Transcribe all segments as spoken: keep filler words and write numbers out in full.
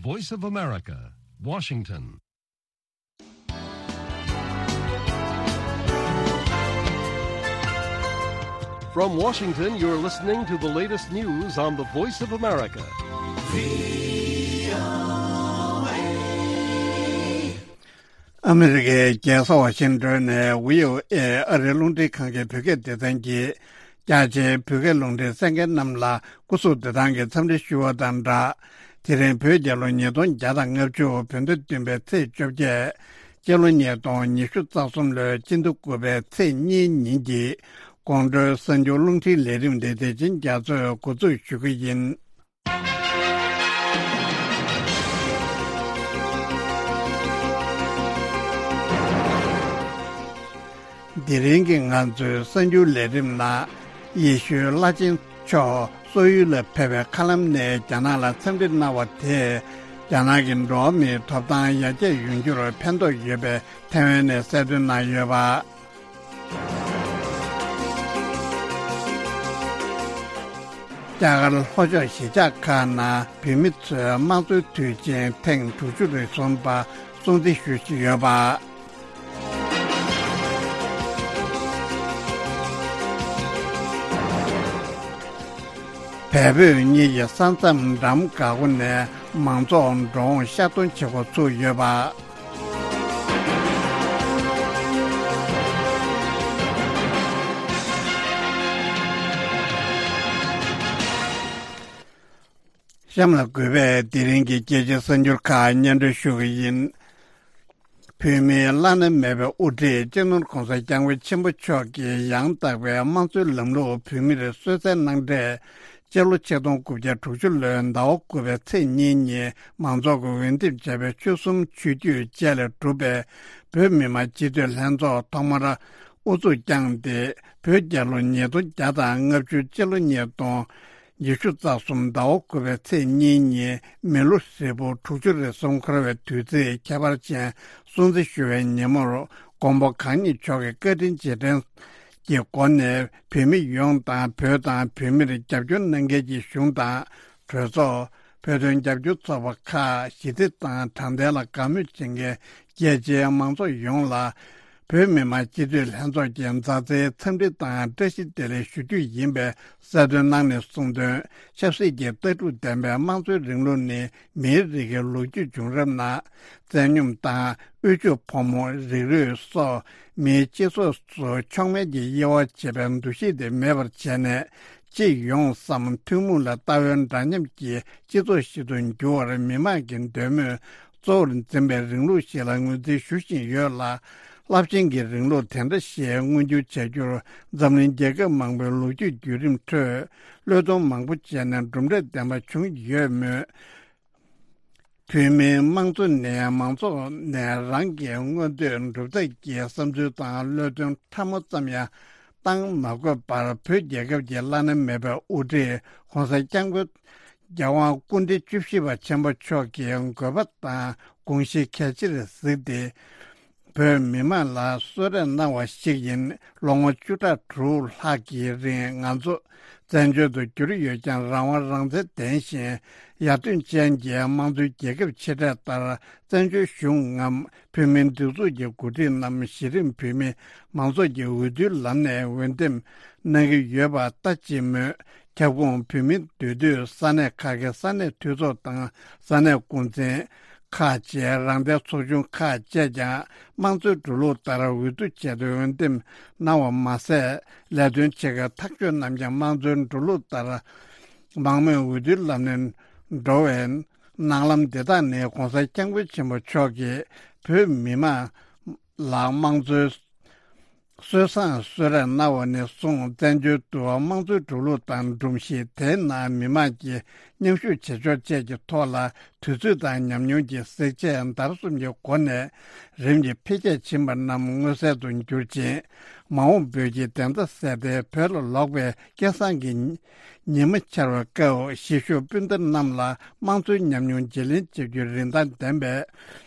Voice of America, Washington. From Washington, you're listening to the latest news on the Voice of America. ཨ་མི་རི་ཀའི་རྒྱལ་ས་ཝ་ཤིང་ཏོན་ནས་བྷི་ཨོ་ཨེ་ཨ་རིའི་རླུང་འཕྲིན་ཁང་གི་བོད་སྐད་སྡེ་ཚན་གྱིས། རྒྱ་ཆེའི་བོད་སྐད་རླུང་འཕྲིན་གསན་མཁན་རྣམས་ལ་སྐུ་གཟུགས་བདེ་ཐང་གི་འཚམས་འདྲི་ཞུ་བ་དང་སྦྲགས། དེ་རིང་བོད་རྒྱལ་ལོ་ཉིས་སྟོང་བརྒྱ་དང་ལྔ་བཅུ་བོད་ཟླ་བདུན་པའི་ཚེས་བཅོ་བརྒྱད། སྤྱི་ལོ་ཉིས་སྟོང་ཉི་ཤུ་རྩ་གསུམ་ལོའི་སྤྱི་ཟླ་དགུ་པའི་ཚེས་གཉིས་ཉིན་གྱི་དགོང་དྲོའི་གསར་འགྱུར་རླུང་འཕྲིན་ལས་རིམ་འདི་བདེ་ཆེན་རྒྱ་མཚོས་འགོ་འཛུགས་ཞུ་གི་ཡིན། དེ་རིང་གི་ང་ཚོའི་གསར་འགྱུར་ལས་རིམ་ནང་། ཡེ་ཤུའི་བླ་ཆེན་མཆོག་སོག་ཡུལ་ལ་ཕེབས་པའི་མཁའ་ལམ་ནས་རྒྱ་ནག་ལ་འཚམས་འདྲི་གནང་བ་དེས། རྒྱ་ནག་གི་འགྲོ་བ་མིའི་ཐོབ་ཐང་ཡར་རྒྱས་ཡོང་རྒྱུར་ཕན་ཐོགས་ཡོད་པའི་ཐེ་ཝན་ནས་གསལ་སྟོན་གནང་ཡོད་པ། རྒྱ་གར་ལྷོ་ཕྱོགས་གཞིས་ཆགས་ཁག་ནང་བོད་མི་ཚོའི་དམངས་གཙོའི་དུས་ཆེན་ཐེངས་དྲུག་ཅུ་རེ་གསུམ་པ་སྲུང་བརྩི་ཞུ་བཞིན་ཡོད་པ། བལ་བོད་གཉིས་ཀྱི་ས་མཚམས་འགྲམ་འགག་སྒོ་ནས་མང་ཚོགས་འགྲོ་འོང་ཤར་གཏོང་བྱེད་འགོ་ཚུགས་ཡོད་པ། གཤམ་ལ་གུས་པས་དེ་རིང་གི་རྒྱལ་སྤྱིའི་གསར་འགྱུར་ཁག་སྙན་སྒྲོན་ཞུ་གི་ཡིན། བོད་མིའི་བླ་ན་མེད་པའི་དབུ་ཁྲིད་སྤྱི་ནོར་༧གོང་ས་༧སྐྱབས་མགོན་ཆེན་པོ་མཆོག་གིས་ཡང་དག་པའི་དམངས་གཙོའི་ལམ་ལུགས་བོད་མིར་གསོལ་སྩལ་གནང་འཕྲལ། སྤྱི་ལོ་ཆིག་སྟོང་དགུ་བརྒྱ་དྲུག་ཅུ་ལོའི་ཟླ་བ་དགུ་པའི་ཚེས་གཉིས་ཉིན་མང་ཚོགས་ཀྱིས་འོས་འདེམས་བྱས་པའི་ཆོལ་གསུམ་ཆོས་བརྒྱུད་བཅས་ལས་གྲུབ་པའི་བོད་མི་མང་སྤྱི་འཐུས་ལྷན་ཚོགས་ཐོག་མར་དབུ་འཛུགས་བསྐྱངས་ཏེ། བོད་རྒྱལ་ལོ་ཉིས་སྟོང་བརྒྱ་དང་ལྔ་བཅུ་སྤྱི་ལོ་ཉིས་སྟོང་ཉི་ཤུ་རྩ་གསུམ་ཟླ་བ་དགུ་པའི་ཚེས་གཉིས་ཉིན་མི་ལོ་ཧྲིལ་པོ་དྲུག་ཅུ་རེ་གསུམ་འཁོར་བའི་དུས་ཚིགས་ཁྱད་པར་ཅན་སྲུང་བརྩི་ཞུ་བའི་ཉིན་མོར། མགོན་པོ་གང་ཉིད་མཆོག་གི་བཀའ་དྲིན་རྗེས་དྲན་གྱི་སྒོ་ནས། བོད་མི་ཡོངས་དང་བོད་དང་བོད་མིར་རྒྱབ་སྐྱོར་གནང་མཁན་གྱི་གཞུང་དང་། གྲོས་ཚོགས། བོད་དོན་རྒྱབ་སྐྱོར་ཚོགས་པ་ཁག་གཞི་རྩའི་ཏང་དྲང་བདེན་ལ་དགའ་མོས་བྱེད་མཁན་རྒྱལ་སྤྱིའི་མང་ཚོགས་ཡོངས་ལ། བོད་མི་མང་སྤྱི་འཐུས་ལྷན་ཚོགས་ཀྱི་མཛའ་བརྩེའི་འཚམས་འདྲི་དང་བཀྲ་ཤིས་བདེ་ལེགས་ཞུ་རྒྱུ་ཡིན་པའི་གསལ་སྟོན་གནང་ནས་གསུངས་དོན། ཆབ་སྲིད་ཀྱི་ལྟ་གྲུབ་ལྡན་པའི་དམངས་གཙོའི་རིང་ལུགས་ནི་མིའི་རིགས་ཀྱི་ལོ་རྒྱུས་བྱུང་རབས་ནང་བཙན་སྙོམས་དང་དབུལ་ཕྱུག་ཕོ་མོ་རིགས་རུས་སོགས་མིའི་སྤྱི་ཚོགས་སུ་མཆོག་དམན་གྱི་དབྱེ་བ་འབྱེད་པའི་འདུ་ཤེས་དེ་མེད་པར་བྱས་ནས། སྤྱི་ཡོངས་སམ་ཐུན་མོང་ལ་ལྟ་བའི་འདྲ་མཉམ་གྱི་སྤྱི་ཚོགས་ཤིག་ཏུ་འགྱུར་བར་མི་དམངས་ཀྱི་འདོད་མོས་གཙོ་བོར་འཛིན་པའི་རིང་ལུགས་ཤིག་ལ་ངོས་འཛིན་ཞུ་བཞིན་ཡོད་ལ། རླབས་ཆེན་གྱི་རིང་ལུགས་དེ་འདྲ་ཞིག་མངོན་འགྱུར་བྱ་རྒྱུར་འཛམ་གླིང་རྒྱལ་ཁབ་མང་པོའི་ལོ་རྒྱུས་བརྒྱུད་རིམ་ཁྲོད་བློས་གཏོང་མང་པོ་བྱས་ནས་གྲུབ་འབྲས་ལྡན་པ་བྱུང་ཡོད་མོད། བོད་མིའི་དམངས་གཙོ་ནས་མང་ཚོགས་ནས་རང་གི་མངོན་འདོད་འགྲུབ་ཐབས་ཀྱི་བསམ་ཚུལ་དང་བློས་གཏོང་ཕྲ་མོ་ཙམ་ཡང་བཏང་མ་དགོས་པར། བོད་རྒྱལ་ཁབ་ཀྱི་བླ་ན་མེད་པའི་དབུ་ཁྲིད་༧གོང་ས་༧སྐྱབས་མགོན་རྒྱལ་དབང་སྐུ་ཕྲེང་བཅུ་བཞི་པ་ཆེན་པོ་མཆོག་གིས་དགོས་པ་དང་དགོངས་གཞི་གལ་ཆེར་གཟིགས་ཏེ། བོད་མི་མང་ལ་གསོལ་རས་གནང་བ་ཞིག་ཡིན། ལོ་ངོ་བཅུ་ཕྲག་དྲུག་ལྷག་གི་རིང་ང་ཚོ་བཙན་བྱོལ་དུ་གྱུར་ཡོད་ཀྱང་། རང་དབང་རང་བཙན་ལྡན་ཞིང་ཡར་ཐོན་ཅན་གྱི་དམངས་གཙོའི་རྒྱལ་ཁབ་ཆེ་གྲས་ལྟར། བཙན་བྱོལ་གཞུང་ངམ་བོད་མིའི་སྒྲིག་འཛུགས་ཀྱི་འགོ་ཁྲིད་རྣམས་གཞི་རིམ་བོད་མི་མང་ཚོགས་ཀྱི་འོས་བསྡུའི་ལམ་ནས་འོས་འདེམས་གནང་གི་ཡོད་པ་ལྟ་ཅི་སྨོས། ཁྱབ་ཁོངས་བོད་མིའི་འདུས་སྡོད་ས་གནས་ཁག་གི་ས་གནས་འཐུས་ཚོགས་དང་ས་གནས་འགོ་འཛིན་ཁག་བཅས། རང་བདེན་ཚོགས་ཆུང་ཁག་བཅས་ཀྱང་དམངས་གཙོའི་འགྲོ་ལུགས་ལྟར་འོས་བསྡུ་བྱས་ཏེ་འོས་འདེམས་གནང་བ་མ་ཟད། ལས་དོན་བྱེད་མཁན་ཐག་གཅོད་རྣམས་ཀྱང་དམངས་གཙོའི་འགྲོ་ལུགས་ལྟར་མང་མོས་འོས་བསྡུའི་ལམ་ནས་འགྲོ་བའི་སྣང་ལམ་འདི་དག་ནི་༧གོང་ས་༧སྐྱབས་མགོན་ཆེན་པོ་མཆོག་གིས་བོད་མི་མང་ལ་དམངས་གཙོའི་སྲོལ་བཟང་གསོལ་རས་གནང་བ་ནས་བཟུང་། བཙན་བྱོལ་དུ་དམངས་གཙོའི་འགྲོ་ལུགས་དང་སྒྲོམ་གཞི་དེའི་ནང་མི་མང་གིས་མཉམ་ཞུགས་བྱེད་ཕྱོགས་བཅས་ཀྱི་ཐོག་ལ་དུས་ཚོད་དང་ཉམས་མྱོང་གི་གཟི་བརྗིད་བརྡར་གསུམ་གྱི་སྒོ་ནས་རིམ་གྱིས་འཕེལ་རྒྱས་ཕྱིན་པ་རྣམས་མངོན་གསལ་དུ་གྱུར་ཅིང་། མ་འོངས་བོད་ཀྱི་བདེན་མཐའ་གསལ་ཏེ། བོད་ལ་ལོག་པའི་སྐལ་བཟང་གི་ཉི་མ་འཆར་བའི་སྐབས། གཞིས་བཞུགས་སྤུན་ཟླ་རྣམས་ལ་དམངས་གཙོའི་ཉམས་མྱོང་བརྗེ་ལེན་བྱེད་རྒྱུའི་རིན་ཐང་ལྡན་པའི་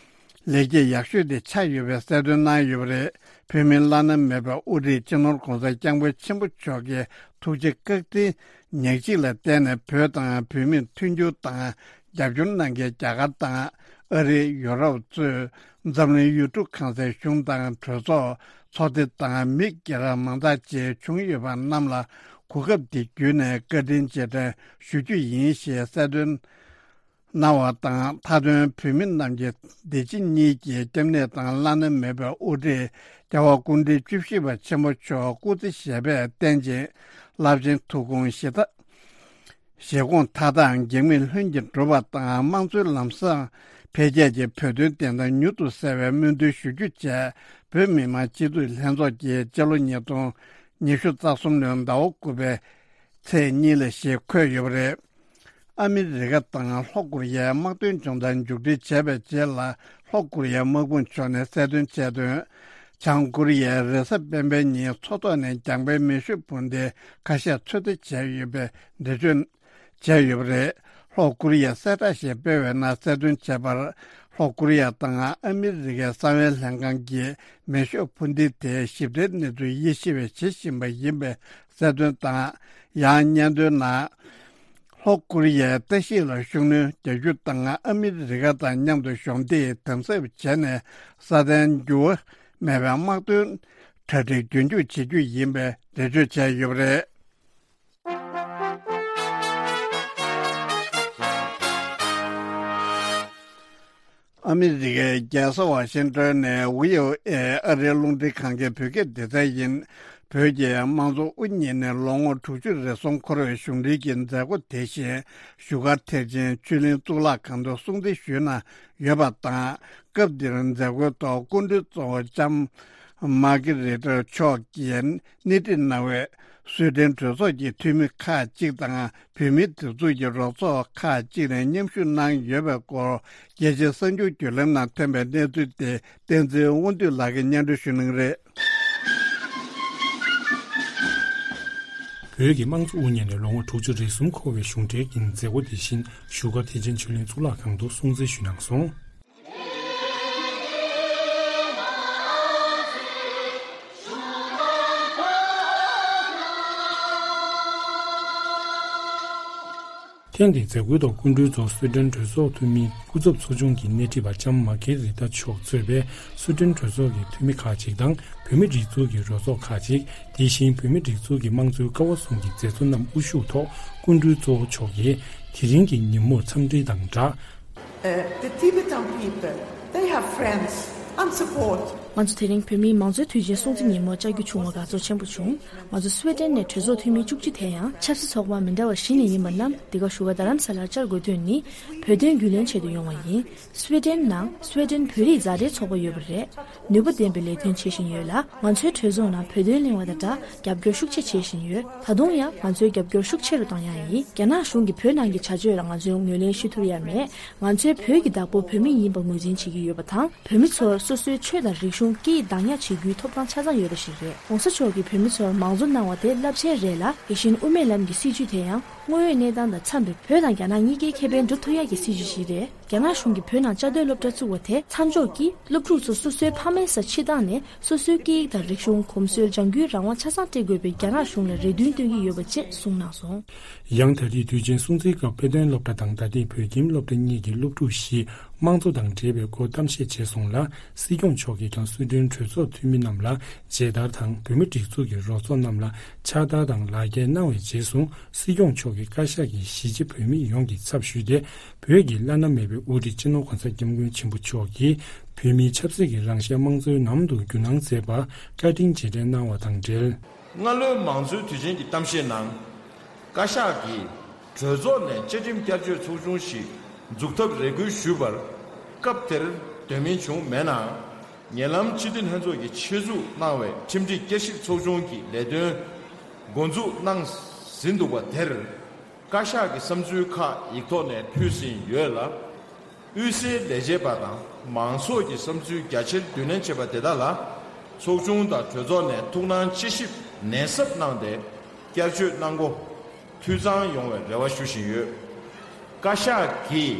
ལེགས་སྐྱེས་ཡག་ཤོས་དེ་ཆགས་ཡོད་པའི་གསལ་སྟོན་གནང་ཡོད་པ་རེད། བོད་མིའི་བླ་ན་མེད་པའི་དབུ་ཁྲིད་སྤྱི་ནོར་༧གོང་ས་༧སྐྱབས་མགོན་ཆེན་པོ་མཆོག་གི་ཐུགས་རྗེ་བཀའ་དྲིན་ཉག་གཅིག་ལ་བརྟེན་ནས། བོད་དང་བོད་མིར་མཐུན་འགྱུར་དང་ རྒྱབ་སྐྱོར་གནང་མཁན་རྒྱ་གར་དང་ཨ་རི། ཡུ་རོབ་གཙོས་འཛམ་གླིང་ཡུལ་གྲུ་གང་སའི་གཞུང་དང་གྲོས་ཚོགས། ཚོགས་སྡེ་དང་མི་སྒེར་མང་དག་བཅས་བྱུང་ཡོད་པ་རྣམས་ལ་གོ་སྐབས་འདི་བརྒྱུད་ནས་བཀའ་དྲིན་རྗེས་དྲན་ཞུ་རྒྱུ་ཡིན་ཞེས་གསལ་སྟོན་གནང་བ་དང་། མཐའ་དོན་བོད་མི་རྣམས་ཀྱི་བདེ་སྐྱིད་གཉིས་ཀྱི་སྐྱབས་གནས་དང་བླ་ན་མེད་པའི་དབུ་ཁྲིད་རྒྱལ་བ་སྐུ་ཕྲེང་བཅུ་བཞི་པ་ཆེན་པོ་མཆོག་སྐུ་ཚེ་ཞབས་པད་བརྟན་ཅིང་རླབས་ཆེན་ཐུགས་དགོངས་བཞེས་ཐབས། བཞེད་དགོངས་མཐའ་དག་གེགས་མེད་ལྷུན་གྱིས་འགྲུབ་པ་དང་། དམངས་གཙོའི་ལམ་བཟང་འཕེལ་རྒྱས་ཀྱི་བོད་དོན་བདེན་མཐའ་མྱུར་དུ་གསལ་བའི་སྨོན་འདུན་ཞུ་རྒྱུ་བཅས། བོད་མི་མང་སྤྱི་འཐུས་ལྷན་ཚོགས་ཀྱིས་སྤྱི་ལོ་ཉིས་སྟོང་ཉི་ཤུ་རྩ་གསུམ་ལོའི་ཟླ་བ་དགུ་པའི་ཚེས་གཉིས་ལ་ཞེས་འཁོད་ཡོད་པ་རེད། ཨ་མི་རི་ཀ་དང་ལྷོ་ཀོ་རི་ཡའི་དམག་དོན་སྦྱོང་བརྡར་མཇུག་སྒྲིལ་བྱས་པའི་རྗེས་ལ། ལྷོ་ཀོ་རི་ཡའི་དམག་དཔུང་མཆོག་ནས་གསལ་སྟོན་བྱས་དོན། བྱང་ཀོ་རི་ཡས་རེས་གཟའ་སྤེན་པའི་ཉིན་མཚོ་ཐོག་ནས་རྒྱང་འཕེན་མེ་ཤུགས་འཕུར་མདེལ་ཁ་ཤས་ཚོད་ལྟ་བྱས་ཡོད་པའི་འགྲེལ་བརྗོད་བྱས་ཡོད་པ་རེད། ལྷོ་ཀོ་རི་ཡས་གསལ་བསྒྲགས་ཤིག་སྤེལ་བའི་ནང་གསལ་སྟོན་བྱས་པར། ལྷོ་ཀོ་རི་ཡ་དང་ཨ་མི་རི་ཀའི་གསང་བའི་ལྷན་ཁང་གིས་མེ་ཤུགས་འཕུར་མདེལ་དེའི་ཞིབ་ཕྲའི་གནས་ཚུལ་དབྱེ་ཞིབ་བྱེད་བཞིན་པ་ཡིན་པའི་གསལ་སྟོན་དང་། ཡང་སྙན་ཐོའི་ནང་། ལྷོ་ཀོ་རི་ཡའི་ལྟ་ཞིབ་ལ་ཤུགས་སྣོན་རྒྱག་རྒྱུ་དང་། ཨ་མི་རི་ཀ་དང་མཉམ་དུ་གཞོགས་འདེགས་དམ་ཟབ་བྱས་ནས་སྲ་བརྟན་འགྱུར་བ་མེད་པའི་དམག་དོན་གྲ་སྒྲིག་རྒྱུན་འཁྱོངས་བྱེད་རྒྱུ་ཡིན་པའི་འགྲེལ་བརྗོད་བྱས་ཡོད་པ་རེད། ཨ་མི་རི་ཀའི་རྒྱལ་ས་ཝ་ཤིང་ཏོན་ནས་བྷི་ཨོ་ཨེ་ཨ་རིའི་རླུང་འཕྲིན་ཁང་གི་བོད་སྐད་སྡེ་ཚན་ཡིན། བོད་ཀྱི་དམངས་གཙོ་དབུ་བརྙེས་ནས་ལོ་ངོ་དྲུག་ཅུ་རེ་ཟུང་འཁོར་བའི་གཞུང་འབྲེལ་གྱི་མཛད་སྒོ་དེ་བཞིན་བཞུགས་སྒར་ཐེག་ཆེན་ཆོས་གླིང་གཙུག་ལག་ཁང་དུ་སྲུང་བརྩི་ཞུས་གནང་ཡོད་པ་དང་། སྐབས་འདིར་མཛད་སྒོའི་ཐོག་སྐུ་མགྲོན་གཙོ་བོ་ལྕམ་མཱ་ཀི་རི་ཏར་མཆོག་གིས་སྣེ་ཁྲིད་གནང་བའི་སུའེ་ཏེན་གྲོས་ཚོགས་ཀྱི་འཐུས་མི་ཁག་ཅིག་དང་། བོད་མིའི་སྒྲིག་འཛུགས་ཀྱི་རོགས་ཚོགས་ཁག་ཅིག་ནས་མཉམ་ཞུགས་གནང་ཡོད་པའི་སྐོར། རྒྱལ་སྤྱིའི་གསར་འགྱུར་བརྒྱུད་ལམ་ནང་ཐོན་པའི་གནས་ཚུལ་དེ་བསྟན་འཛིན་དབང་འདུས་ལགས་ཀྱིས་སྙན་སྒྲོན་ཞུ་གནང་གི་རེད། བོད་ཀྱི་དམངས་གཙོ་དབུ་བརྙེས་ནས་ལོ་ངོ་དྲུག་ཅུ་རེ་གསུམ་འཁོར་བའི་གཞུང་འབྲེལ་གྱི་མཛད་སྒོ་དེ་བཞིན་བཞུགས་སྒར་ཐེག་ཆེན་ཆོས་གླིང་གཙུག་ལག་ཁང་དུ་སྲུང་བརྩི་ཞུས་གནང་སོང་། ཐེངས་འདིའི་མཛད་སྒོའི་ཐོག་སྐུ་མགྲོན་གཙོ་སུའེ་ཏེན་གྲོས་ཚོགས་འཐུས་མི་སྐུ་ཚབ་ཚོགས་ཆུང་གི་སྣེ་ཁྲིད་པ་ལྕམ་མཱ་ཀེ་རི་ཏ་མཆོག་གཙོས་པའི་སུའེ་ཏེན་གྲོས་ཚོགས་ཀྱི་འཐུས་མི་ཁག་ཅིག་དང་། བོད་མིའི་སྒྲིག་འཛུགས་ཀྱི་རོགས་ཚོགས་ཁག་ཅིག་དེ་བཞིན་བོད་མིའི་སྒྲིག་འཛུགས་ཀྱི་དམངས་གཙོའི་ཀ་བ་གསུམ་གྱི་མཛད་གཙོ་རྣམས་དབུ་བཞུགས་ཐོག་སྐུ་མགྲོན་གཙོ་བོ་མཆོག་གིས་དེ་རིང་གི་ཉིན་མོར་འཚམས་འདྲི་དང་སྦྲགས། Uh, the Tibetan people, they have friends and support. ང་ཚོ་དེ་རིང་བོད་མིའི་མང་གཙོའི་དུས་ཆེན་སྲུང་བརྩི་ཉིན་མོར་བཅར་རྒྱུ་བྱུང་བར་དགའ་ཚོར་ཆེན་པོ་བྱུང་། ང་ཚོ་སུའེ་ཏེན་ནས་གྲོས་ཚོགས་འཐུས་མི་བཅུ་གཅིག་དེ་ཡང་ཆབ་སྲིད་ཚོགས་པ་མི་འདྲ་བ་བཞི་ནས་ཡིན་པ་རྣམས་འདི་ག་བཞུགས་སྒར་རྡ་རམ་ས་ལར་བཅར་དགོས་དོན་ནི། བོད་དོན་རྒྱུས་ལོན་ཆེད་དུ་ཡོང་བ་ཡིན། སུའེ་ཏེན་ནང་སུའེ་ཏེན་བོད་རིགས་མཛའ་འབྲེལ་ཚོགས་པ་ཡོད་པ་རེད། ནུས་པ་ལྡན་པའི་ལས་དོན་བྱེད་བཞིན་ཡོད་ལ། ང་ཚོའི་གྲོས་ཚོགས་ནང་བོད་དོན་གླེང་བ་དང་སྦྲགས་རྒྱབ་སྐྱོར་ཤུགས་ཆེ་བྱེད་བཞིན་ཡོད། ད་དུང་ཡང་ང་ཚོའི་རྒྱབ་སྐྱོར་ཤུགས་ཆེ་རུ་གཏོང་ཡ་ཡིན། རྒྱ་ནག་གཞུང་གིས་བོད་ནང་གི་བྱ་སྤྱོད་ལ་ང་ཚོས་ངོས་ལེན་ཞུ་ཐུབ་ཡ་མེད། ང་ཚོའི་བོད་ཀྱི་བདག་པོ་བོད་མི་ཡིན་པ་ངོས་འཛིན་བྱེད་ཀྱི་ཡོད་པ་དང་། བོད་མི་ཚོར་སོ་སོའི་ཆོས་དང་རིག་གཞུང་སྐད་ཡིག་བདག་ཉར་བྱེད་རྒྱུའི་ཐོབ་ཐང་ཆ་ཚང་ཡོད་པ་ཞིག་རེད། ྋགོང་ས་མཆོག་གིས་བོད་མི་ཚོར་མང་གཙོ་གནང་བ་དེ་རླབས་ཆེན་རེད་ལ། དེ་བཞིན་དབུ་མའི་ལམ་གྱི་སྲིད་བྱུས་དེ་ཡང་དངོས་ཡོད་གནས་སྟངས་དང་འཚམས་པའི་བོད་དང་རྒྱ་ནག་གཉིས་ཀའི་ཁེ་ཕན་སྒྲུབ་ཐུབ་ཡག་གི་སྲིད་བྱུས་ཤིག་རེད། རྒྱ་ནག་གཞུང་གིས་བོད་ནང་བཅའ་སྡོད་སློབ་གྲྭ་བཙུགས་པ་དེ་མཚམས་འཇོག་གིས། སློབ་ཕྲུག་ཚོ་སོ་སོའི་ཕ་མའི་སར་ཕྱིར་བཏང་ནས། སོ་སོའི་སྐད་ཡིག་དང་རིག་གཞུང་། གོམས་སྲོལ། ལྗང་གུའི་རང་དབང་ཆ་ཚང་སྤྲད་དགོས་པའི་རྒྱ་ནག་གཞུང་ལ་རེ་འདུན་བཏོན་གྱི་ཡོད་པ་བཅས་གསུངས་གནང་སོང་། ཡང་ད་རེས་དུས་ཆེན་སྲུང་བརྩིའི་སྐབས་དཔེ་སྟོན་སློབ་གྲྭ་དང་ད་ཐེངས་བོད་ཁྱིམ་སློབ་གྲྭ་གཉིས་ཀྱི་སློབ་ཕྲུག་བཞིས་དམངས་གཙོ་དང་འབྲེལ་བའི་སྐོར་གཏམ་བཤད་བྱས་སོང་ལ། སྲིད་སྐྱོང་མཆོག་གིས་ཀྱང་སུའེ་ཏེན་གྲོས་ཚོགས་འཐུས་མི་རྣམས་ལ་མཇལ་དར་དང་། བོད་མིའི་སྒྲིག་འཛུགས་ཀྱི་རོགས་ཚོགས་རྣམས་ལ་ཕྱག་དར་དང་ལག་འཁྱེར་གནང་བའི་རྗེས་སུ། སྲིད་སྐྱོང་མཆོག་གིས་བཀའ་ཤག་གིས་གཞིས་བྱེས་བོད་མི་ཡོངས་ཀྱི་ཚབ་ཞུས་ཏེ། བོད་ཀྱི་བླ་ན་མེད་པའི་དབུ་ཁྲིད་སྤྱི་ནོར་གོང་ས་སྐྱབས་མགོན་ཆེན་པོ་མཆོག་གིས་བོད་མིའི་ཆབ་སྲིད་ཀྱི་རང་ཤན་དམངས་གཙོའི་ནང་དུ་རྒྱུན་གནང་མཛད་པར་བཀའ་དྲིན་རྗེས་དྲན་གནང་བ་དང་འབྲེལ། སྔ་ལོའི་མང་གཙོའི་དུས་ཆེན་གྱི་གཏམ་བཤད་ནང་། བཀའ་ཤག་གིས་གྲོས་ཚོགས་ནས་བཅའ་ཁྲིམས་བསྐྱར་བཅོས་ཚོགས་ཆུང་ཞིག་འཛུགས་ཐབས་རེ་སྐུལ་ཞུས་པར། སྐབས་དེར་དོན་སྨིན་བྱུང་མེད་ནའང་། ཉེ་ལམ་སྤྱི་འཐུས་ལྷན་ཚོགས་ཀྱིས་ཆེད་འཛུགས་གནང་བའི་ཁྲིམས་སྒྲིག་བསྐྱར་ཞིབ་ཚོགས་ཆུང་གི་ལས་དོན་འགོ་འཛུགས་གནང་ཟིན་འདུག་པ་དེར། བཀའ་ཤག་གི་བསམ་ཚུལ་ཁག་ཡིག་ཐོག་ནས་ཕུལ་ཟིན་ཡོད་ལ། དབུས་སའི་ལས་བྱེད་པ་དང་མང་ཚོགས་ཀྱི་བསམ་ཚུལ་རྒྱ་ཆེར་བསྡུ་ལེན་བྱས་པ་དེ་དག་ལ། ཚོགས་ཆུང་དང་གྲོས་ཚོགས་ནས་ཐུགས་སྣང་དཔྱད་ཞིབ་ནན་ཟབ་གནང་སྟེ། བསྐྱར་བཅོས་གནང་སྒོ་འཐུས་ཚང་ཡོང་བའི་རེ་བ་ཞུ་བཞིན་ཡོད། བཀའ་ཤག་གིས་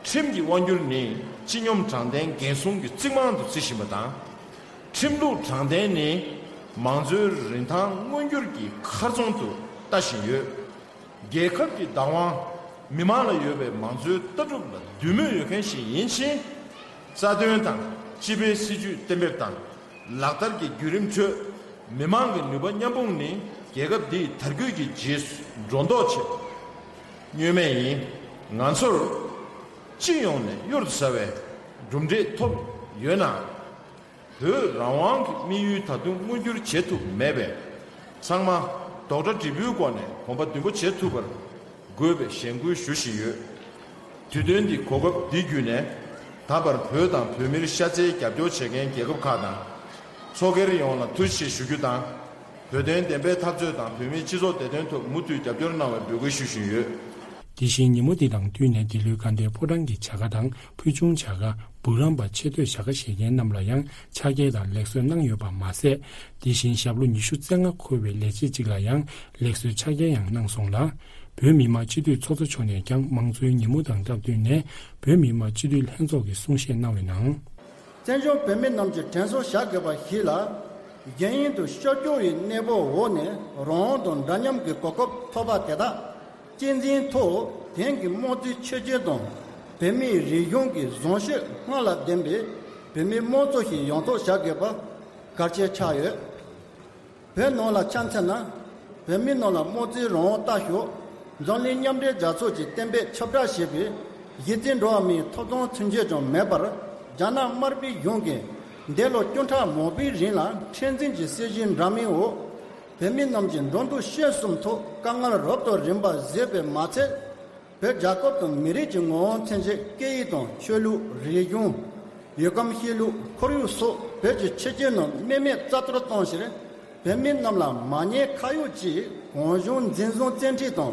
ཁྲིམས་ཀྱི་དབང་སྒྱུར་ནི་སྤྱི་སྙོམས་དྲང་བདེན་འགན་སྲུང་གི་རྩིག་རྨང་དུ་བརྩི་བཞིན་པ་དང་། ཁྲིམས་ལུགས་དྲང་བདེན་ནི་མང་གཙོའི་རིན་ཐང་མངོན་འགྱུར་གྱི་མཁར་རྫོང་དུ་ལྟ་བཞིན་ཡོད། རྒྱལ་ཁབ་ཀྱི་བདག་དབང་ མི་མང་ལ་ཡོད་པའི་མང་གཙོའི་ལྟ་གྲུབ་ལ་འདུས་མོས་ཡོད་མཁན་ཞིག་ཡིན་ཕྱིན། རྩ་དོན་དང་སྤྱི་པའི་སྲིད་ཇུས་གཏན་འབེབས་དང་ལག་བསྟར་གྱི་བརྒྱུད་རིམ་ཁྲོད། མི་མང་གི་ནུས་པ་མཉམ་སྤུངས་ནི་རྒྱལ་ཁབ་འདིའི་དར་རྒུད་ཀྱི་རྗེས་སུ་འགྲོ་མདོག་བྱེད། བསྙོན་མེད་ཡིན། ང་ཚོར་སྤྱི་ཡོངས་ནས་གཡུར་དུ་ཟ་བའི་གྲུབ་འབྲས་ཐོབ་ཡོད་ན། བོད་རང་དབང་གི་དམིགས་ཡུལ་ད་དུང་མངོན་འགྱུར་བྱེད་ཐུབ་མེད་པས། ཚང་མ་རྡོག་སྒྲ་འབྲས་བུའི་སྒོ་ནས་གོམ་པ་མདུན་སྤོ་བྱེད་ཐུབ་པར་དགོས་པའི་ཞེན་སྐུལ་ཞུ་བཞིན་ཡོད། དུས་སྟོན་འདི་གོ་སྐབས་འདི་བརྒྱུད་ནས། ད་བར་བོད་དང་བོད་མིར་ཤ་ཚའི་རྒྱབ་སྐྱོར་བྱེད་མཁན་རྒྱལ་ཁབ་ཁག་དང་། ཚོགས་སྒེར་ཡོངས་ལ་ཐུགས་རྗེ་ཆེ་ཞུ་རྒྱུ་དང་། བོད་དོན་བདེན་པའི་འཐབ་རྩོད་དང་བོད་མིའི་སྤྱི་ཚོགས་བདེ་དོན་ཐོག་མུ་མཐུད་རྒྱབ་སྐྱོར་གནང་བའི་འབོད་སྐུལ་ཞུ་བཞིན་ཡོད། དེ་བཞིན་ཉིན་མོ་འདི་དང་བསྟུན་ནས་འདི་ལོའི་དགའ་ལྡན་ཕོ་བྲང་གི་བྱ་དགའ་དང་ཕུལ་བྱུང་བྱ་དགའ། འབུམ་རམས་པ་ཆེ་བསྟོད་བྱ་དགའ་བཞེས་མཁན་རྣམས་ལ་ཡང་ཕྱག་འཁྱེར་དང་ལེགས་གསོལ་གནང་ཡོད་པ་མ་ཟད། དེ་བཞིན་ཞབས་ལོ་ཉི་ཤུ་རྩ་ལྔ་འཁོར་བའི་ལས་བྱེད་ཅིག་ལ་ཡང་ལེགས་གསོལ་ཕྱག་འཁྱེར་ཡང་གནང་སོང་ལ། བོད་མི་མང་སྤྱི་འཐུས་ཚོགས་གཙོ་མཆོག་ནས་ཀྱང་མང་གཙོའི་ཉིན་མོ་དང་སྟབས་བསྟུན་ནས་བོད་མི་མང་སྤྱི་འཐུས་ལྷན་ཚོགས་ཀྱི་གསུང་བཤད་གནང་བའི་ནང་། བཙན་བྱོལ་བོད་མི་རྣམས་ཀྱིས་དྲན་གསོ་བྱ་དགོས་པ་ཞིག་ལ། གཞན་ཡུལ་དུ་ཤོར་སྐྱོ་བའི་གནས་བབ་འོག་ནས་རང་དབང་དང་འདྲ་མཉམ་གྱི་གོ་སྐབས་ཐོབ་པ་དེ་དག་གཅེས་འཛིན་ཐོག་དེང་གི་དམངས་གཙོའི་ཆོས་བརྒྱུད་དང་བོད་མིའི་རིག་གཞུང་གི་བཟང་སྤྱོད་སྔར་ལས་ལྡན་པའི་བོད་མིའི་དམངས་གཙོ་ཞིག་ཡོང་ཐབས་བྱ་དགོས་པ་གལ་ཆེ་ཆགས་ཡོད། བོད་ནང་ལ་ཆ་མཚོན་ན། བོད་མི་རྣམས་ལ་དམངས་གཙོའི་རང་དབང་ལྟ་ཞོག་འཛམ་གླིང་མཉམ་འབྲེལ་རྒྱལ་ཚོགས་ཀྱིས་གཏན་འབེབས་ཁྱབ་བསྒྲགས་བྱས་པའི་གཞི་རྩའི་འགྲོ་བ་མིའི་ཐོབ་ཐང་ཚུན་ཆད་ཀྱང་མེད་པར། རྒྱ་ནག་དམར་པོའི་གཞུང་གིས་འདས་ལོ་བཅུ་ཕྲག་མང་པོའི་རིང་ལ་མཁྲེགས་འཛིན་གྱི་སྲིད་བྱུས་འདྲ་མིན་འོག་བོད་མི་རྣམས་ཀྱི་འགྲོ་འདུག་སྤྱོད་གསུམ་ཐོག་དཀའ་ངལ་རབ་དང་རིམ་པ་བཟོས་པས་མ་ཚད། བོད་རྒྱལ་ཁབ་དང་མི་རིགས་ཀྱི་ངོ་བོ་མཚོན་ཆེད་སྐད་ཡིག་དང་ཆོས་ལུགས། རིག་གཞུང་། ཡུལ་ཁམས་ཤེས་ལུགས། ཁོར་ཡུག་སོགས་བོད་ཀྱི་ཆོས་བརྒྱུད་རྣམས་རྨེག་མེད་རྩ་གཏོར་བཏང་ཕྱིར། བོད་མི་རྣམས་ལ་མ་ཉེས་ཁ་གཡོགས་ཀྱིས་གང་བྱུང་འཛིན་བཟུང་བཙན་ཁྲིད་དང་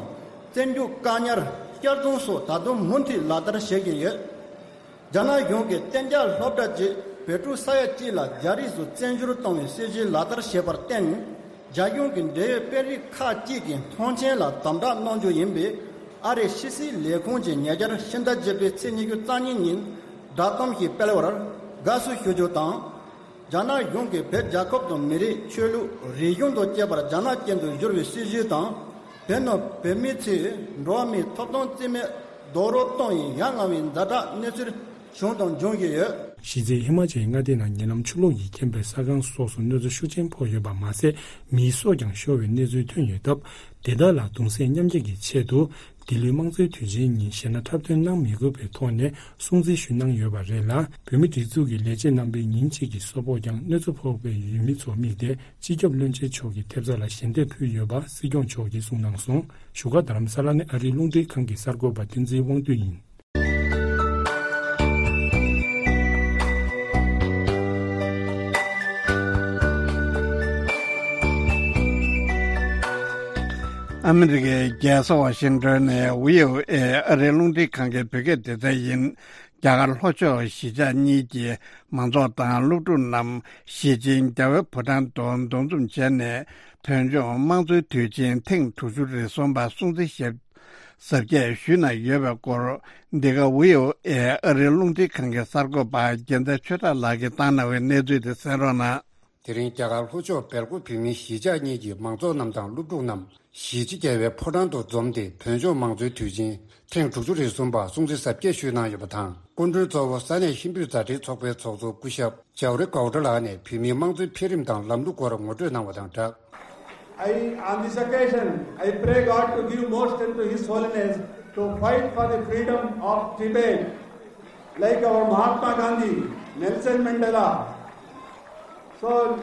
བཙོན་འཇུག་བཀག་ཉར། གཅར་རྡུང་སོགས་ད་དུང་མུ་མཐུད་ལག་བསྟར་བྱེད་བཞིན་ཡོད། རྒྱ་ནག་གཞུང་གིས་གཏན་འཇགས་སློབ་གྲྭ་བཅས་བོད་ཕྲུག་ས་ཡ་གཅིག་ལ་རྒྱ་རིགས་སུ་བཙན་བྱོལ་གཏོང་བའི་སྲིད་བྱུས་ལག་བསྟར་བྱས་པར་བརྟེན། རྒྱ་གཞུང་གི་འབྲེལ་ཡོད་དཔོན་རིགས་ཁག་ཅིག་གིས་མཐོང་མཆན་ལ་དམ་དྲག་གནང་རྒྱུ་ཡིན་པའི་ཨ་རིའི་ཕྱི་སྲིད་ལས་ཁུངས་ཀྱིས་ཉེ་ཆར་ཕྱི་ཟླ་བརྒྱད་པའི་ཚེས་ཉི་ཤུ་རྩ་གཉིས་ཉིན་བསྒྲགས་གཏམ་ཞིག་སྤེལ་བར་དགའ་བསུ་ཞུ་རྒྱུ་དང་། རྒྱ་ནག་གཞུང་གིས་བོད་རྒྱལ་ཁབ་དང་མི་རིགས། ཆོས་ལུགས། རིག་གཞུང་དང་བཅས་པར་རྒྱ་ནག་ཅན་དུ་བསྒྱུར་བའི་སྲིད་བྱུས་དང་། བོད་ནང་བོད་མིའི་ཆེད་འགྲོ་བ་མིའི་ཐོབ་ཐང་རྩིས་མེད་རྡོག་རོལ་གཏོང་བའི་ཡ་ང་བའི་ཛ་དྲག་གནས་ཚུལ་བྱུང་དང་འབྱུང་བཞིན་ཡོད། གཞི་རྩའི་ཧི་མ་ཅལ་མངའ་སྡེ་ནང་ཉེ་ལམ་ཆུ་ལོག་གིས་ཁེངས་པའི་ས་ཁང་སོགས་སུ་གནོད་འཚེ་ཤུགས་ཆེན་ཕོག་ཡོད་པ་མ་ཟད། མིའི་སྲོག་ཀྱང་ཤོར་བའི་གནས་ཚུལ་ཐོན་ཡོད་སྟབས། དེ་དག་ལ་གདུང་སེམས་མཉམ་སྐྱེད་ཀྱི་ཆེད་དུ། འདི་ལོའི་དམངས་གཙོའི་དུས་ཆེན་ཉིན་གཞས་སྣ་འཁྲབ་སྟོན་གནང་མི་དགོས་པའི་ཐོག་ནས་སྲུང་བརྩི་ཞུ་གནང་ཡོད་པ་རེད་ལ། བོད་མིའི་སྒྲིག་འཛུགས་ཀྱི་ལས་བྱེད་རྣམ་པའི་ཉིན་གཅིག་གི་གསོལ་ཕོགས་ཀྱང་གནོད་འཚེ་ཕོག་པའི་ཡུལ་མི་ཚོ་དམིགས་ཏེ། སྤྱི་ཁྱབ་བློན་ཆེན་མཆོག་གི་ཐེབས་རྩ་ལ་ཞལ་འདེབས་ཕུལ་ཡོད་པ་སྲིད་སྐྱོང་མཆོག་གིས་གསུངས་གནང་སོང་། བཞུགས་སྒར་རྡ་རམ་ས་ལ་ནས་ཨ་རིའི་རླུང་འཕྲིན་ཁང་གི་གསར་འགོད་པ་བསྟན་འཛིན་དབང་འདུས་ཡིན། ཨ་མི་རི་ཀའི་རྒྱལ་ས་ཝ་ཤིང་ཏོན་ནས་བྷི་ཨོ་ཨེ་ཨ་རིའི་རླུང་འཕྲིན་ཁང་གི་བོད་སྐད་སྡེ་ཚན་ཡིན། རྒྱ་གར་ལྷོ་ཕྱོགས་གཞིས་ཆགས་གཉིས་ཀྱི་མང་ཚོགས་དང་སློབ་ཕྲུག་རྣམས་ཞི་ཆེན་རྒྱལ་བའི་ཕོ་བྲང་དུ་འདུ་འཛོམས་བྱས་ནས། བོད་ལྗོངས་དམངས་གཙོའི་དུས་ཆེན་ཐེངས་དྲུག་ཅུ་རེ་གསུམ་པ་སྲུང་བརྩི་ཞབས་གཟབ་རྒྱས་ཞུས་གནང་ཡོད་པའི་སྐོར། འདི་ག་བྷི་ཨོ་ཨེ་ཨ་རིའི་རླུང་འཕྲིན་ཁང་གི་གསར་འགོད་པ་རྒྱལ་མཚན་ཆོས་གྲགས་ལགས་ཀྱིས་བཏང་གནང་བའི་གནས་ཚུལ་དེ་གསན་རོགས་གནང་། དེ་རིང་རྒྱ་གར་ལྷོ་ཕྱོགས་སྦེལ་ཀོབ་བོད་མིའི་གཞིས་ཆགས་གཉིས་ཀྱི་མང་ཚོགས་རྣམས་དང་སློབ་ཕྲུག་རྣམས་གཞིས་བྱེས་རྒྱལ་བའི་ཕོ་བྲང་དུ་འཛོམས་ཏེ། བོད་ལྗོངས་དམངས་གཙོའི་དུས་ཆེན་ཐེངས་དྲུག་ཅུ་རེ་གསུམ་པ་སྲུང་བརྩི་གཟབ་རྒྱས་ཞུས་གནང་ཡོད་པ་དང་། སྐུ་མགྲོན་གཙོ་བོ་ས་གནས་ཧིན་བོད་མཛའ་འབྲེལ་ཚོགས་པའི་ཚོགས་གཙོ་སྐུ་ཞབས་ཇའོ་རི་གའོ་ཌ་ལགས་ནས་བོད་མིའི་དམངས་གཙོའི་འཕེལ་རིམ་དང་ལམ་ལུགས་སྐོར་ངོ་སྤྲོད་གནང་བ་དང་སྦྲགས། I, on this occasion, I pray God to give more strength to His Holiness to fight for the freedom of Tibet, like our Mahatma Gandhi, Nelson Mandela. So,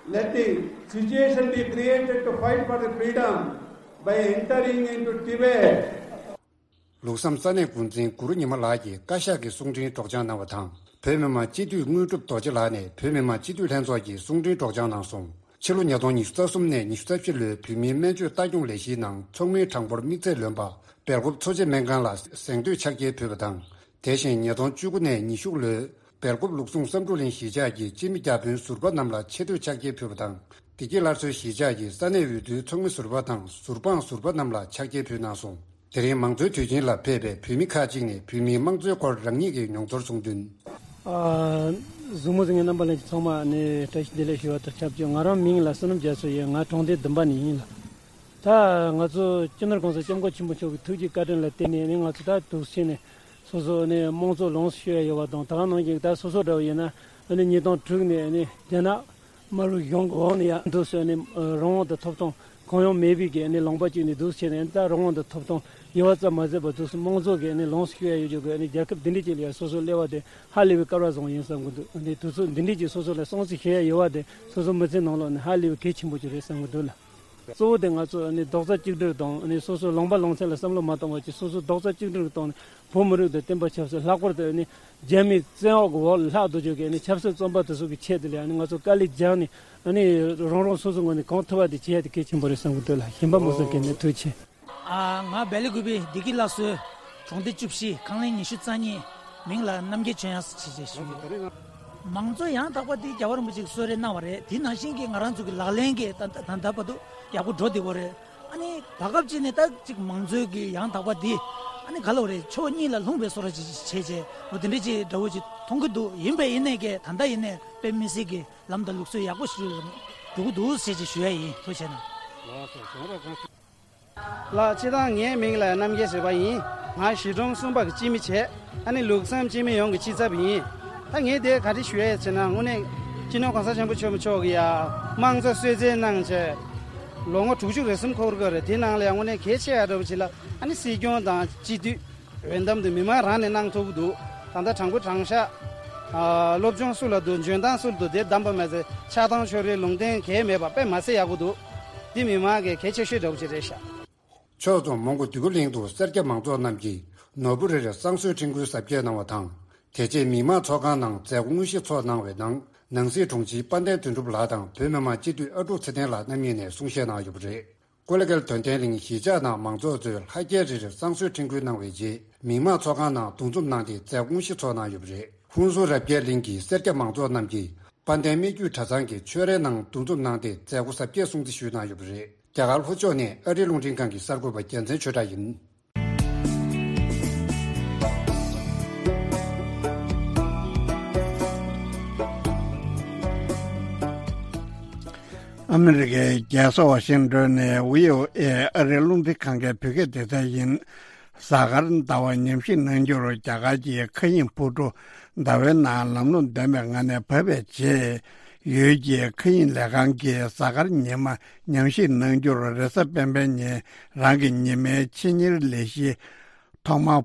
let the situation be created to fight for the freedom by entering into Tibet. ལུགས་བསམ་ས་གནས་འགོ་འཛིན་གུ་རུ་ཉི་མ་ལགས་ཀྱིས་བཀའ་ཤག་གི་གསུང་འཕྲིན་སྒྲོག་སྦྱང་གནང་བ་དང་། བོད་མི་མང་སྤྱི་འཐུས་དངོས་གྲུབ་རྡོ་རྗེ་ལགས་ནས་བོད་མི་མང་སྤྱི་འཐུས་ལྷན་ཚོགས་ཀྱི་གསུང་འཕྲིན་སྒྲོག་སྦྱང་གནང་སོང་། ཕྱི་ལོ་ཉིས་སྟོང་ཉི་ཤུ་རྩ་གསུམ་ནས་ཉི་ཤུ་རྩ་བཞི་ལོའི་བོད་མིའི་སྨན་བཅོས་ལྟ་སྐྱོང་ལས་གཞིའི་ནང་ཚོགས་མིའི་གྲངས་འབོར་དམིགས་ཚད་ལོན་པ། སྦེལ་ཀོབ་འཚོ་བྱེད་སྨན་ཁང་ལ་གཟེངས་བསྟོད་ཕྱག་འཁྱེར་ཕུལ་བ་དང་། དེ་བཞིན་ཉིས་སྟོང་བཅུ་དགུ་ནས་ཉི་ཤུ་ལོའི་སྦེལ་ཀོབ་ལུགས་ཟུང་བསམ་གྲུབ་གླིང་གཞིས་ཆགས་ཀྱི་སྤྱི་མི་བརྒྱ་དཔོན་ཟུར་པ་རྣམས་ལ་ཆེ་བསྟོད་ཕྱག་འཁྱེར་ཕུལ་བ་དང་། བདེ་སྐྱིད་སླར་གསོའི་གཞིས་ཆགས་ཀྱི་ས་གནས་འོས་བསྡུའི་ཚོགས་མི་ཟུར་པ་དང་ཟུར་དཔང་ཟུར་པ་རྣམས་ལ་ཕྱག་འཁྱེར་ཕུལ་གནང་སོང་། དེ་རིང་མང་གཙོའི་དུས་ཆེན་ལ་ཕེབས་པའི་བོད་མི་ཁག་ཅིག་ནས་བོད་མིའི་དམངས་གཙོའི་སྐོར་རང་ཉིད་ཀྱི་མྱོང་ཚོར་གསུངས་དོན། ཨ། གཟིགས་མོ་གཟིགས་མཁན་རྣམ་པ་ལྷན་རྒྱས་ཚང་མ་ནས་བཀྲ་ཤིས་བདེ་ལེགས་ཞུ་བ་དང་ཆབས་ཅིག་ང་རང་མིང་ལ་བསོད་ནམས་རྒྱ་མཚོ་ཡིན། ང་གྲོང་སྡེ་བདུན་པ་ནས་ཡིན་ལ། ད་ང་ཚོ་སྤྱི་ནོར་གོང་ས་སྐྱབས་མགོན་ཆེན་པོ་མཆོག་གི་ཐུགས་རྗེ་བཀའ་དྲིན་ལ་བརྟེན་ནས་ནི་ང་ཚོ་ད་འདུག་སེ་བྱས་ནས་སོ་སོ་ནས་དམངས་གཙོ་ལོངས་སུ་སྤྱོད་ཡ་ཡོད་པ་དང་། ད་ག་ནང་བཞིན་ད་སོ་སོ་འདྲ་བོ་ཡིན་ན་ནི་ཉིས་སྟོང་དྲུག་ནས་ནི་རྒྱ་ནག་དམར་པོའི་གཞུང་གི་འོག་ནས་ཡང་འདུག་སེ་ནི་རང་དབང་དང་ཐོབ་ཐང་གང་ཡང་མེད་པའི་གི་ནི་ལུང་པ་གཅིག་ནས་འདུག་སེ་བྱས་ནས། ད་རང་དབང་དང་ཐོབ་ཐང་ཡོད་པ་ཙམ་མ་ཟད་པར་འདུག་སེ་དམངས་གཙོ་གི་ནི་ལོངས་སུ་སྤྱོད་ཡ་ཡོད་རྒྱུ་གི་ནི་རྒྱལ་ཁབ་འདི་འདྲ་ཅིག་ལ་ཡང་སོ་སོ་སླེབས་པ་དེ་ཧ་ལས་པའི་སྐལ་བ་བཟང་བོ་ཡིན་བསམ་གི་འདུག་ནི་དུས་ཚོད་འདི་འདྲ་ཅིག་སོ་སོ་ལ་སྲུང་བརྩི་བྱེད་ཡ་ཡོད་པ་དེ་སོ་སོ་མི་ཚེ་ནང་ལོགས་ནི་ཧ་ལས་པའི་གལ་ཆེན་པོ་ཅིག་རེད་བསམ་གི་འདུག་ལ། གཙོ་བོ་དེ་ང་ཚོ་ནི་རྡོག་རྩ་གཅིག་སྒྲིལ་དང་ནི་སོ་སོའི་ལུང་པ་ལུང་ཚན་ལ་བསམ་བློ་མ་བཏང་བ་ཅིག་སོ་སོའི་རྡོག་རྩ་གཅིག་སྒྲིལ་དང་ནི་བོད་མི་རིགས་དང་བསྟན་པ་ཆབ་སྲིད། ལྷག་པར་དུ་ནི་རྒྱ་མིའི་བཙན་འོག་གི་འོག་ལ་ལྷག་སྡོད་རྒྱུ་གི་ནི་ཆབ་སྲིད་བཙོན་པ་དེ་ཚོ་གི་ཆེད་དུ་ལ་ནི་ང་ཚོ་དཀའ་ལས་རྒྱག་ནས་ནི་རང་རང་སོ་སོའི་ངོས་ནས་གང་ཐུབ་པ་དེ་བྱེད་ཡ་དེ་གལ་ཆེན་པོ་རེད་བསམ་གི་འདུག་ལ། གཞན་པ་མུ་སོང་གི་ནི་ཐུགས་རྗེ་ཆེ། ཨ། ང་སྦེལ་ཀོབ་བདེ་སྐྱིད་སླར་གསོའི་གྲོང་སྡེ་བཅུ་བཞི་ཁང་ལེན་ཉི་ཤུ་རྩ་གཉིས། མིང་ལ་རྣམ་རྒྱལ་ཆོས་དབྱངས་ཟེར་བྱས་ཞུ་གི་ཡོད། མང་གཙོ་ཡང་དག་པ་དེ་རྒྱལ་བ་རིན་པོ་ཆེས་གསོལ་རས་གནང་བ་རེད། དེ་ནང་བཞིན་གྱི་ང་རང་ཚོ་གི་ལག་ལེན་གྱི་ད་ད་ད་ལྟ་བར་དུ་ཡག་པོ་འགྲོ་བསྡད་པ་རེད། ཨ་ནི་བར་སྐབས་ཅིག་ནས་ད་ཅིག་མང་གཙོའི་གི་ཡང་དག་པ་དེ་ཨ་ནི་ག་ལ་བ་རེད། ཕྱོགས་གཉིས་ལ་ལྷུང་བའི་བཟོ་འདྲ་ཅིག་བྱས་བྱས་འོ་དེ་འདྲ་ཅིག་འདྲ་བོ་ཅིག་མཐོང་གི་འདུག་ཡིན་པས་ཡིན་ནས་ཀྱི་ད་ལྟ་ཡིན་ནས་དཔེ་མི་སྲིད་ཀྱི་ལམ་དང་ལུགས་སྲོལ་ཡག་པོ་ཞིག་འགྲོ་གི་འདུག་ཟེར་ཅིག་ཞུ་ཡ་ཡིན། ཐུགས་རྗེ་གནང་། ལགས་སོ། གཞན་པ་གང་། ལགས། སྤྱིར་བཏང་ངའི་མིང་ལ་རྣམ་རྒྱལ་ཟེར་བ་ཡིན། ང་གཞིས་གྲོང་གསུམ་པ་གི་སྤྱི་མི་བྱས། ཨ་ནི་ལུགས་བསམ་སྤྱི་མི་ཡོངས་ཀྱི་སྤྱི་ཚབ་ཡིན། ད་ངས་དེ་ག་རེ་ཞུ་ཡས་ཟེར་ན། དངོས་གནས་སྤྱི་ནོར་གོང་ས་ཆེན་པོ་མཆོག་མཆོག་གིས་ཡ་དམངས་གཙོ་གསོལ་སྩལ་གནང་བྱས་ལོ་ངོ་དྲུག་ཅུ་རེ་གསུམ་འཁོར་གི་རེད། དེ་ནང་ལ་ཡང་དངོས་གནས་གལ་ཆེ་ཡ་འདྲ་བོ་ཅིག་ལ་ཨ་ནི་སྲིད་སྐྱོང་དང་སྤྱི་འཐུས། འོས་འདེམས་དེ་མི་མང་རང་ནས་གནང་ཐུབ་ཀྱི་འདུག་ད་ལྟ་དྲང་པོ་དྲང་བཞག་ཨ། སློབ་སྦྱོང་སུ་ལ་འདུག་འཇོན་ཐང་སུ་ལ་འདུག་དེ་བདམས་པ་མ་ཟད་ཆགས་སྡང་ཕྱོགས་རིས་ལུང་བསྟན་གང་ཡང་མེད་པ་དཔེ་མ་སྲིད་ཡག་པོ་འདུག་འདི་མི་མང་གི་གལ་ཆེ་ཤོས་འདྲ་བོ་ཅིག་རེད་ཤག་ཕྱོགས་མཚུངས་མོན་གྷོ་འདོད་རྒུ་གླིང་དུ་སེར་སྐྱ་མང་ཚོགས་རྣམས་ཀྱིས་ནོར་བུ་རེ་རེར་བསང་གསོལ་ཕྲེང་རྒྱུག་གཟབ་རྒྱས་གནང་བ་དང་། དེ་རྗེས་མི་མང་ཚོགས་ཁང་ནང་མཛད་སྒོ་དངོས་གཞི་ཚོགས་གནང་བའི་ནང་། ནང་སྲིད་དྲུང་ཆེ་དཔལ་ལྡན་དོན་གྲུབ་ལགས་དང་བོད་མི་མང་སྤྱི་འཐུས་ཨ་ཀྲུག་ཚེ་བརྟན་ལགས་རྣམ་གཉིས་ནས་གསུང་བཤད་གནང་ཡོད་པ་རེད། ཀོ་ལི་གྷལ་དོན་ལྡན་གླིང་གཞིས་ཆགས་ནང་མང་ཚོགས་ཚོས་ལྷ་རྒྱལ་རེ་རེར་བསང་གསོལ་ཕྲེང་རྒྱུག་གནང་བའི་རྗེས། མི་མང་ཚོགས་ཁང་ནང་འདུ་འཛོམས་གནང་སྟེ་མཛད་སྒོ་དངོས་གཞི་ཚོགས་གནང་ཡོད་པ་རེད། ཧུན་སུར་རབ་རྒྱས་གླིང་གི་སེར་སྐྱ་མང་ཚོགས་རྣམས་ཀྱིས་དཔལ་ལྡན་སྨད་རྒྱུད་གྲྭ་ཚང་གི་ཆོས་རའི་ནང་འདུ་འཛོམས་གནང་སྟེ་མཛད་སྒོ་གཟབ་རྒྱས་སྲུང་བརྩི་ཞུས་གནང་ཡོད་པ་རེད། རྒྱ་གར་ལྷོ་ཕྱོགས་ནས་ཨ་རིའི་རླུང་འཕྲིན་ཁང་གི་གསར་འགོད་པ་རྒྱལ་མཚན་ཆོས་གྲགས་ཡིན། ཨ་མི་རི་ཀའི་རྒྱལ་ས་ཝ་ཤིང་ཏོན་ནས་བྷི་ཨོ་ཨེ་ཨ་རིའི་རླུང་འཕྲིན་ཁང་གི་བོད་སྐད་སྡེ་ཚན་ཡིན། གཟའ་སྐར་ཟླ་བ་ཉམས་ཞིབ་གནང་རྒྱུར་རྒྱ་གར་གྱི་མཁའ་དབྱིངས་འཕུར་གྲུ་ཟླ་བའི་ནང་ལམ་ལྷོང་ལྡན་པའི་ངང་ནས་བབས་པའི་རྗེས། ཡུལ་གྱི་མཁའ་དབྱིངས་ལས་ཁང་གིས་གཟའ་སྐར་ཉི་མ་ཉམས་ཞིབ་གནང་རྒྱུར་རེས་གཟའ་སྤེན་པའི་ཉིན་རང་གི་ཉི་མའི་ཆེད་གཉེར་ལས་གཞི་ཐོག་མར་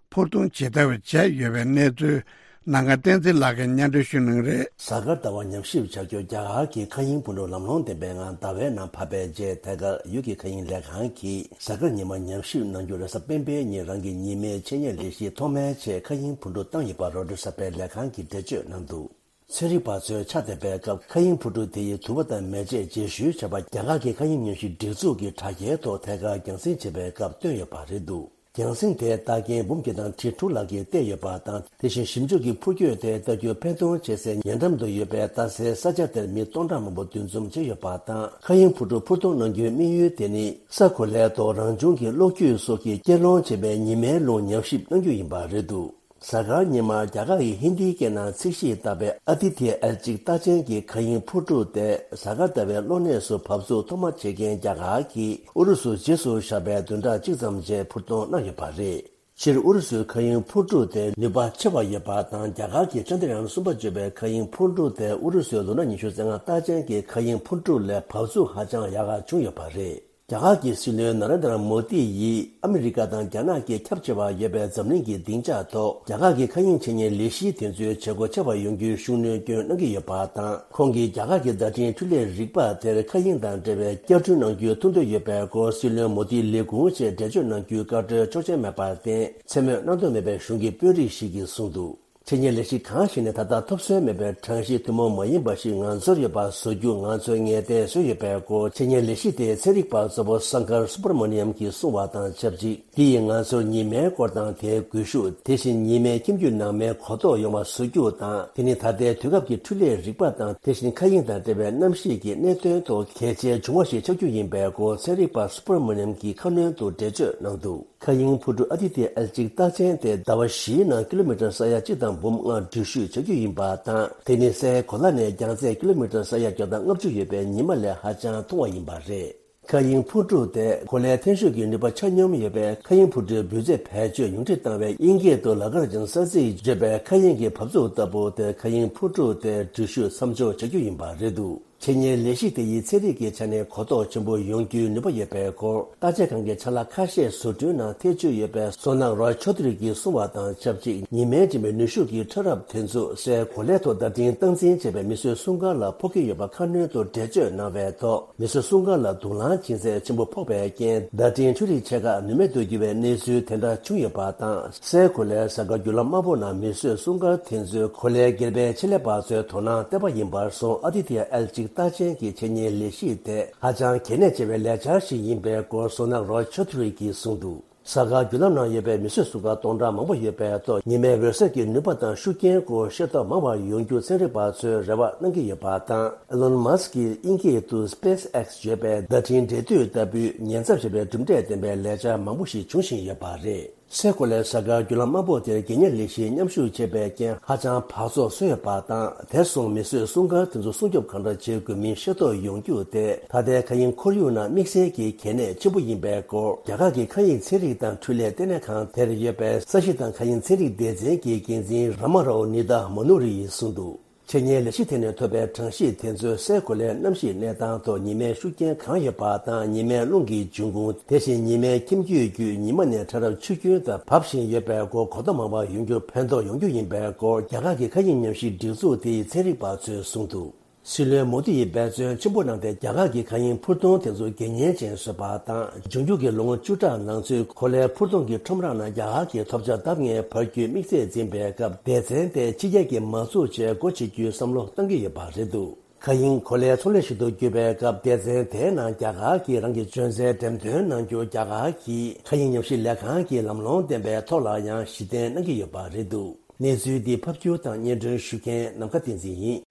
འཕུར་ཐོན་བྱེད་ཐབས་བྱས་ཡོད་པའི་གནས་ཚུལ་ནམ་མཁའ་བསྟན་འཛིན་ལགས་ཀྱིས་སྙན་སྒྲོན་ཞུ་གནང་རེད། གཟའ་སྐར་ཟླ་བ་ཉམས་ཞིབ་བྱ་རྒྱུར་རྒྱ་གར་གྱི་མཁའ་དབྱིངས་འཕུར་གྲུ་ལམ་ལྷོང་ལྡན་པའི་ངང་ཟླ་བའི་ནང་བབས་པའི་རྗེས། ཐད་ཀར་ཡུལ་གྱི་མཁའ་དབྱིངས་ལས་ཁང་གིས་གཟའ་སྐར་ཉི་མ་ཉམས་ཞིབ་གནང་རྒྱུར་རེས་གཟའ་སྤེན་པའི་ཉིན་རང་གི་ཉི་མའི་ཆེད་གཉེར་ལས་གཞི་ཐོག་མའི་ཆེད་མཁའ་དབྱིངས་འཕུར་གྲུ་བཏང་ཡོད་པ་རོའི་ཊར་གསར་པའི་ལས་ཁང་གིས་འགྲེལ་བརྗོད་གནང་འདུག་ཚན་རིག་པ་ཚོས་ཕྱག་འདེབས་པའི་སྐབས་མཁའ་དབྱིངས་འཕུར་གྲུ་དེ་ཡི་དུ་བ་དང་མེ་ལྕེས་རྗེས་ཤུལ་བྱས་པ་རྒྱ་གར་གྱི་མཁའ་དབྱིངས་ཉམས་ཞིབ་སྒྲིག་འཛུགས་ཀྱི་དྲ་རྒྱའི་ཐོག་ཐད་ཀར་རྒྱང་སྲིང་བྱེད་པའི་སྐབས་བཏོན་ཡོད་པ་རེད་འདུག་རྒྱང་སྲིང་དེའི་རྟགས་རྐྱེན་འབུམ་བརྒྱ་དང་ཁྲི་དྲུག་ལྷག་གིས་བལྟས་ཡོད་པ་དང་། དེ་བཞིན་ཞིབ་འཇུག་གིས་འཕུར་སྐྱོད་དེ་ལྟ་རྒྱུར་ཕན་ཐོགས་ཆེ་སའི་ཉེ་འགྲམ་དུ་ཡོད་པའི་རྟ་སའི་ས་ཆ་དེར་མི་སྟོང་ཕྲག་མང་པོ་འདུ་འཛོམས་བྱས་ཡོད་པ་དང་། མཁའ་དབྱིངས་འཕུར་གྲུ་འཕུར་གཏོང་གནང་རྒྱུའི་དམིགས་ཡུལ་དེ་ནི་ས་གོ་ལའི་ཐོག་རང་བྱུང་གི་གློག་འཁྱུག་སོགས་ཀྱིས་སྐྱེད་སློང་བྱེད་པའི་ཉི་མའི་རླུང་ཉམས་ཞིབ་གནང་རྒྱུ་ཡིན་པ་རེད་འདུག་གཟའ་སྐར་ཉི་མར་རྒྱ་གར་གྱི་ཧིན་དིའི་སྐད་ནང་ཚིག་ཞིག་བཏགས་པའི་ཨ་དི་ཐི་ཡ་ཨེལ་གཅིག་རྟགས་ཅན་གྱི་མཁའ་དབྱིངས་འཕུར་གྲུ་དེ་གཟའ་སྐར་ཟླ་བའི་གློག་གནས་སུ་བབས་ཚུགས་ཐོག་མ་བྱེད་མཁན་རྒྱ་གར་གྱིས་ཨུ་རུ་སུ་རྗེས་སུ་བཞག་པའི་བདུན་ཕྲག་གཅིག་ཙམ་རྗེས་འཕུར་གཏོང་གནང་ཡོད་པ་རེད། སྤྱིར་ཨུ་རུ་སུའི་མཁའ་དབྱིངས་འཕུར་གྲུ་དེ་ནུས་པ་ཆེ་བ་ཡོད་པ་དང་། རྒྱ་གར་གྱི་ཅན་དྲ་ཡན་གསུམ་པ་བརྗོད་པའི་མཁའ་དབྱིངས་འཕུར་གྲུ་དེ་ཨུ་རུ་སུའི་ལོ་ན་ཉི་ཤུ་རྩ་ལྔ་རྟགས་ཅན་གྱི་མཁའ་དབྱིངས་འཕུར་གྲུ་ལས་བབས་ཚུགས་ཧ་ཅང་ཡག་ག་བྱུང་ཡོད་པ་རེད། རྒྱ་གར་གྱི་སྲིད་བློན་ན་རེན་དྲ་མོ་དི་ཡིས་ཨ་མི་རི་ཀ་དང་རྒྱ་ནག་གི་ཁྱབ་ཆེ་བ་ཡོད་པའི་འཛམ་གླིང་གི་སྡིངས་ཆ་ཐོག་རྒྱ་གར་གྱི་མཁའ་དབྱིངས་ཆེད་གཉེར་ལས་གཞི་དེ་ཚོའི་བྱེད་སྒོ་ཆེ་བ་ཡོང་རྒྱུའི་ཤུགས་སྣོན་སྐྱོན་གནང་གི་ཡོད་པ་དང་། ཁོང་གིས་རྒྱ་གར་གྱི་བརྡ་འཕྲིན་འཕྲུལ་ལས་རིག་པ་དེར་མཁའ་དབྱིངས་དང་འབྲེལ་བའི་བསྐྱར་སྐྲུན་གནང་རྒྱུའི་ཐུགས་འདུན་ཡོད་པའི་སྐོར་སྲིད་བློན་མོ་དིས་ལས་ཁུངས་ཆེད་འགྲེལ་བརྗོད་གནང་རྒྱུའི་བཀའ་འཁྲོལ་ཆོག་མཆན་མེད་པར་བརྟེན། མཚན་སྨོས་གནང་འདོད་མེད་པའི་གཞུང་གི་དཔོན་རིགས་ཤིག་གིས་གསུངས་འདུག་འཆད་ཉན་ལས་གཞི་གང་ཞིག་ནས་ད་ལྟ་ཐོབ་སོན་མེད་པའི་གྲངས་གཞི་ཐུན་མོང་མ་ཡིན་པ་ཞིག་ང་ཚོར་ཡོད་པ་བཟོ་རྒྱུ་ང་ཚོས་ངེས་གཏན་བཟོས་ཡོད་པའི་སྐོར། འཆད་ཉན་ལས་གཞི་དེའི་ཚན་རིག་པ་གཙོ་བོ་སངྐར་སུ་བྷར་མ་ནི་ཡམ་གྱིས་གསུངས་པ་དང་ཆབས་ཅིག་འདི་ཡིས་ང་ཚོར་ཉི་མའི་སྐོར་དང་དེའི་སྒུལ་ཤུགས། དེ་བཞིན་ཉི་མའི་ཁྱིམ་རྒྱུད་ནང་མའི་གོ་རྟོགས་ཡོང་བ་བཟོ་རྒྱུ་དང་། དེ་ནི་ད་ལྟའི་དུས་སྐབས་ཀྱི་འཕྲུལ་ལས་རིག་པ་དང་། དེ་བཞིན་མཁའ་དབྱིངས་དང་འབྲེལ་བའི་གནམ་གཤིས་ཀྱི་གནད་དོན་ཐོག་གལ་ཆེའི་བྱུང་བ་ཞིག་ཆགས་རྒྱུ་ཡིན་པའི་སྐོར། ཚན་རིག་པ་སུ་བྷར་མ་ནི་ཡམ་གྱིས་ཁ་སྣོན་དུ་འགྲེལ་བརྗོད་གནང་འདུག་མཁའ་དབྱིངས་འཕུར་གྲུ་ཨ་དི་ཐི་ཡ་ཨེལ་གཅིག་རྟགས་ཅན་དེ་ཟླ་བ་བཞིའི་ནང་ཀི་ལོ་མི་ཊར་ས་ཡ་གཅིག་དང་འབུམ་ལྔ་འགྲུལ་བཞུད་བྱ་རྒྱུ་ཡིན་པ་དང་། དེ་ནི་སའི་གོ་ལ་ནས་རྒྱང་ཚད་ཀི་ལོ་མི་ཊར་ས་ཡ་བརྒྱ་དང་ལྔ་བཅུ་ཡོད་པའི་ཉི་མ་ལས་ཧ་ཅང་ཐུང་བ་ཡིན་པ་རེད། མཁའ་དབྱིངས་འཕུར་གྲུ་དེ་གོ་ལའི་འཐེན་ཤུགས་ཀྱི་ནུས་པ་ཆ་སྙོམས་ཡོད་པས། མཁའ་དབྱིངས་འཕུར་གྲུའི་འབུད་རྫས་བེད་སྤྱོད་ཉུང་འཕྲི་བཏང་བས། དབྱིན་སྐད་དུ་ལ་གར་ཇན་ས་ཟིག་བརྗོད་པའི་མཁའ་དབྱིངས་ཀྱི་བབས་ཚུགས་ལྟ་བུ་དེ། མཁའ་དབྱིངས་འཕུར་གྲུ་དེ་འགྲུལ་བཞུད་མཚམས་འཇོག་བྱ་རྒྱུ་ཡིན་པ་རེད་འདུག་འཆད་ཉན་ལས་གཞི་དེ་ཡིས་ཚན་རིག་གི་ཆ་ནས་གོ་རྟོགས་ཆེན་པོ་ཡོང་རྒྱུའི་ནུས་པ་ཡོད་པའི་སྐོར། བརྟག་དཔྱད་ཁང་གི་ཆ་ལག་ཁ་ཤས་བཟོ་སྐྲུན་ནང་ཐེ་བྱུས་ཡོད་པའི་བསོད་ནམས་རོ་ཆོ་ཐུ་རི་གིས་གསུངས་པ་དང་ཆབས་ཅིག་ཉི་མའི་འཇིགས་མེད་ནུས་ཤུགས་ཀྱི་ཕྲ་རབ་དེ་ཚོ་སའི་གོ་ལའི་ཐོག་བརྡ་འཕྲིན་སྟངས་འཛིན་བྱས་པའི་མིས་བཟོས་སྲུང་སྐར་ལ་ཕོག་གི་ཡོད་པ་ཁ་སྣོན་དུ་འགྲེལ་བརྗོད་གནང་བའི་ཐོག་མིས་བཟོས་སྲུང་སྐར་ལ་དུག་རླངས་འབྱིན་ཚད་ཆེན་པོ་ཕོག་པའི་རྐྱེན། བརྡ་འཕྲིན་འཕྲུལ་རིག་ཆེ་ཁག་ནུས་མེད་དུ་གྱུར་བའི་གནས་ཚུལ་དེ་འདྲ་བྱུང་ཡོད་པ་དང་། སའི་གོ་ལའི་གཟའ་སྐར་བརྒྱུད་ལམ་དམར་པོ་ནང་མིས་བཟོས་སྲུང་སྐར་དེ་ཚོས་གོ་ལའི་སྒེར་པའི་ཆེད་ལས་པ་ཚོའི་དོ་སྣང་བརྟན་པ་ཡིན་པར་སོང་། ཨ་དི་ཐི་ཡ་ཨེལ་གཅིག་རྟགས་ཅན་གྱི་འཆད་ཉན་ལས་གཞི་དེ་ཧ་ཅང་གལ་གནད་ཆེ་བའི་ལས་འཆར་ཞིག་ཡིན་པའི་སྐོར་བསོད་ནམས་རོ་ཆོ་ཐུ་རི་གིས་གསུངས་འདུག་གཟའ་སྐར་བརྒྱུད་ལམ་ནང་ཡོད་པའི་མིས་བཟོས་སྲུང་སྐར་སྟོང་ཕྲག་མང་པོ་ཡོད་པའི་ཐོག་ཉི་མའི་འོད་ཟེར་གྱི་ནུས་པ་དང་ཤུགས་རྐྱེན་སྐོར་ཤེས་རྟོགས་མང་བ་ཡོང་རྒྱུ་ཚན་རིག་པ་ཚོས་རེ་བ་གནང་གི་ཡོད་པ་དང་། ཨེ་ལོན་མཱ་སི་ཀྱིས་དབྱིན་སྐད་དུ་སྤེ་སི་ཨེག་སི་བརྗོད་པའི་བརྡ་འཕྲིན་འབྲེལ་མཐུད་ལྟ་བུའི་ཉེན་ཚབས་ཆེ་བའི་གྲུབ་འབྲས་ལྡན་པའི་ལས་འཆར་མང་པོ་ཞིག་འབྱུང་བཞིན་ཡོད་པ་རེད། སའི་གོ་ལའི་གཟའ་སྐར་བརྒྱུད་ལམ་དམར་པོ་དེར་རྒྱལ་གཉེར་ལས་གཞིའི་མཉམ་ཞུགས་བྱས་པའི་རྐྱེན་ཧ་ཅང་བག་ཚོགས་བཟོས་ཡོད་པ་དང་། དེར་སོང་མིས་བཟོས་སྲུང་སྐར་དེ་ཚོ་སྲུང་སྐྱོབ་གང་འདྲ་བྱེད་དགོས་མིན་ཤེས་རྟོགས་ཡོང་རྒྱུ་དེ་ད་ལྟའི་མཁའ་དབྱིངས་ཁོར་ཡུག་ནང་དམིགས་བསལ་གྱི་གལ་གནད་ཆེན་པོ་ཡིན་པའི་སྐོར། རྒྱ་གར་གྱི་མཁའ་དབྱིངས་ཚན་རིག་དང་འཕྲུལ་ལས་ལྟེ་གནས་ཁང་དེར་ཡོད་པའི་ས་གཞི་དང་མཁའ་དབྱིངས་ཚན་རིག་སྡེ་ཚན་གྱི་འགན་འཛིན་ར་མ་རའོ་ནི་དཱ་མ་ནུ་རི་ཡིས་གསུངས་འདུག་འཆད་ཉན་ལས་གཞི་དེ་ནས་ཐོབ་པའི་གྲངས་གཞི་དེ་ཚོས་སའི་གོ་ལའི་གནམ་གཤིས་གནས་སྟངས་ཐོག་ཉི་མའི་ཤུགས་རྐྱེན་གང་ཡོད་པ་དང་། ཉི་མའི་རླུང་གི་འབྱུང་ཁུངས། དེ་བཞིན་ཉི་མའི་ཁྱིམ་རྒྱུད་བརྒྱུད་ཉི་མ་ནས་ཕྲ་རབ་ཆུ་རྒྱུན་དུ་བབས་བཞིན་ཡོད་པའི་སྐོར་གོ་རྟོགས་མང་བ་ཡོང་རྒྱུར་ཕན་ཐོགས་ཡོང་རྒྱུ་ཡིན་པའི་སྐོར། རྒྱ་གར་གྱི་མཁའ་དབྱིངས་ཉམས་ཞིབ་སྒྲིག་འཛུགས་དེའི་ཚན་རིག་པ་ཚོས་གསུངས་འདུག་སྲིད་བློན་མོ་དི་ཡིས་འབད་བརྩོན་ཆེན་པོ་གནང་སྟེ། རྒྱ་གར་གྱི་མཁའ་དབྱིངས་འཕུར་གདོང་དེ་ཚོ་དགེ་མཉེན་ཅན་བཟོས་པ་དང་། འབྱུང་འགྱུར་གྱི་ལོ་ངོ་བཅུ་ཕྲག་ནང་ཚུད་གོ་ལའི་འཕུར་གདོང་གི་ཁྲོམ་ར་ནང་རྒྱ་གར་གྱི་ཐོབ་ཆ་ལྡབ་ལྔའི་འཕར་རྒྱུའི་དམིགས་ཚད་འཛིན་པའི་སྐབས། སྡེ་ཚན་དེ་ཕྱི་རྒྱལ་གྱི་མ་འཛུགས་ཆེད་སྒོ་ཕྱེ་རྒྱུའི་བསམ་བློ་གཏང་གི་ཡོད་པ་རེད་འདུག་མཁའ་དབྱིངས་གོ་ལའི་ཚོང་ལས་ཤིག་ཏུ་གྱུར་པའི་སྐབས། སྡེ་ཚན་དེའི་ནང་རྒྱ་གར་གྱིས་རང་གི་འཇོན་རྩལ་འགྲེམས་སྟོན་གནང་རྒྱུ། རྒྱ་གར་གྱི་མཁའ་དབྱིངས་ཉམས་ཞིབ་ལས་ཁང་གི་ལམ་ལྷོང་ལྡན་པའི་ཐོག་ལ་ཡང་གཞི་རྟེན་གནང་གི་ཡོད་པ་རེད་འདུག་གནས་ཚུལ་འདི་ཕབ་སྒྱུར་དང་སྙན་སྒྲོན་ཞུ་མཁན་ནམ་མཁའ་བསྟན་འཛིན་ཡིན།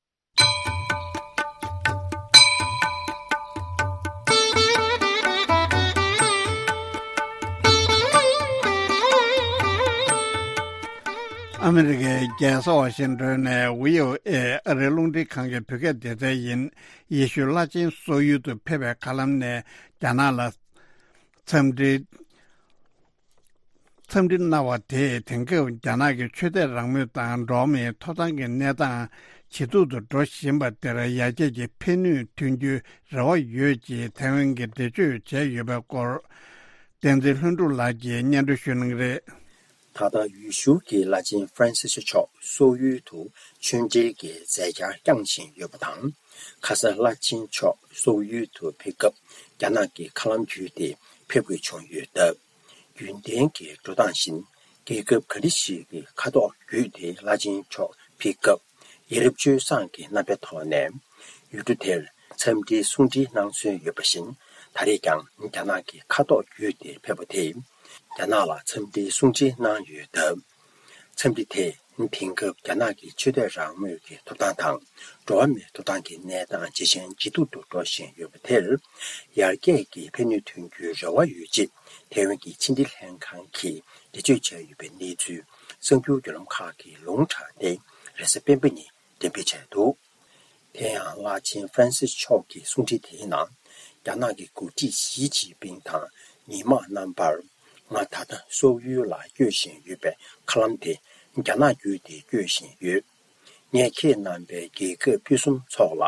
ཨ་མི་རི་ཀའི་རྒྱལ་ས་ཝ་ཤིང་ཏོན་ནས་བྷི་ཨོ་ཨེ་ཨ་རིའི་རླུང་འཕྲིན་ཁང་གི་བོད་སྐད་སྡེ་ཚན་ཡིན། ཡེ་ཤུའི་བླ་ཆེན་སོག་ཡུལ་དུ་ཕེབས་པའི་མཁའ་ལམ་ནས་རྒྱ་ནག་ལ་འཚམས་འདྲི། འཚམས་འདྲི་གནང་བ་དེས་དེང་སྐབས་རྒྱ་ནག་གི་ཆོས་དད་རང་མོས་དང་འགྲོ་བ་མིའི་ཐོབ་ཐང་གི་གནས་སྟངས་ཇེ་སྡུག་ཏུ་འགྲོ་བཞིན་པ་དེར་ཡར་རྒྱས་ཀྱི་ཕན་ནུས་ཐོན་རྒྱུའི་རེ་བ་ཡོད་ཅེས་ཐའེ་ཝན་གྱིས་འགྲེལ་བརྗོད་བྱས་ཡོད་པའི་སྐོར། བསྟན་འཛིན་ལྷུན་གྲུབ་ལགས་ཀྱིས་སྙན་སྒྲོན་ཞུ་གནང་གི་རེད། ད་ལྟ་ཡུལ་ཤུལ་གྱི་བླ་ཆེན་ཧྥ་རན་སི་སི་མཆོག་སོག་ཡུལ་དུ་ཆོས་འབྲེལ་གྱི་མཛད་འཆར་བསྐྱངས་བཞིན་ཡོད་པ་དང་། ཁ་སང་བླ་ཆེན་མཆོག་སོག་ཡུལ་དུ་ཕེབས་སྐབས། རྒྱ་ནག་གི་མཁའ་ལམ་བརྒྱུད་དེ་ཕེབས་དགོས་བྱུང་ཡོད་སྟབས། རྒྱུན་ལྡན་གྱི་འགྲོ་སྟངས་བཞིན། རྒྱལ་ཁབ་ག་རེ་ཞིག་གི་མཁའ་ཐོག་བརྒྱུད་དེ་བླ་ཆེན་མཆོག་ཕེབས་སྐབས། ཡ་རབས་སྤྱོད་བཟང་གི་རྣམ་པའི་ཐོག་ནས་ཡུལ་གྲུ་དེར་འཚམས་འདྲིའི་གསུང་འཕྲིན་གནང་སྲོལ་ཡོད་པ་བཞིན། ད་རེས་ཀྱང་རྒྱ་ནག་གི་མཁའ་ཐོག་བརྒྱུད་དེ་ཕེབས་པ་དེས། རྒྱ་ནག་ལ་འཚམས་འདྲིའི་གསུང་འཕྲིན་གནང་ཡོད་སྟབས། འཚམས་འདྲི་དེས་དེང་སྐབས་རྒྱ་ནག་གི་ཆོས་དད་རང་མོས་ཀྱི་ཐོབ་ཐང་དང་། འགྲོ་བ་མིའི་ཐོབ་ཐང་གི་གནས་སྟངས་ཇེ་ཞན་ཇེ་སྡུག་ཏུ་འགྲོ་བཞིན་ཡོད་པ་དེར། ཡར་རྒྱས་ཀྱི་ཕན་ནུས་ཐོན་རྒྱུའི་རེ་བ་ཡོད་ཅེས་ཐའེ་ཝན་གྱི་ཕྱི་འབྲེལ་ལྷན་ཁང་གིས་འགྲེལ་བརྗོད་བྱས་ཡོད་པའི་གནས་ཚུལ། གསར་འགྱུར་བརྒྱུད་ལམ་ཁག་གིས་ལུང་དྲངས་ཏེ། རེས་གཟའ་སྤེན་པ་ཉིན་འགྲེམས་སྤེལ་བྱས་འདུག་དེ་ཡང་བླ་ཆེན་ཧྥ་རན་སིས་མཆོག་གི་གསུང་འཕྲིན་དེའི་ནང་། རྒྱ་ནག་གི་འགོ་ཁྲིད་ཞི་ཅིན་ཕིང་དང་ཉི་མ་རྣམ་པར། ང་ད་ལྟ་སོག་ཡུལ་ལ་སྐྱོད་བཞིན་ཡོད་པའི་མཁའ་ལམ་དེ་རྒྱ་ནག་བརྒྱུད་དེ་སྐྱོད་བཞིན་ཡོད། ངས་ཁྱེད་རྣམ་པའི་རྒྱལ་ཁབ་ཕུན་སུམ་ཚོགས་ལ་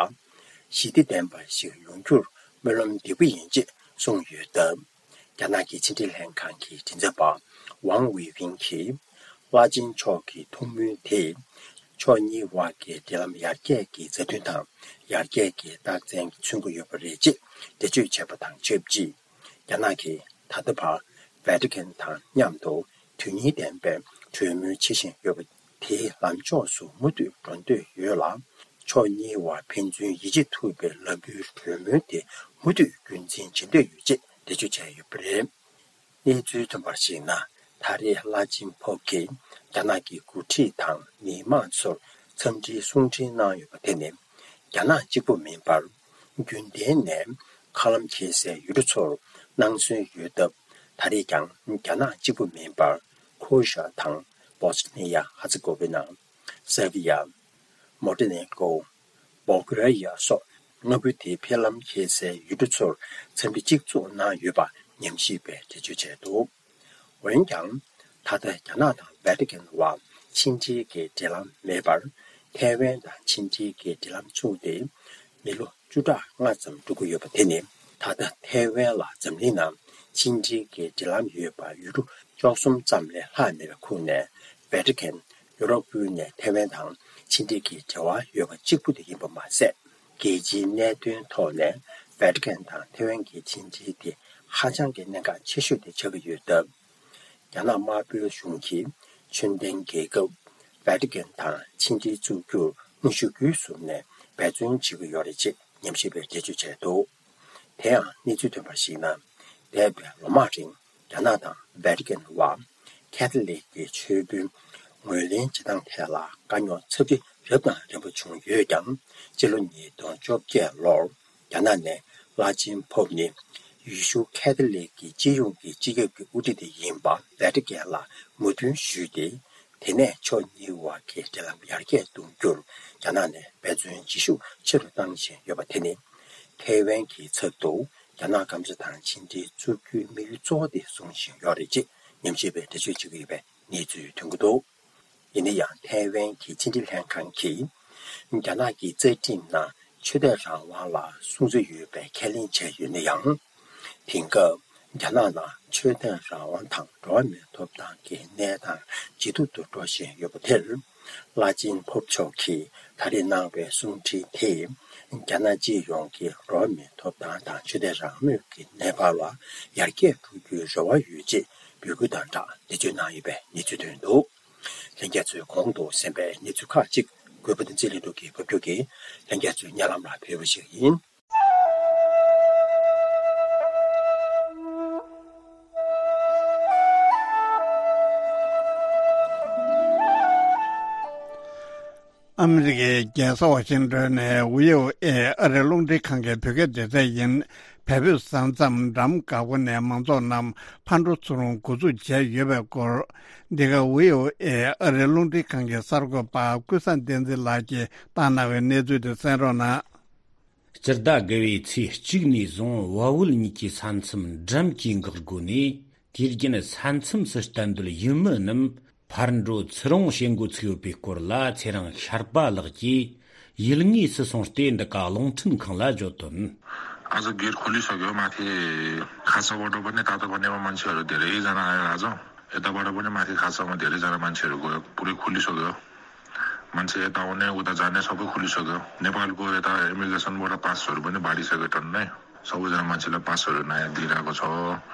ཞི་བདེ་ལྡན་པ་ཞིག་ཡོང་རྒྱུར་སྨོན་ལམ་འདེབས་ཀྱི་ཡིན་ཅེས་གསུངས་ཡོད་སྟབས། རྒྱ་ནག་གི་ཕྱི་འབྲེལ་ལྷན་ཁང་གི་མགྲིན་ཚབ་པ་ཝང་ཝེ་ཝིན་གྱིས། བླ་ཆེན་མཆོག་གི་ཐུགས་སྨོན་དེས་ཕྱོགས་གཉིས་དབར་གྱི་འབྲེལ་ལམ་ཡར་རྒྱས་ཀྱི་མཛའ་མཐུན་དང་ཡར་རྒྱས་ཀྱི་རྟགས་མཚན་མཚོན་གྱི་ཡོད་པ་རེད་ཅེས་འགྲེལ་བརྗོད་བྱས་པ་དང་ཆབས་ཅིག་རྒྱ་ནག་གིས་ད་ལྟ་བར་ཝེ་ཏི་ཀན་དང་མཉམ་དུ་དོན་སྙིང་ལྡན་པའི་གྲོས་མོལ་བྱེད་བཞིན་ཡོད་པ་དེའི་ལམ་ཕྱོགས་སུ་མུ་མཐུད་འགྲོ་འདོད་ཡོད་ལ། ཕྱོགས་གཉིས་དབར་ཕན་ཚུན་ཡིད་ཆེས་ཐུབ་པའི་ལམ་བུའི་གྲོས་མོལ་དེ་མུ་མཐུད་རྒྱུན་འཛིན་བྱེད་འདོད་ཡོད་ཅེས་འགྲེལ་བརྗོད་བྱས་ཡོད་པ་རེད། གནས་ཚུལ་ཐོན་པར་གཞིགས་ན། ད་རེས་བླ་ཆེན་ཕོབ་ཀྱིས་རྒྱ་ནག་གི་འགོ་ཁྲིད་དང་མི་མང་ཚོར་འཚམས་འདྲིའི་གསུང་འཕྲིན་གནང་ཡོད་པ་དེ་ནི། རྒྱ་ནག་གཅིག་པུ་མིན་པར། རྒྱུན་ལྡན་ནས་མཁའ་ལམ་འཁེལ་སའི་ཡུལ་གྲུ་ཚོར་གནང་སྲོལ་ཡོད་སྟབས། ད་རེས་ཀྱང་རྒྱ་ནག་གཅིག་པུ་མིན་པར། ཁོ་ཤ་དང་། བོ་སི་ནི་ཡ་ཧ་ཙེ་གོ་ཝི་ན། སེར་བི་ཡ། མོན་ཏེ་ནེ་གོ། བོལ་གྷེ་རི་ཡ་སོགས་ དངོས་པོ་དེའི་ཕེབས་ལམ་འཁེལ་སའི་ཡུལ་གྲུ་ཚོར་འཚམས་འདྲི་གཅིག་མཚུངས་གནང་ཡོད་པ་ཉམས་ཞིབ་པས་འགྲེལ་བརྗོད་བྱས་འདུག་འོན་ཀྱང་། ད་ལྟ་རྒྱ་ནག་དང་ཝེ་ཏི་ཀན་བར་ཕྱི་འབྲེལ་གྱི་འབྲེལ་ལམ་མེད་པར། ཐའེ་ཝན་དང་ཕྱི་འབྲེལ་གྱི་འབྲེལ་ལམ་བཙུགས་ཏེ། མི་ལོ་བཅུ་ཕྲག་ལྔ་ཙམ་འགྲོ་གི་ཡོད་པ་དེ་ནི། ད་ལྟ་ཐའེ་ཝན་ལ་འཛམ་གླིང་ནང་ཕྱི་འབྲེལ་གྱི་འབྲེལ་ལམ་ཡོད་པ་ཡུལ་གྲུ་བཅུ་གསུམ་ཙམ་ལས་ལྷག་མེད་པའི་ཁོངས་ནས། ཝེ་ཏི་ཀན་ཡུ་རོབ་ཁུལ་ནས་ཐའེ་ཝན་དང་ཕྱི་འབྲེལ་གྱི་འབྲེལ་བ་ཡོད་པ་གཅིག་པུ་དེ་ཡིན་པ་མ་ཟད། རྒྱལ་སྤྱིའི་གནད་དོན་ཐོག་ནས་ཝེ་ཏི་ཀན་དང་ཐའེ་ཝན་གྱི་ཕྱི་འབྲེལ་དེ་ཧ་ཅང་གི་གནད་འགག་ཆེ་ཤོས་དེ་ཆགས་ཀྱི་ཡོད་སྟབས། རྒྱ་ནག་དམར་པོའི་གཞུང་གིས་ཆོས་ལྡན་རྒྱལ་ཁབ་ཝེ་ཏི་ཀན་དང་ཕྱི་འབྲེལ་བཙུགས་རྒྱུར་དངོས་གཞི་རྒྱུན་བཟུང་ནས་འབད་བརྩོན་བྱེད་ཀྱི་ཡོད་རེད་ཅེས་ཉམས་ཞིབ་པས་འགྲེལ་བརྗོད་བྱས་འདུག་དེ་ཡང་གནས་ཚུལ་ཐོན་པར་གཞིགས་ན། འདས་པའི་ལོ་མང་རིང་རྒྱ་ནག་དང་ཝེ་ཏི་ཀན་བར་ཁེ་ཐོ་ལིག་གི་ཆོས་དཔོན་ངོས་ལེན་བྱེད་སྟངས་ཐད་ལ་དཀའ་རྙོག་ཚབས་ཆེ་རབ་དང་རིམ་པ་བྱུང་ཡོད་ཀྱང་། སྤྱི་ལོ་ཉིས་སྟོང་བཅོ་བརྒྱད་ལོར་རྒྱ་ནག་ནས་བླ་ཆེན་ཕོབ་ནི་ཡེ་ཤུ་ཁེ་ཐོ་ལིག་གི་སྤྱི་ཡོངས་ཀྱི་སྤྱི་ཁྱབ་ཀྱི་དབུ་ཁྲིད་དེ་ཡིན་པ་ཝེ་ཏི་ཀན་ལ་མོས་མཐུན་ཞུས་ཏེ། དེ་ནས་ཕྱོགས་གཉིས་བར་གྱི་འབྲེལ་ལམ་ཡར་རྒྱས་གཏོང་རྒྱུར་རྒྱ་ནག་ནས་འབད་བརྩོན་བྱེད་ཤུགས་ཆེ་རུ་བཏང་བཞིན་ཡོད་པ་དེ་ནི། ཐའེ་ཝན་གྱི་ཚབ་ཏུ་རྒྱ་ནག་སྐམ་ས་དང་ཕྱི་འབྲེལ་བཙུགས་རྒྱུའི་དམིགས་ཡུལ་གཙོ་བོ་དེ་བཟུང་བཞིན་ཡོད་རེད་ཅེས་ཉམས་ཞིབ་པས་འགྲེལ་བརྗོད་བྱེད་ཀྱི་ཡོད་པའི་གནས་ཚུལ་ཐོན་གྱི་འདུག་ཡིན་ན་ཡང་། ཐའེ་ཝན་གྱི་ཕྱི་འབྲེལ་ལྷན་ཁང་གིས་རྒྱ་ནག་གི་རྩ་ཁྲིམས་ནང་ཆོས་དད་རང་དབང་ལ་སྲུང་བརྩི་ཡོད་པའི་ཁས་ལེན་བྱས་ཡོད་ན་ཡང་། དེང་སྐབས་རྒྱ་ནག་ནང་ཆོས་དད་རང་དབང་དང་འགྲོ་བ་མིའི་ཐོབ་ཐང་གི་གནས་སྟངས་ཇེ་སྡུག་ཏུ་འགྲོ་བཞིན་ཡོད་པ་དེར། བླ་ཆེན་ཕོབ་མཆོག་གིས་ད་རེས་གནང་བའི་གསུང་འཕྲིན་དེས། རྒྱ་ནག་སྤྱི་ཡོངས་ཀྱི་འགྲོ་བ་མིའི་ཐོབ་ཐང་དང་ཆོས་དད་རང་མོས་ཀྱི་གནས་བབ་ལ་ཡར་རྒྱས་འགྲོ་རྒྱུའི་རེ་བ་ཡོད་ཅེས་འབོད་སྐུལ་དང་སྦྲགས་འགྲེལ་བརྗོད་གནང་ཡོད་པའི་གནས་ཚུལ་ཐོན་འདུག་ལྷན་རྒྱས་ཚོས་གོང་དུ་གསན་པའི་གནས་ཚུལ་ཁག་ཅིག་གུས་པ་བསྟན་འཛིན་ལྷུན་གྲུབ་ཀྱིས་ཕབ་སྒྱུར་གྱིས་ལྷན་རྒྱས་ཚོའི་སྙན་ལམ་ལ་ཕུལ་བ་ཞིག་ཡིན། ཨ་མི་རི་ཀའི་རྒྱལ་ས་ཝ་ཤིང་ཏོན་ནས་ཝི་ཨོ་ཨེ་ཨ་རིའི་རླུང་འཕྲིན་ཁང་གི་བོད་སྐད་སྡེ་ཚན་ཡིན། བལ་པོའི་ས་མཚམས་འགྲམ་འགག་སྒོ་ནས་མང་ཚོགས་རྣམས་ཕར་འགྲོ་ཚུར་འོང་འགོ་འཛུགས་བྱས་ཡོད་པའི་སྐོར། འདི་ག་ཝི་ཨོ་ཨེ་ཨ་རིའི་རླུང་འཕྲིན་ཁང་གི་གསར་འགོད་པ་ཀུན་བཟང་བསྟན་འཛིན་ལགས་ཀྱིས་བཏང་གནང་བའི་གནས་ཚུལ་དེ་གསན་རོགས་གནང་། སྤྱི་ཟླ་དགུ་བའི་ཚེས་གཅིག་ནས་བཟུང་བལ་བོད་གཉིས་ཀྱི་ས་མཚམས་འགྲམ་གྱི་འགག་སྒོ་ནས། དུས་རྒྱུན་ས་མཚམས་སུ་གཏན་སྡོད་ཡུལ་མི་རྣམས་ཕར་འགྲོ་ཚུར་འོང་བྱེད་འགོ་ཚུགས་ཡོད་པའི་སྐོར་ལ། ཚེ་རིང་ཤར་པ་ལགས་ཀྱིས་ཡུལ་དངོས་སུ་སོང་སྟེ་འདི་ག་རླུང་འཕྲིན་ཁང་ལ་བརྗོད་དོན། ཨ་ཟོ་སྒེར་ཁོ་ལི་སོ་གི་མ་ཐེ་ཁ་ས་བོ་འགྲོ་བ་ནི་ད་ལྟ་བ་ནེ་བ་མན་ཆེ་རུ་དེ་རེ་ཡི་ཟ་ན་ཨ་ཟོ་ཨེ་ད་བ་འགྲོ་བ་ནི་མ་ཐེ་ཁ་ས་བོ་དེ་རེ་ཟ་ན་མན་ཆེ་རུ་གོ་པུ་རི་ཁོ་ལི་སོ་གི། མན་ཆེ་ད་འོ་ནེ་ཨུ་ད་ཟ་ནེ་སོ་པུ་ཁོ་ལི་སོ་གི་ནེ་པཱལ་གོ་ཨེ་ད་ཨི་མི་གྷི་རེ་ཤན་བོ་ད་པཱ་སི་སོ་རུ་བ་ནི་བ་རི་སོ་གི་ཏོན་ནེ། སོ་བུ་ཟ་མ་ཆི་ལ་པ་སོ་རུ་ན་ཡ་དི་ར་གོ་ཆོ།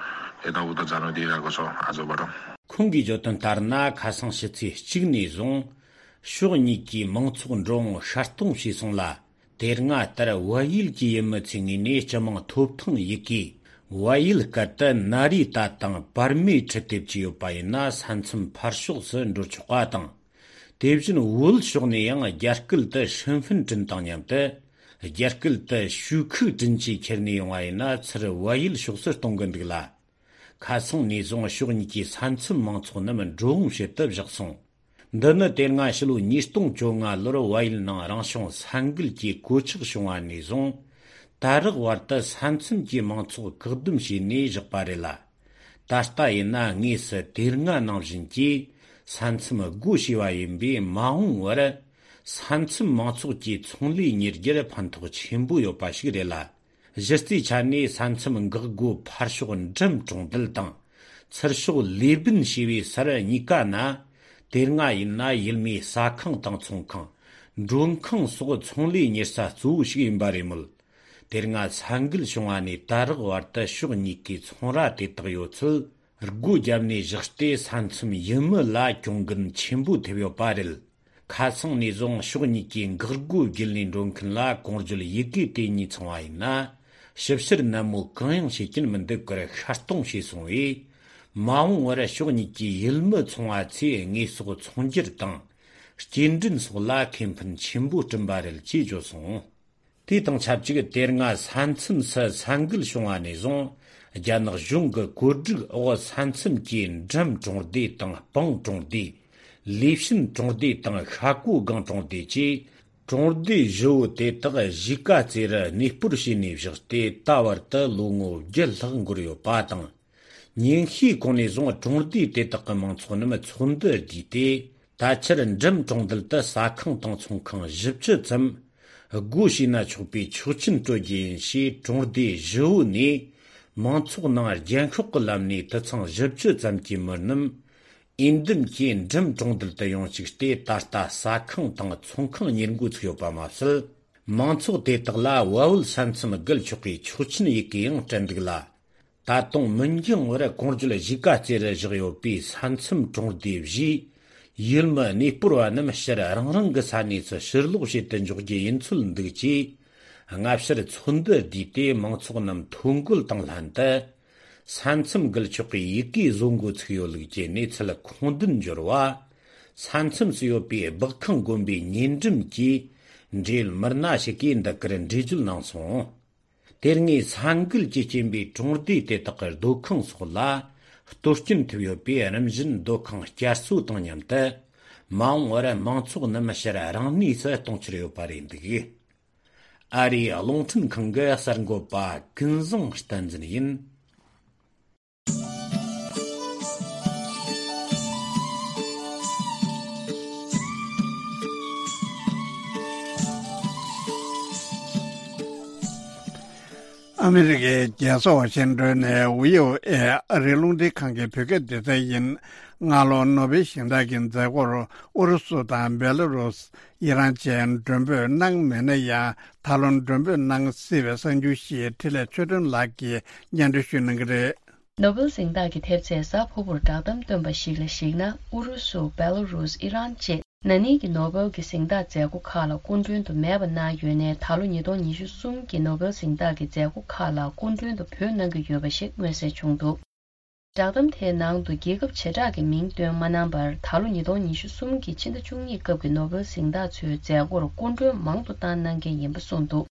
ཨེ་ད་ཨུ་ད་ཛ་ནོ་དི་ར་གོ་ཆོ་ཨ་ཛོ་བ་རོ། ཁོང་གིས་བརྗོད་དོན་ལྟར་ན། ཁ་སང་ཕྱི་ཚེས་གཅིག་ནས་བཟུང་ཕྱོགས་གཉིས་ཀྱི་མང་ཚོགས་འགྲོ་འོང་ཤར་གཏོང་བྱས་སོང་ལ། དེ་སྔ་ལྟར་བལ་ཡུལ་གྱི་ཡུལ་མི་ཚོའི་ངོས་ནས་སྤྱི་དམངས་ཐོབ་ཐང་ཡི་གེ་བལ་ཡུལ་སྐད་དུ་ན་རི་ཏ་དང་པར་མེ་འཕྲུལ་དེབ་ཀྱི་ཡོད་པ་ཡིན་ན། ས་མཚམས་ཕར་ཕྱོགས་སུ་འགྲོ་ཆོག་པ་དང་། དེ་བཞིན་བོད་ཕྱོགས་ནས་ཡང་རྒྱ་སྐད་དུ་ཧྲིན་ཧྥིན་ཀྲིན་དང་མཉམ་དུ། རྒྱ་སྐད་དུ་ཞུ་ཁུག་ཀྲིན་གྱིས་ཁྱེར་ནས་ཡོང་བ་ཡིན་ན། ཚུར་བལ་ཡུལ་ཕྱོགས་སུ་གཏོང་གི་འདུག་ལ། ཁ་སང་ནས་བཟུང་ཕྱོགས་གཉིས་ཀྱི་ས་མཚམས་མང་ཚོགས་རྣམས་འགྲོ་འོང་བྱེད་དུ་བཞག་སོང་། འདི་ནི་དེ་སྔ་ཕྱི་ལོ་ཉིས་སྟོང་བཅོ་ལྔ་ལོར་བལ་ཡུལ་ནང་རང་བྱུང་ས་འགུལ་གྱི་གོད་ཆག་བྱུང་བ་ནས་བཟུང་། ད་རག་བར་དུ་ས་མཚམས་ཀྱི་མང་ཚོགས་བཀག་སྡོམ་བྱས་ནས་བཞག་པ་རེད་ལ། ད་ལྟ་ཡིན་ན་དངོས་སུ་དེ་སྔ་ནང་བཞིན་གྱི་ས་མཚམས་སྒོ་ཕྱེ་བ་ཡིན་པས། མ་འོངས་པར་ས་མཚམས་མང་ཚོགས་ཀྱི་ཚོང་ལས་གཉེར་རྒྱུར་ཕན་ཐོགས་ཆེན་པོ་ཡོད་པ་ཞིག་རེད་ལ། གཞི་རྩའི་ཆ་ནས་ས་མཚམས་འགག་སྒོ་ཕར་ཕྱོགས་འགྲམ་གྲོང་རྡལ་དང་། ཚུར་ཕྱོགས་ལེ་སྦུན་ཞེས་པའི་སར་གཉིས་ཀ་ན། དེ་སྔ་ཡིན་ན་ཡུལ་མིའི་ཟ་ཁང་དང་ཚོང་ཁང་། མགྲོན་ཁང་སོགས་ཚོང་ལས་གཉེར་ས་གཙོ་བོ་ཞིག་ཡིན་པ་རེད་མོད། དེ་སྔ་ས་འགུལ་བྱུང་བ་ནས་ད་རག་བར་དུ་ཕྱོགས་གཉིས་ཀའི་ཚོང་ར་དེ་དག་ཡོད་ཚད་སྒོ་བརྒྱབ་ནས་བཞག་སྟེ། ས་མཚམས་ཡུལ་མི་ལ་གྱོང་གུན་ཆེན་པོ་ཐེབས་ཡོད་པ་རེད། ཁ་སང་ནས་བཟུང་ཕྱོགས་གཉིས་ཀའི་འགག་སྒོ་བརྒྱུད་ནས་འགྲོ་མཁན་ལ་གོང་བརྗོད་ཡི་གེ་དེ་གཉིས་ཚང་བ་ཡིན་ན། ཞིབ་བཤེར་ནན་མོ་གང་ཡང་བྱེད་ཀྱིན་མི་འདུག་པར་ཤར་གཏོང་བྱས་སོང་བས། མ་འོངས་པར་ཕྱོགས་གཉིས་ཀྱི་ཡུལ་མི་ཚོང་བ་ཚོས་དངོས་ཟོག་ཚོང་སྒྱུར་དང་། སྐྱེལ་འདྲེན་སོགས་ལ་ཁེ་ཕན་ཆེན་པོ་བསྐྲུན་པ་རེད་ཅེས་བརྗོད་སོང་། དེ་དང་ཆབས་ཅིག་དེ་སྔ་ས་མཚམས་སུ་ས་འགུལ་བྱུང་བ་ནས་བཟུང་། རྒྱ་ནག་གཞུང་གི་བཀོད་སྒྲིག་འོག་ས་མཚམས་ཀྱི་འགྲམ་གྲོང་སྡེ་དང་སྤང་གྲོང་སྡེ། ལི་ཤིན་གྲོང་སྡེ་དང་ཤ་ཀོ་སྒང་གྲོང་སྡེ་བཅས་ གྲོང་སྡེ་བཞི་བོ་དེ་དག་གཞིས་ཀ་རྩེ་རུ་གནས་སྤོར་བྱས་ནས་བཞག་སྟེ་ད་བར་དུ་ལོ་ངོ་བརྒྱད་ལྷག་འགོར་ཡོད་པ་དང་། ཉིན་ཤས་གོང་ནས་བཟུང་གྲོང་སྡེ་དེ་དག་གི་མང་ཚོགས་རྣམས་ཚོགས་འདུ་བསྡུས་ཏེ། ད་ཆར་འགྲམ་གྲོང་རྡལ་དུ་ཟ་ཁང་དང་ཚོང་ཁང་བཞི་བཅུ་ཙམ་སྒོ་ཕྱེ་ན་ཆོག་པའི་ཆོག་མཆན་སྤྲོད་རྒྱུ་ཡིན་ཞེས། གྲོང་སྡེ་བཞི་བོ་ནས་མང་ཚོགས་ནང་རྒྱན་ཤོག་གི་ལམ་ནས་དུད་ཚང་བཞི་བཅུ་ཙམ་གྱི་མི་རྣམས་འོས་འདེམས་ཀྱིས་འགྲམ་གྲོང་རྡལ་དུ་ཡོང་བཅུག་སྟེ། ད་ལྟ་ཟ་ཁང་དང་ཚོང་ཁང་གཉེར་འགོ་ཚུགས་ཡོད་པ་མ་ཟད། མང་ཚོགས་དེ་དག་ལ་བལ་བོད་ས་མཚམས་བརྒལ་ཆོག་པའི་ཆོག་མཆན་ཡི་གེ་ཡང་སྤྲད་འདུག་ལ། ད་དུང་མི་འགྱང་བར་གོང་བརྗོད་གཞིས་ཀ་རྩེ་རུ་བཞག་ཡོད་པའི་ས་མཚམས་གྲོང་སྡེ་བཞིའི་ཡུལ་མི་གནས་སྤོར་བ་རྣམས་ཕྱིར་རང་རང་གི་ས་གནས་སུ་ཕྱིར་ལོག་བྱེད་དུ་འཇུག་རྒྱུ་ཡིན་ཚུལ་འདུག་ཅེས། སྔ་ཕྱིར་ཚོགས་འདུ་བསྡུས་ཏེ་མང་ཚོགས་རྣམས་ཐོ་འགོད་དང་ལྷན་དུ། ས་མཚམས་བརྒལ་ཆོག་པའི་ཡི་གེ་བཟོ་འགོ་ཚུགས་ཡོད་ལུགས་ཀྱི་གནས་ཚུལ་ཁུངས་ལྡན་འབྱོར་བ། ས་མཚམས་སུ་ཡོད་པའི་སྦག་ཁང་དགོན་པའི་ཉེ་འགྲམ་གྱི་འབྲེལ་ཡོད་མི་སྣ་ཞིག་གིས་འདི་གར་འགྲེལ་བརྗོད་གནང་སོང་། དེ་སྔའི་ས་འགུལ་གྱི་རྐྱེན་པས་གྲོང་སྡེ་དེ་དག་གི་སྡོད་ཁང་སོགས་ལ་གཏོར་སྐྱོན་ཐེབས་ཡོད་པས། རིམ་བཞིན་སྡོད་ཁང་བསྐྱར་གསོ་དང་མཉམ་དུ་མ་འོངས་པར་མང་ཚོགས་རྣམས་ཕྱིར་རང་གནས་སུ་གཏོང་འཆར་ཡོད་པ་རེད་འདུག། ཨ་རིའི་རླུང་འཕྲིན་ཁང་གི་གསར་འགོད་པ་ཀུན་བཟང་བསྟན་འཛིན་ཡིན། ཨ་མི་རི་ཀའི་རྒྱལ་ས་ཝ་ཤིང་ཏོན་ནས་བྷི་ཨོ་ཨེ་ཨ་རིའི་རླུང་འཕྲིན་ཁང་གི་བོད་སྐད་སྡེ་ཚན་ཡིན། སྔ་ལོ་ནོ་བེལ་གཟེངས་རྟགས་ཀྱི་མཛད་སྒོར་ཨུ་རུ་སུ་དང་བེ་ལ་རུ་སི། ཨི་རན་བཅས་མགྲོན་འབོད་གནང་མེད་ན་ཡང་། ད་ལོ་མགྲོན་འབོད་གནང་སྲིད་པའི་གསར་འགྱུར་ཞིག་འཕྲིན་ལས་ཆོས་སྒྲོན་ལགས་ཀྱིས་སྙན་སྒྲོན་ཞུ་གནང་གི་རེད། ནོ་བེལ་གཟེངས་རྟགས་ཀྱི་ཐེབས་རྩས་གཟའ་ཕུར་བུར་བསྒྲགས་གཏམ་བཏོན་པ་ཞིག་ལ་གཞིགས་ན། ཨུ་རུ་སུ། བེ་ལ་རུ་སི། ཨི་རན་བཅས་ན་ནིང་གི་ནོ་བེལ་གྱི་གཟེངས་རྟགས་མཛད་སྒོ་ཁག་ལ་སྐུ་མགྲོན་དུ་མེད་པ་གནང་ཡོད་ནའི། ད་ལོ་ཉིས་སྟོང་ཉི་ཤུ་གསུམ་གྱི་ནོ་བེལ་གཟེངས་རྟགས་ཀྱི་མཛད་སྒོ་ཁག་ལ་སྐུ་མགྲོན་དུ་བོད་གནང་གི་ཡོད་པ་ཞིག་མངོན་གསལ་བྱུང་འདུག། བསྒྲགས་གཏམ་དེའི་ནང་དུ་རྒྱལ་ཁབ་བྱེ་བྲག་གི་མིང་བཏོན་མ་གནང་བར། ད་ལོ་ཉིས་སྟོང་ཉི་ཤུ་གསུམ་གྱི་ཕྱི་ཟླ་བཅུ་གཉིས་སྐབས་ཀྱི་ནོ་བེལ་གཟེངས་རྟགས་ཚོའི་མཛད་སྒོར་སྐུ་མགྲོན་མང་དུ་བཏང་གནང་མཁན་ཡིན་པ་གསུངས་འདུག།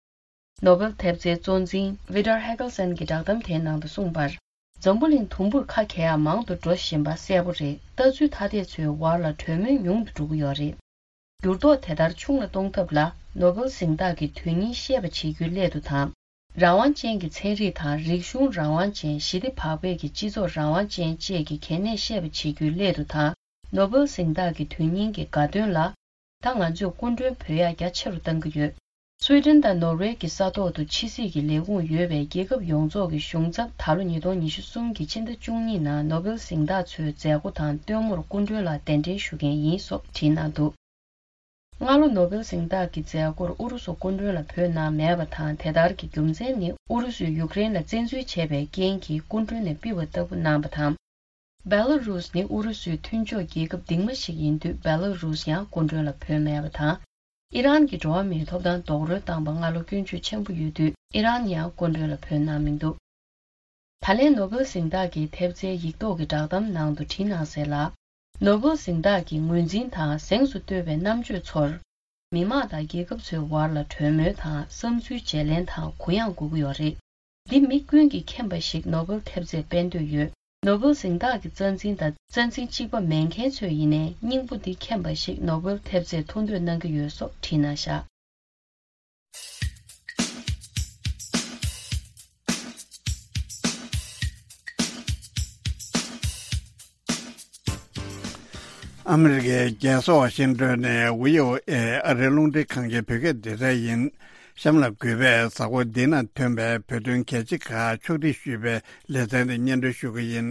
ནོ་བེལ་ཐེབས་རྩའི་གཙོ་འཛིན་ཝི་ཏར་ཧེ་གལ་སན་གྱིས་བསྒྲགས་གཏམ་དེའི་ནང་དུ་གསུངས་པར། འཛམ་བུ་གླིང་དུམ་བུར་ཁ་གས་ཡག་མང་དུ་འགྲོ་བཞིན་པ་གསལ་པོ་རེད། ལྟ་ཚུལ་ཐ་དད་ཚོའི་བར་ལ་གྲོས་མོལ་ཉུང་དུ་འགྲོ་གི་ཡོད་རེད། འགྱུར་ལྡོག་དེ་ལྟར་ཆུང་ལ་གཏོང་ཐབས་ལ། ནོ་བེལ་གཟེངས་རྟགས་ཀྱི་དོན་སྙིང་ཤེས་པ་བྱེད་རྒྱུའི་སླད་དུ་དང་། རང་དབང་ཅན་གྱི་ཚན་རིག་དང་། རིག་གཞུང་རང་དབང་ཅན། ཞི་བདེ་བག་ཕེབས་ཀྱི་སྤྱི་ཚོགས་རང་དབང་ཅན་བཅས་ཀྱི་གལ་གནད་ཤེས་པ་བྱེད་རྒྱུའི་སླད་དུ་དང་། ནོ་བེལ་གཟེངས་རྟགས་ཀྱི་དོན་སྙིང་གི་དགའ་སྟོན་ལ། ད་ང་ཚོས་སྐུ་མགྲོན་འབོད་ཡག་རྒྱ་ཆེ་རུ་གཏང་གི་ཡོད། སུའེ་ཏེན་དང་ནོར་ཝེ་གྱི་ས་ཐོག་ཏུ་ཕྱི་སྲིད་ཀྱི་ལས་ཁུངས་ཡོད་པའི་རྒྱལ་ཁབ་ཡོངས་རྫོགས་ཀྱི་གཞུང་ཚབ། ད་ལོ་ཉིས་སྟོང་ཉི་ཤུ་གསུམ་གྱི་ཕྱི་ཟླ་བཅུ་གཉིས་ནང་ནོ་བེལ་གཟེངས་རྟགས་ཚོའི་མཛད་སྒོ་དང་སྟོན་མོར་སྐུ་མགྲོན་ལ་གདན་འདྲེན་ཞུ་མཁན་ཡིན་སོགས་བྲིས་གནང་འདུག། སྔ་ལོ་ནོ་བེལ་གཟེངས་རྟགས་ཀྱི་མཛད་སྒོར་ཨུ་རུ་སུ་སྐུ་མགྲོན་ལ་བོད་ནང་མེད་པ་དང་། དེ་ལྟར་གྱི་རྒྱུ་མཚན་ནི་ཨུ་རུ་སུས་ཡུཀ་རེན་ལ་བཙན་འཛུལ་བྱས་པའི་རྐྱེན་གྱིས་སྐུ་མགྲོན་ནས་ཕུད་པ་ལྟ་བུ་གནང་བ་དང་། བེ་ལ་རུ་སི་ནི་ཨུ་རུ་སུའི་མཐུན་ཕྱོགས་རྒྱལ་ཁབ་རྡིག་མ་ཞིག་ཡིན་དུས། བེ་ལ་རུ་སི་ཡང་སྐུ་མགྲོན་ལ་བོད་མེད་པ་དང་། ཨི་རན་གྱི་འགྲོ་བ་མིའི་ཐོབ་ཐང་རྡོག་རོལ་བཏང་པ་སྔ་ལོ་སྐྱོན་བརྗོད་ཆེན་པོ་ཡོད་དུས། ཨི་རན་ཡང་སྐུ་མགྲོན་ལ་བོད་གནང་མི་འདུག། ད་ལན་ནོ་བེལ་གཟེངས་རྟགས་ཀྱི་ཐེབས་རྩའི་ཡིག་ཐོག་གི་བསྒྲགས་གཏམ་ནང་དུ་བྲིས་གནང་གསལ་ལ། ནོ་བེལ་གཟེངས་རྟགས་ཀྱི་ངོས་འཛིན་དང་གཟེངས་སུ་བསྟོད་པའི་རྣམ་དཔྱོད་ཚོར། མི་དམངས་དང་རྒྱལ་ཁབ་ཚོའི་བར་ལ་གྲོས་མོལ་དང་། བསམ་ཚུལ་བརྗེ་ལེན་དང་གུ་ཡངས་དགོས་ཀྱི་ཡོད་རེད། འདི་མི་ཀུན་གྱིས་མཁྱེན་པ་ཞིག་ནོ་བེལ་ཐེབས་རྩས་སྤེལ་འདོད་ཡོད། ནོ་བེལ་གཟེངས་རྟགས་ཀྱི་རྩ་འཛིན་དང་། རྩ་འཛིན་གཅིག་པ་མེད་མཁན་ཚོས་ཡིན་ནའི། སྙིང་པོ་འདི་མཁྱེན་པ་ཞིག་ནོ་བེལ་ཐེབས་རྩས་ཐོ་འདོན་གནང་གི་ཡོད་སོགས་བྲིས་གནང་བཞག། ཨ་མི་རི་ཀའི་རྒྱལ་ས་ཝ་ཤིང་ཏོན་ནས་བྷི་ཨོ་ཨེ་ཨ་རིའི་རླུང་འཕྲིན་ཁང་གི་བོད་སྐད་སྡེ་ཚན་ཡིན། གཤམ་ལ་གུས་པས་གཟའ་འཁོར་འདི་ན་ཐོན་པའི་བོད་དོན་གལ་ཆེ་ཁག་ཕྱོགས་སྒྲིག་ཞུས་པའི་ལེ་ཚན་དེ་སྙན་སྒྲོན་ཞུ་གི་ཡིན།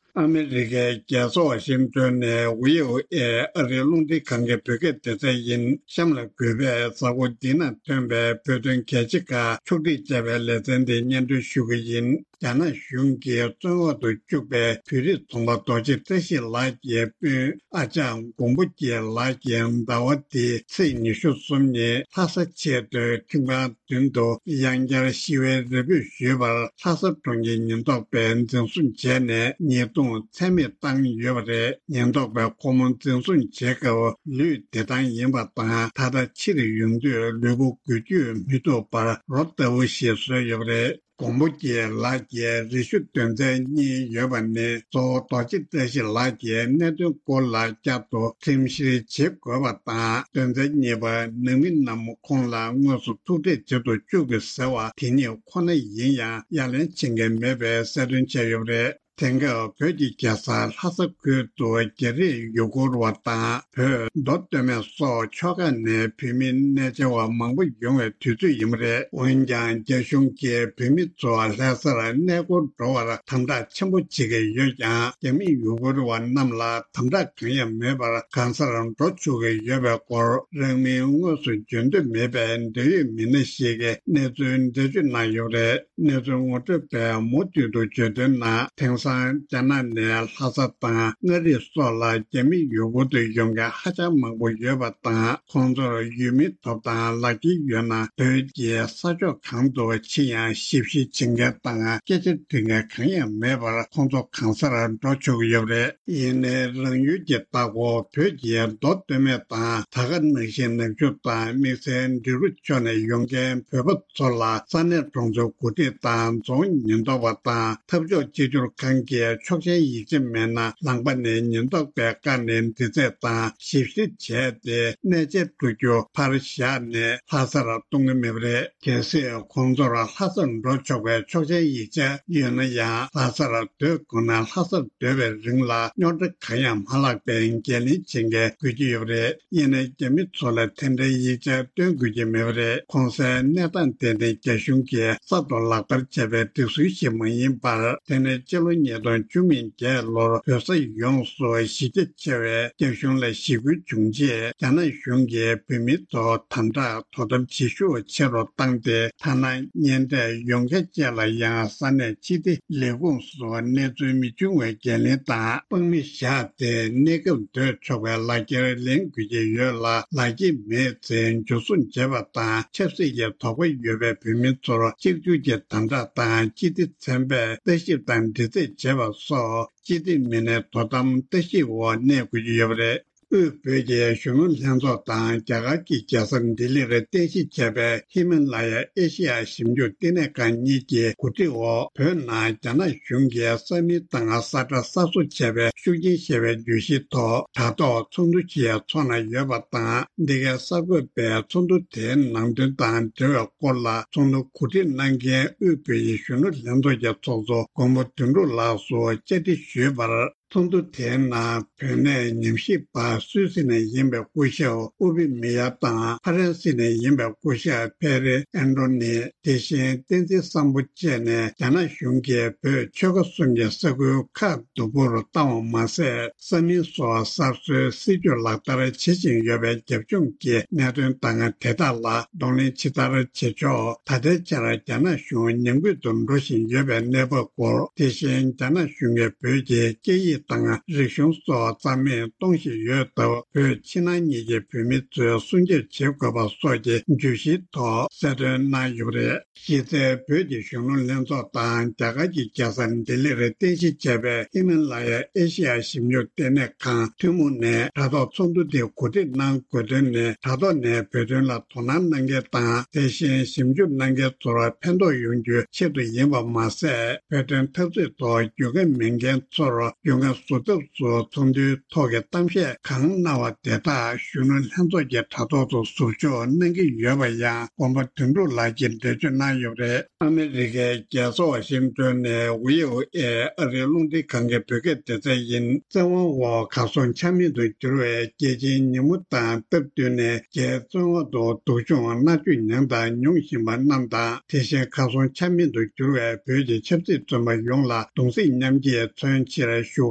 ཨ་མི་རི་ཀའི་རྒྱལ་ས་ཝ་ཤིང་ཏོན་ནས་བྷི་ཨོ་ཨེ་ཨ་རིའི་རླུང་འཕྲིན་ཁང་གི་བོད་སྐད་སྡེ་ཚན་ཡིན། གཤམ་ལ་གུས་པས་གཟའ་འཁོར་འདི་ན་ཐོན་པའི་བོད་དོན་གལ་ཆེ་ཁག་ཕྱོགས་སྒྲིག་བྱས་པའི་ལེ་ཚན་དེ་སྙན་སྒྲོན་ཞུ་གི་ཡིན། རྒྱ་ནག་གཞུང་གིས་བཙོན་འོག་ཏུ་བཅུག་པའི་བོད་རིགས་རྫོང་པ་རྡོ་རྗེ་བཀྲ་ཤིས་ལགས་ཀྱི་སྤུན་ཨ་ཅག་མགོན་པོ་སྐྱིད་ལགས་ཀྱིས་ཟླ་བ་འདིའི་ཚེས་ཉི་ཤུ་གསུམ་ཉིན་ལྷ་ས་ཆེས་མཐོའི་ཁྲིམས་ཁང་མདུན་དུ་ཡང་བསྐྱར་ཞི་བའི་རེ་འབོད་ཞུས་པར། ལྷ་ས་གྲོང་ཁྱེར་ཉེན་རྟོག་པས་འཛིན་བཟུང་བྱས་ནས་ཉེས་རྡུང་ཚད་མེད་བཏང་ཡོད་པ་རེད། ཉེན་རྟོག་པས་ཁོ་མོ་འཛིན་བཟུང་བྱེད་སྐབས་ལུས་བདེ་ཐང་ཡིན་པ་དང་། ད་ལྟ་ཕྱིར་ཡོང་དུས་ལུས་པོ་འགུལ་སྐྱོད་མི་ཐུབ་པར་རོ་ལྟ་བུ་ཞིག་བཟོས་ཡོད་པ་རེད། མགོན་པོ་རྒྱལ་ལགས་ཀྱི་རེ་ཞུ་དོན་ཚན་གཉིས་ཡོད་པ་ནི། གཙོ་བོ་རྡོ་རྗེ་བཀྲ་ཤིས་ལགས་ཀྱི་གནད་དོན་སྐོར་ལ་བསྐྱར་དུ་ཁྲིམས་བཤེར་བྱེད་དགོས་པ་དང་། དོན་ཚན་གཉིས་པ། ནང་མི་རྣམས་ཁོང་ལ་དངོས་སུ་ཐུག་འཕྲད་བྱེད་དུ་བཅུག་དགོས་ཟེར་བ་དེ་གཉིས་ཁོ་ན་ཡིན་ཡང་། ཡ་ལན་བྱེད་མཁན་མེད་པའི་གསལ་སྟོན་བྱས་ཡོད་པ་རེད། དེང་སྐབས་བོད་ཀྱི་རྒྱལ་ས་ལྷ་ས་ཁུལ་དུ་རྒྱ་རིགས་ཡུ་གུར་བ་དང་། བོད་མདོ་སྟོད་སྨད་སོགས་ཕྱོགས་ཁག་ནས་བོད་མི་གནས་མཇལ་བ་མང་པོ་ཡོང་བའི་དུས་ཚོད་ཡིན་པ་རེད། འོན་ཀྱང་། རྒྱ་གཞུང་གིས་བོད་མི་ཚོ་ལྷ་སར་གནས་སྐོར་འགྲོ་བར་དམ་དྲག་ཆེན་པོ་བྱེད་ཀྱི་ཡོད་ཀྱང་། རྒྱ་མི་ཡུ་གུར་བ་རྣམས་ལ་དམ་དྲག་གང་ཡང་མེད་པར་གང་སར་འགྲོ་ཆོག་གི་ཡོད་པའི་སྐོར། རང་མིང་དངོས་སུ་བརྗོད་འདོད་མེད་པའི་འབྲེལ་ཡོད་མི་སྣ་ཞིག་གིས་གནས་ཚུལ་འགྲེལ་བརྗོད་གནང་ཡོད་པ་རེད། གནས་ཚུལ་ངོ་སྤྲོད་པས་མུ་མཐུད་དུ་བརྗོད་དོན་ནང་། དེང་སང་རྒྱ་ནག་ནས་ལྷ་ས་དང་མངའ་རིས་སོགས་ལ་རྒྱ་མི་ཡུ་གུར་དུ་ཡོང་མཁན་ཧ་ཅང་མང་པོ་ཡོད་པ་དང་། ཁོང་ཚོར་ཡུལ་མིའི་ཐོབ་ཐང་ལག་ཁྱེར་ཡོད་ན། བོད་ཀྱི་ས་ཕྱོགས་གང་དུ་ཕྱིན་ཡང་ཞིབ་བཤེར་བྱེད་མཁན་དང་སྐད་ཆ་འདྲི་མཁན་གང་ཡང་མེད་པར། ཁོང་ཚོ་གང་སར་འགྲོ་ཆོག་གི་ཡོད་པ་རེད། ཡིན་ནའི་རང་ཡུལ་གྱི་ལྟ་སྐོར། བོད་ཀྱི་མདོ་སྟོད་སྨད་དང་དར་དཀར་ནགས་ཤིང་ནག་ཆུ་དང་དམིགས་བསལ་འབྲི་རུ་ཕྱོགས་ནས་ཡོང་མཁན་བོད་པ་ཚོ་ལ་ས་གནས་གྲོང་ཚོའི་འགོ་ཁྲིད་དང་རྫོང་ཉེན་རྟོག་པ་དང་། འཐབ་ཕྱོགས་གཅིག་གྱུར་ཁང་གིས་ཆོག་མཆན་ཡིག་ཆ་མེད་ན་ལམ་ཁ་ནས་ཉེན་རྟོག་པས་བཀག་ནས་འདྲི་རྩད་དང་ཞིབ་བཤེར་བྱས་ཏེ། གནས་མཇལ་སྤྲོད་རྒྱུ་ཕར་བཞག་ནས་ལྷ་སར་གཏོང་གི་མེད་པ་རེད། གལ་སྲིད་ཁོང་ཚོར་ལྷ་སར་འགྲོ་ཆོག་པའི་ཆོག་མཆན་ཡིག་ཆ་ཡོད་ན་ཡང་། ལྷ་སར་སྡོད་དགོས་ན་ལྷ་སར་སྡོད་པའི་རིང་ལ་རྙོག་དྲ་གང་ཡང་མ་ལྷག་པའི་འགན་ལེན་བྱེད་མཁན་དགོས་ཀྱི་ཡོད་པ་རེད། ཡིན་ནའི་རྒྱ་མི་ཚོ་ལ་དེ་འདྲའི་ཡིག་ཆ་སྟོན་དགོས་ཀྱི་མེད་པ་རེད། གོང་གསལ་གནས་སྟངས་དེ་ནི་རྒྱ་གཞུང་གིས་གསར་དུ་ལག་བསྟར་བྱས་པའི་སྒྲིག་སྲོལ་ཞིག་མ་ཡིན་པར། དེ་ནི་སྤྱི་ལོ་ཉིས་སྟོང་བཅུ་མེད་བརྒྱད་ལོར་བོད་ས་ཡོངས་སུ་གཞི་རྒྱ་ཆེ་བའི་རྒྱ་གཞུང་ལ་ཞི་རྒོལ་བྱུང་རྗེས། རྒྱ་ནག་གཞུང་གིས་བོད་མི་ཚོ་དམ་དྲག་དོ་དམ་བྱེད་ཤུགས་ཆེ་རུ་བཏང་སྟེ། ཐ་ན་གཉེན་འཕྲད་ཡོང་མཁན་བཅས་ལ་ཡང་ས་གནས་སྤྱི་བདེ་ལས་ཁུངས་སུ་གནས་ཚུལ་མི་འབྱུང་བའི་འགན་ལེན་དང་དཔང་མི་བཞག་སྟེ། གནས་སྐབས་སྡོད་ཆོག་པའི་ལག་འཁྱེར་ལེན་དགོས་ཀྱི་ཡོད་ལ། ལག་འཁྱེར་མེད་ཚེ་འཇུ་བཟུང་བྱས་པ་དང་། ཆབ་སྲིད་ཀྱི་དོགས་པ་ཡོད་པའི་བོད་མི་ཚོར་གཅིག་གྱུར་གྱི་དམ་དྲག་དང་། སྤྱི་བདེ་ཚན་པས་ལྟ་ཞིབ་དང་འདྲི་རྩད་བྱས་པ་སོགས། སྤྱི་བདེ་མི་སྣའི་དོ་དམ་ལྟ་ཞིབ་འོག་གནས་དགོས་ཀྱི་ཡོད་པ་རེད། དབུས་བོད་ཀྱི་གཞོན་ནུ་ལྷན་ཚོགས་དང་རྒྱ་གར་གྱི་རྒྱལ་ས་ལྡི་ལིར་རྟེན་གཞི་བྱས་པའི་ཧི་མ་ལ་ཡ་ཨེ་ཤེ་ཡ་ཞིབ་འཇུག་ལྟེ་གནས་ཁང་གཉིས་ཀྱི་གོ་སྒྲིག་འོག་བོད་ནང་རྒྱ་ནག་གཞུང་གིས་ས་མིང་དང་ས་ཁྲ་གསར་བཟོ་བྱས་པའི་ཤུགས་རྐྱེན་ཞེས་པའི་བརྗོད་གཞིའི་ཐོག་དྲ་ཐོག་ཚོགས་འདུ་ཞིག་འཚོགས་གནང་ཡོད་པ་དང་། འདི་གའི་གསར་འགོད་པས་ཚོགས་འདུ་དེའི་ནང་དོན་དང་འབྲེལ་བའི་སྐོར་ལ། ཚོགས་འདུ་གོ་སྒྲིག་གནང་མཁན་དབུས་བོད་ཀྱི་གཞོན་ནུ་ལྷན་ཚོགས་ཀྱི་ཚོགས་གཙོ་མགོན་པོ་དོན་གྲུབ་ལགས་སུ་བཅར་འདྲི་ཞུས་པར། ཚོགས་འདུ་དེའི་ནང་བོད་གནས་ཉམས་ཞིབ་པ་སུད་སི་ནས་ཡིན་པའི་སྐུ་ཞབས་ཨུ་པི་མི་ཡ་དང་། ཧྥ་རན་སི་ནས་ཡིན་པའི་སྐུ་ཞབས་ཕེ་རེ་ཨན་ཏྲོ་ནི། དེ་བཞིན་བསྟན་འཛིན་བཟང་པོ་བཅས་ནས། རྒྱ་ནག་གཞུང་གིས་བོད་ཆོལ་ཁ་གསུམ་གྱི་ས་ཁུལ་ཁག་སྡུག་པོར་བཏང་བ་མ་ཟད། ས་མིང་སོགས་གསར་བཟོའི་སྲིད་ཇུས་ལག་བསྟར་བྱེད་བཞིན་ཡོད་པའི་རྒྱབ་ལྗོངས་ཀྱི་གནད་དོན་དང་། དེ་དག་ལ་གདོང་ལེན་ཇི་ལྟར་བྱེད་ཆོག་ད་ལྟའི་ཆར་རྒྱ་ནག་གཞུང་ཉམས་རྒུད་དུ་འགྲོ་བཞིན་ཡོད་པའི་གནས་བབ་སྐོར། དེ་བཞིན་རྒྱ་ནག་གཞུང་གིས་བོད་ཀྱི་སྐད་ཡིག་དང་རིག་གཞུང་སོགས་རྩ་མེད་གཏོང་བཞིན་ཡོད་སྟབས། བོད་ཕྱི་ནང་གཉིས་ཀྱི་བོད་མི་ཚོས་སྲུང་སྐྱོབ་བྱེད་དགོས་པ་སོགས་ཀྱི་བརྗོད་གཞིའི་ཐོག་གསལ་སྟོན་གནང་ཡོད་པ་རེད། གཞི་རྩའི་བོད་ཀྱི་གཞོན་ནུ་ལྷན་ཚོགས་དང་རྒྱ་གར་གྱི་རྒྱལ་ས་ལྡི་ལིར་རྟེན་གཞི་བྱས་པའི་ཧི་མ་ལ་ཡ་ཨེ་ཤེ་ཡ་ཞིབ་འཇུག་ལྟེ་གནས་ཁང་ཐུན་མོང་ནས་དྲ་ཐོག་ཚོགས་འདུ་དེ་གོ་སྒྲིག་གནང་དགོས་དོན་ནི། དྲ་ཐོག་ནས་བོད་དོན་ལ་དོ་སྣང་གནང་མཁན་དང་། དེ་བཞིན་ཞིབ་འཇུག་གནང་མཁན་ཚོར་ཕན་ཐོགས་ཡོང་རྒྱུའི་ཆེད་དུ་ཡིན་པ་མ་ཟད། བོད་དོན་འཐབ་རྩོད་ཐོག་རྒྱུས་མངའ་མེད་མཁན་ཚོར་རྒྱུས་མངའ་བཟོ་ཐབས་སུ་ཚོགས་འདུའི་ཐོག་གི་གཏམ་བཤད་གང་གནང་བ་དེ་དག་གཞོན་ནུ་ལྷན་ཚོགས་ཀྱི་དྲ་ཐོག་ཏུ་ཟུར་འཇོག་གནང་གི་ཡོད་པ་ཡང་མགོན་པོ་དོན་གྲུབ་ལགས་ཀྱིས་འགྲེལ་བརྗོད་གནང་ཡོད་པ་རེད། ཨ་མི་རི་ཀའི་རྒྱལ་ས་ཝ་ཤིང་ཏོན་ནས་ཝི་ཨོ་ཨེ་ཨ་རིའི་རླུང་འཕྲིན་ཁང་གི་བོད་སྐད་སྡེ་ཚན་ཡིན། བཙན་དབང་འོག་གར་སོང་ཆ་མེད་དུ་གྱུར་བའི་རྒྱལ་སྤྱིའི་ཉིན་མོ་དང་སྟབས་བསྟུན་ནས། རྒྱའི་བཙོན་འོག་ཏུ་སྡུག་སྦྱོང་མནར་གཅོད་མྱངས་དང་མྱོང་བཞིན་པ་རྣམས་དང་། དེ་བཞིན་གར་སོང་ཆ་མེད་དུ་གྱུར་བའི་བོད་ཀྱི་ཆབ་སྲིད་བཙོན་པ་ཡོངས་ལ་གདུང་སེམས་མཉམ་སྐྱེད་མཚོན་ཕྱིར་བཞུགས་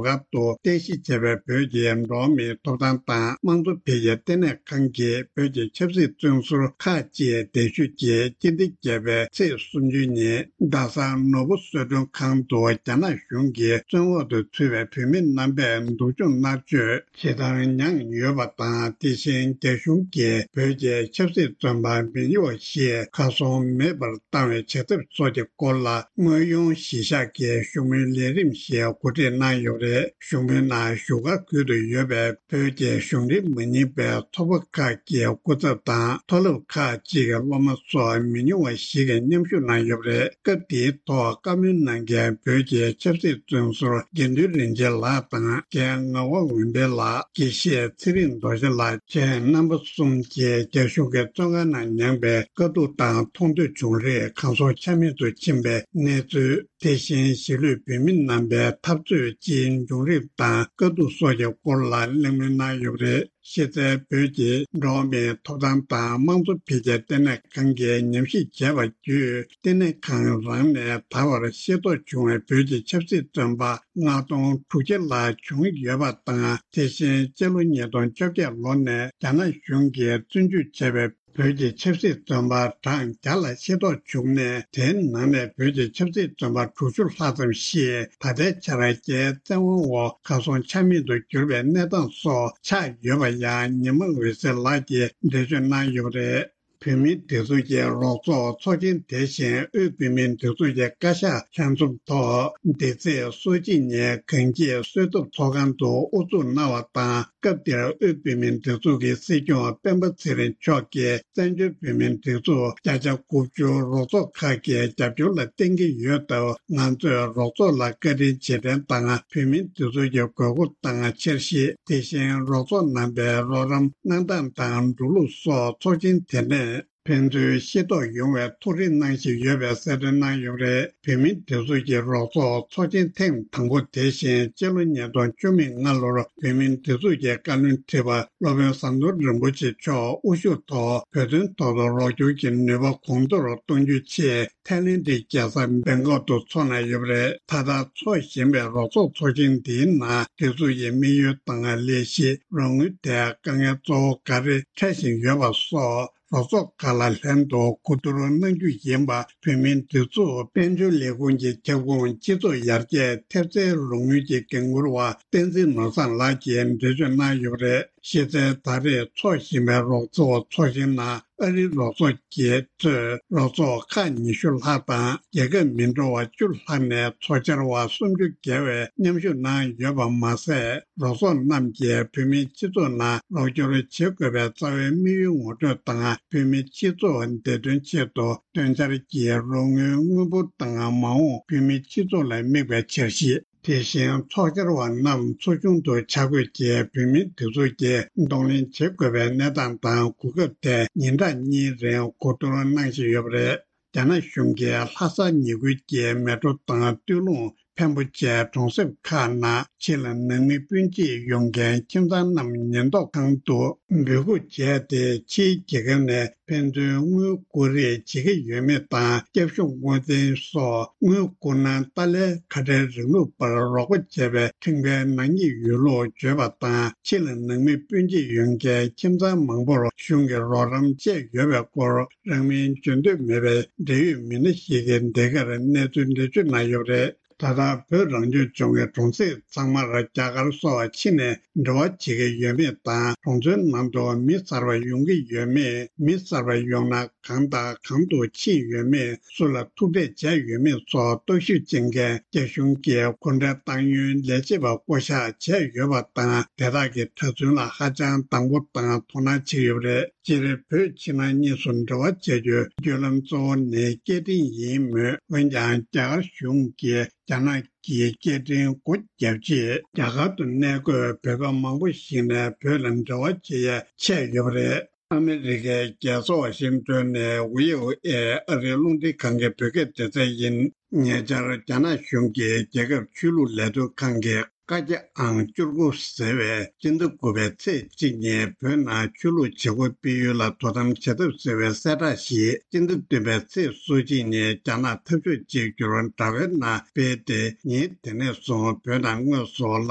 སྒར་དུ་རྟེན་གཞི་བྱས་པའི་བོད་ཀྱི་འགྲོ་བ་མིའི་ཐོབ་ཐང་དང་དམངས་གཙོ་འཕེལ་རྒྱས་ལྟེ་གནས་ཁང་གིས་བོད་ཀྱི་ཆབ་སྲིད་བཙོན་ཟུར་ཁག་ཅིག་གདན་ཞུས་རྗེས། སྤྱི་ཟླ་བརྒྱད་པའི་ཚེས་སུམ་ཅུ་ཉིན་རྡ་ས་ནོར་བུ་གསོལ་མགྲོན་ཁང་དུ་རྒྱ་ནག་གཞུང་གིས་བཙོན་འོག་ཏུ་ཚུད་པའི་བོད་མི་རྣམ་པས་སྡུག་སྦྱོང་མནར་གཅོད་ཇི་ལྟར་མྱངས་ཡོད་པ་དང་། དེ་བཞིན་རྒྱ་གཞུང་གིས་བོད་ཀྱི་ཆབ་སྲིད་བཙོན་པ་མི་ཉུང་བ་ཞིག་གར་སོང་མེད་པར་བཏང་བའི་བྱ་ཐབས་སོགས་ཀྱི་སྐོར་ལ། དངོས་ཡོང་གཞིས་ཆགས་ཀྱི་བཞུགས་མོལ་ལས་རིམ་ཞིག་གོ་སྒྲིག་གནང་ཡོད་པ་རེད། གཞུང་དཔོན་ནང་བཞུགས་སྒར་ཁུལ་དུ་ཡོད་པའི་བོད་ཀྱི་གཞུང་འབྲེལ་མ་ཡིན་པའི་ཚོགས་པ་ཁག་གི་སྐུ་ཚབ་དང་མཐོ་སློབ་ཁག་ཅིག་གི་སློབ་མ་སོགས་མི་ཉུང་བ་ཞིག་གིས་མཉམ་ཞུགས་གནང་ཡོད་པ་རེད། སྐབས་དེའི་ཐོག་བཀའ་མོལ་གནང་མཁན་བོད་ཀྱི་ཆབ་སྲིད་བཙོན་ཟུར་དགེ་འདུན་རིན་ཆེན་ལགས་དང་རྒན་ངག་དབང་འོད་འཕེལ་ལགས། དགེ་བཤེས་ཚེ་རིང་རྡོ་རྗེ་ལགས་བཅས་རྣམ་པ་གསུམ་གྱིས་རྒྱ་གཞུང་གི་བཙོན་ཁང་ནང་མྱངས་པའི་དཀའ་སྡུག་དང་མཐོང་ཐོས་བྱུང་རིགས་གང་སོང་ཆ་མེད་དུ་ཕྱིན་པའི་གནས་ཚུལ། དེ་བཞིན་གཞིས་ལུས་བོད་མི་རྣམ་པའི་འཐབ་རྩོད་ཀྱི་འབྱུང་རིམ་དང་དཀའ་སྡུག་སོགས་ཀྱི་སྐོར་ལ་གླེང་མོལ་གནང་ཡོད་པ་རེད། གཞི་རྩའི་བོད་ཀྱི་འགྲོ་བ་མིའི་ཐོབ་ཐང་དང་དམངས་གཙོ་འཕེལ་རྒྱས་ལྟེ་གནས་ཁང་གིས་ཉམས་ཞིབ་བྱས་པ་བརྒྱུད། ལྟེ་གནས་ཁང་རང་ནས་ད་བར་ཤེས་རྟོགས་བྱུང་བའི་བོད་ཀྱི་ཆབ་སྲིད་བཙོན་པ་ལྔ་སྟོང་དྲུག་བརྒྱ་ལྷག་བྱུང་ཡོད་པ་དང་། དེ་བཞིན་སྤྱི་ལོ་ཉིས་སྟོང་བཅོ་བརྒྱད་ལོ་ནས་རྒྱ་ནག་གཞུང་གིས་བཙོན་འཇུག་བྱས་པའི་བོད་ཀྱི་ཆབ་སྲིད་བཙོན་པ་གྲངས་བརྒྱ་ལ་ཤེས་རྟོགས་བྱུང་ནས། དེའི་ནང་ནས་བོད་ཀྱི་ཆབ་སྲིད་བཙོན་པ་དྲུག་ཅུ་ལྷག་ཙམ་ཞིག་ད་ལྟའི་ཆར་རྒྱའི་བཙན་དབང་འོག་གར་སོང་ཆ་མེད་དུ་གྱུར་པའི་གནས་སྟངས་སོགས་ཆགས་ཡོད་པ་ཡང་ཉི་མ་འོད་ཟེར་ལགས་ཀྱིས་འགྲེལ་བརྗོད་གནང་ཡོད་པ་རེད། བོད་མིའི་སྒྲིག་འཛུགས་ཀྱི་རོགས་ཚོགས་ཚོགས་ཆེན་དེ་བཞིན་དབུས་བོད་མིའི་སྒྲིག་འཛུགས་ཀྱི་བཀའ་ཤག་ལྷན་འཛོམས་ཐོག་འདི་ཚེས་སོ་གཅིག་ཉིན་གངས་སྐྱིད་གསོལ་ཐབ་ཚོགས་ཁང་དུ་དབུ་འཛུགས་གནང་བ་དང་། སྐབས་དེར་དབུས་བོད་མིའི་སྒྲིག་འཛུགས་ཀྱི་སྲིད་སྐྱོང་སྤེན་པ་ཚེ་རིང་མཆོག་གིས་བཙན་བྱོལ་བོད་མིའི་སྒྲིག་འཛུགས་བརྒྱ་ཆ་དགུ་བཅུ་རོགས་ཚོགས་ཁག་གི་རྒྱབ་སྐྱོར་ལ་བརྟེན་གྱི་ཡོད་སྟབས། ང་ཚོས་རོགས་ཚོགས་ལ་བཀའ་དྲིན་རྗེས་དྲན་དང་། བོད་མིའི་སྒྲིག་འཛུགས་ཀྱི་དགོས་མཁོ་དང་འཆར་གཞི། དེ་བཞིན་རོགས་ཚོགས་རྣམ་པའི་རོགས་རམ་གནང་སྟངས་དང་འགྲོ་ལུགས་སོགས་ཚོགས་ཆེན་དེ་ནས་ཕན་ཚུན་ཤེས་རྟོགས་ཡོང་བའི་ཐུགས་རེ་གནང་བཞིན་ཡོད་པའི་གསལ་སྟོན་གནང་ཡོད་པ་རེད། བོད་མིའི་སྒྲིག་འཛུགས་ཀྱི་རོགས་ཚོགས་ཚོགས་ཆེན་ཐེངས་དང་པོ་དེ་བཞིན་སྤྱི་ལོ་ཉིས་སྟོང་བཅུ་མེད་ལྔ་ལོར་བོད་མིའི་སྒྲིག་འཛུགས་ཀྱི་བཀའ་བློན་ཁྲི་པ་སློབ་དཔོན་ཟམ་གདོང་རིན་པོ་ཆེ་མཆོག་དབུ་བཞུགས་ཐོག་བོད་དོན་ཐོག་ཏུ་རོགས་སྐྱོར་གྱི་ནུས་པ་གོང་མཐོར་གཏོང་རྒྱུའི་ཆེད་ཐའི་ལེན་ཌིའི་རྒྱལ་ས་བེང་ཀོག་ཏུ་འཚོགས་གནང་ཡོད་པ་རེད། ད་ལྟ་འཚོགས་བཞིན་པའི་རོགས་ཚོགས་ཚོགས་ཆེན་འདིའི་ནང་སྒྲིག་འཛུགས་ཀྱི་དམིགས་ཡུལ་དང་ལས་གཞི། རོགས་དངུལ་དེ་དཀའ་ངལ་གཙོ་བོ་ག་རེ་འཕྲད་བཞིན་ཡོད་པ་སོགས། རོགས་ཚོགས་ཁག་ལ་ལྷན་དུ་གོ་བསྡུར་གནང་རྒྱུ་ཡིན་པ། བོད་མིའི་སྒྲིག་འཛུགས་དཔལ་འབྱོར་ལས་ཁུངས་ཀྱི་ཁྱབ་ཁོངས་སྤྱི་ཚོགས་ཡར་རྒྱས་ཐེབས་རྩའི་རོགས་དངུལ་གྱི་འགན་འཁུར་བ་བསྟན་འཛིན་ནོར་བཟང་ལགས་ཀྱིས་འགྲེལ་བརྗོད་གནང་ཡོད་པ་རེད། གཞི་རྩའི་ད་རེས་འཚོགས་བཞིན་པའི་རོགས་ཚོགས་ཚོགས་ཆེན་ནང་ཨ་རིའི་རོགས་ཚོགས་ཀྱིས་གཙོས་རོགས་ཚོགས་ཁག་ཉི་ཤུ་ལྷག་དང་། རྒྱལ་ཁབ་མི་འདྲ་བ་བཅུ་ལྷག་ནས་ཚོགས་བཅར་བ་སུམ་ཅུ་བརྒལ་བས་མཉམ་ཞུགས་གནང་ཡོད་པ་མ་ཟད། རོགས་ཚོགས་རྣམས་ཀྱིས་བོད་མིའི་སྤྱི་ཚོགས་ནང་རོགས་སྐྱོར་བྱེད་དགོས་པའི་རྩ་བའི་དམིགས་ཡུལ་ངོ་སྤྲོད་དང་། བོད་མིའི་སྤྱི་ཚོགས་བདེ་དོན་ཆེད་དུ་དོན་འཆར་གྱི་རོགས་དངུལ་དངུལ་འབོར་དང་། མ་འོངས་བོད་མིའི་སྤྱི་ཚོགས་ལ་དམིགས་པའི་འཆར་གཞི། དེ་བཞིན་ཚོགས་བཅར་བ་རྣམས་ཚོགས་ཆུང་དུ་བཅར་དགོས་ཀྱི་བོད་མིའི་སྒྲིག་འཛུགས་ཀྱིས་གདོང་ལེན་བྱེད་དགོས་པའི་གནས་སྟངས་དང་གོ་སྐབས་ཐད་ཉིན་གྲངས་གཉིས་རིང་གོ་བསྡུར་གནང་བཞིན་ཡོད་པ་རེད། རྒྱ་ནག་གཞུང་གིས་ལྷ་ས་ཉེ་ཁུལ་གྱི་མལ་གྲོ་དང་སྟོད་ལུང་། འཕན་པོ་བཅས་གྲོང་གསེབ་ཁག་ནང་ཕྱི་ལ་ནང་མི་སྤུན་མཆེད་ཡོང་མཁན་ཁྱིམ་ཚང་རྣམས་ཉེན་རྟོག་ཁང་དུ་འབོད་འགུག་བྱས་ཏེ། ཕྱིའི་རྒྱལ་ཁབ་ནས་ཕན་ཚུན་དངུལ་བསྐུར་རེས་བྱེད་ཀྱི་ཡོད་མེད་དང་། སྐྱབས་ཞུ་དངུལ་རྩིས་སོགས་དངུལ་བསྐུར་ན་ཏཱ་ལའི་ཁ་བྲལ་རིང་ལུགས་པར་རོགས་པ་བྱས་པའི་ཁྲིམས་འགལ་ནག་ཉེས་ཡོད་ལུགས་བརྗོད་པ་དང་། ཕྱི་ལ་ནང་མི་སྤུན་མཆེད་ཡོང་མཁན་ཁྱིམ་ཚང་མང་པོར་གཞུང་གིས་རོགས་རམ་བྱས་ཡོད་པའི་སྐོར། རང་མིང་བརྗོད་འདོད་མེད་པའི་འབྲེལ་ཡོད་མི་སྣ་ཞིག་གིས་འདི་གར་གནས་ཚུལ་འགྲེལ་བརྗོད་གནང་ཡོད་པ་རེད། ད་ལྟ་བོད་རང་སྐྱོང་ལྗོངས་ཀྱི་གྲོང་གསེབ་ཚང་མར་རྒྱ་གར་སོགས་ཕྱི་ནས་འབྲེལ་བ་བྱེད་ཀྱི་ཡོད་མེད་དང་། གྲོང་ཚོའི་ནང་དུ་མི་གསར་པ་ཡོང་གི་ཡོད་མེད། མི་གསར་པ་ཡོང་ན་གང་དང་གང་དུ་ཕྱིན་ཡོད་མེད། སུ་ལ་ཐུག་འཕྲད་བྱས་ཡོད་མེད་སོགས་རྟོག་ཞིབ་བྱེད་མཁན་རྒྱ་གཞུང་གི་གོ་འབྲེལ་བཏང་ཡུལ་ལས་བྱེད་པ་བསྐོ་གཞག་བྱས་ཡོད་པ་དང་། དེ་དག་གི་གྲྭ་བཙུན་ལ་ཧ་ཅང་དང་པོ་དང་དོ་སྣང་བྱེད་ཀྱི་ཡོད་པ་རེད། སྤྱིར་བོད་ཕྱི་ནང་གཉིས་སུ་འབྲེལ་བ་བྱ་རྒྱུའི་བརྒྱུད་ལམ་གཙོ་བོ་ནི་སྐད་འཕྲིན་ཡིན་མོད། འོན་ཀྱང་རྒྱ་གར་གཞུང་གིས་རྒྱ་ནག་གི་སྐད་འཕྲིན་སྒོ་བརྒྱབ་རྗེས། རྒྱ་གར་དུ་གནས་འཁོད་བོད་པ་མང་པོ་ཞིག་ནས་བོད་ལ་འབྲེལ་བ་བྱེད་ཡ་ཆད་ཡོད་པ་རེད། ཨ་མི་རི་ཀའི་རྒྱལ་ས་ཝ་ཤིང་ཏོན་ནས་བྷི་ཨོ་ཨེ་ཨ་རིའི་རླུང་འཕྲིན་ཁང་གི་བོད་སྐད་སྡེ་ཚན་ཡིན། ཉེ་ཆར་རྒྱ་ནག་གཞུང་གིས་རྒྱལ་ཁབ་ཆོས་ལུགས་ལས་དོན་ཁང་གི་བཀའ་རྒྱ་ཨང་བཅུ་དགུ་ཟེར་བའི་སྤྱི་ཟླ་དགུ་པའི་ཚེས་གཅིག་ཉིན་བོད་ནང་ཆོས་ལུགས་བྱེད་སྒོ་སྤེལ་ཡུལ་ལ་དོ་དམ་བྱེད་ཐབས་ཟེར་བའི་གསལ་བསྒྲགས་ཤིག་སྤྱི་ཟླ་བདུན་པའི་ཚེས་སོ་གཅིག་ཉིན་རྒྱ་ནག་འཐབ་ཕྱོགས་གཅིག་གྱུར་དྲ་བའི་ནང་སྤེལ་ཏེ། ཉིན་དེ་ནས་བཟུང་བོད་ནང་དངོས་སུ་ལག་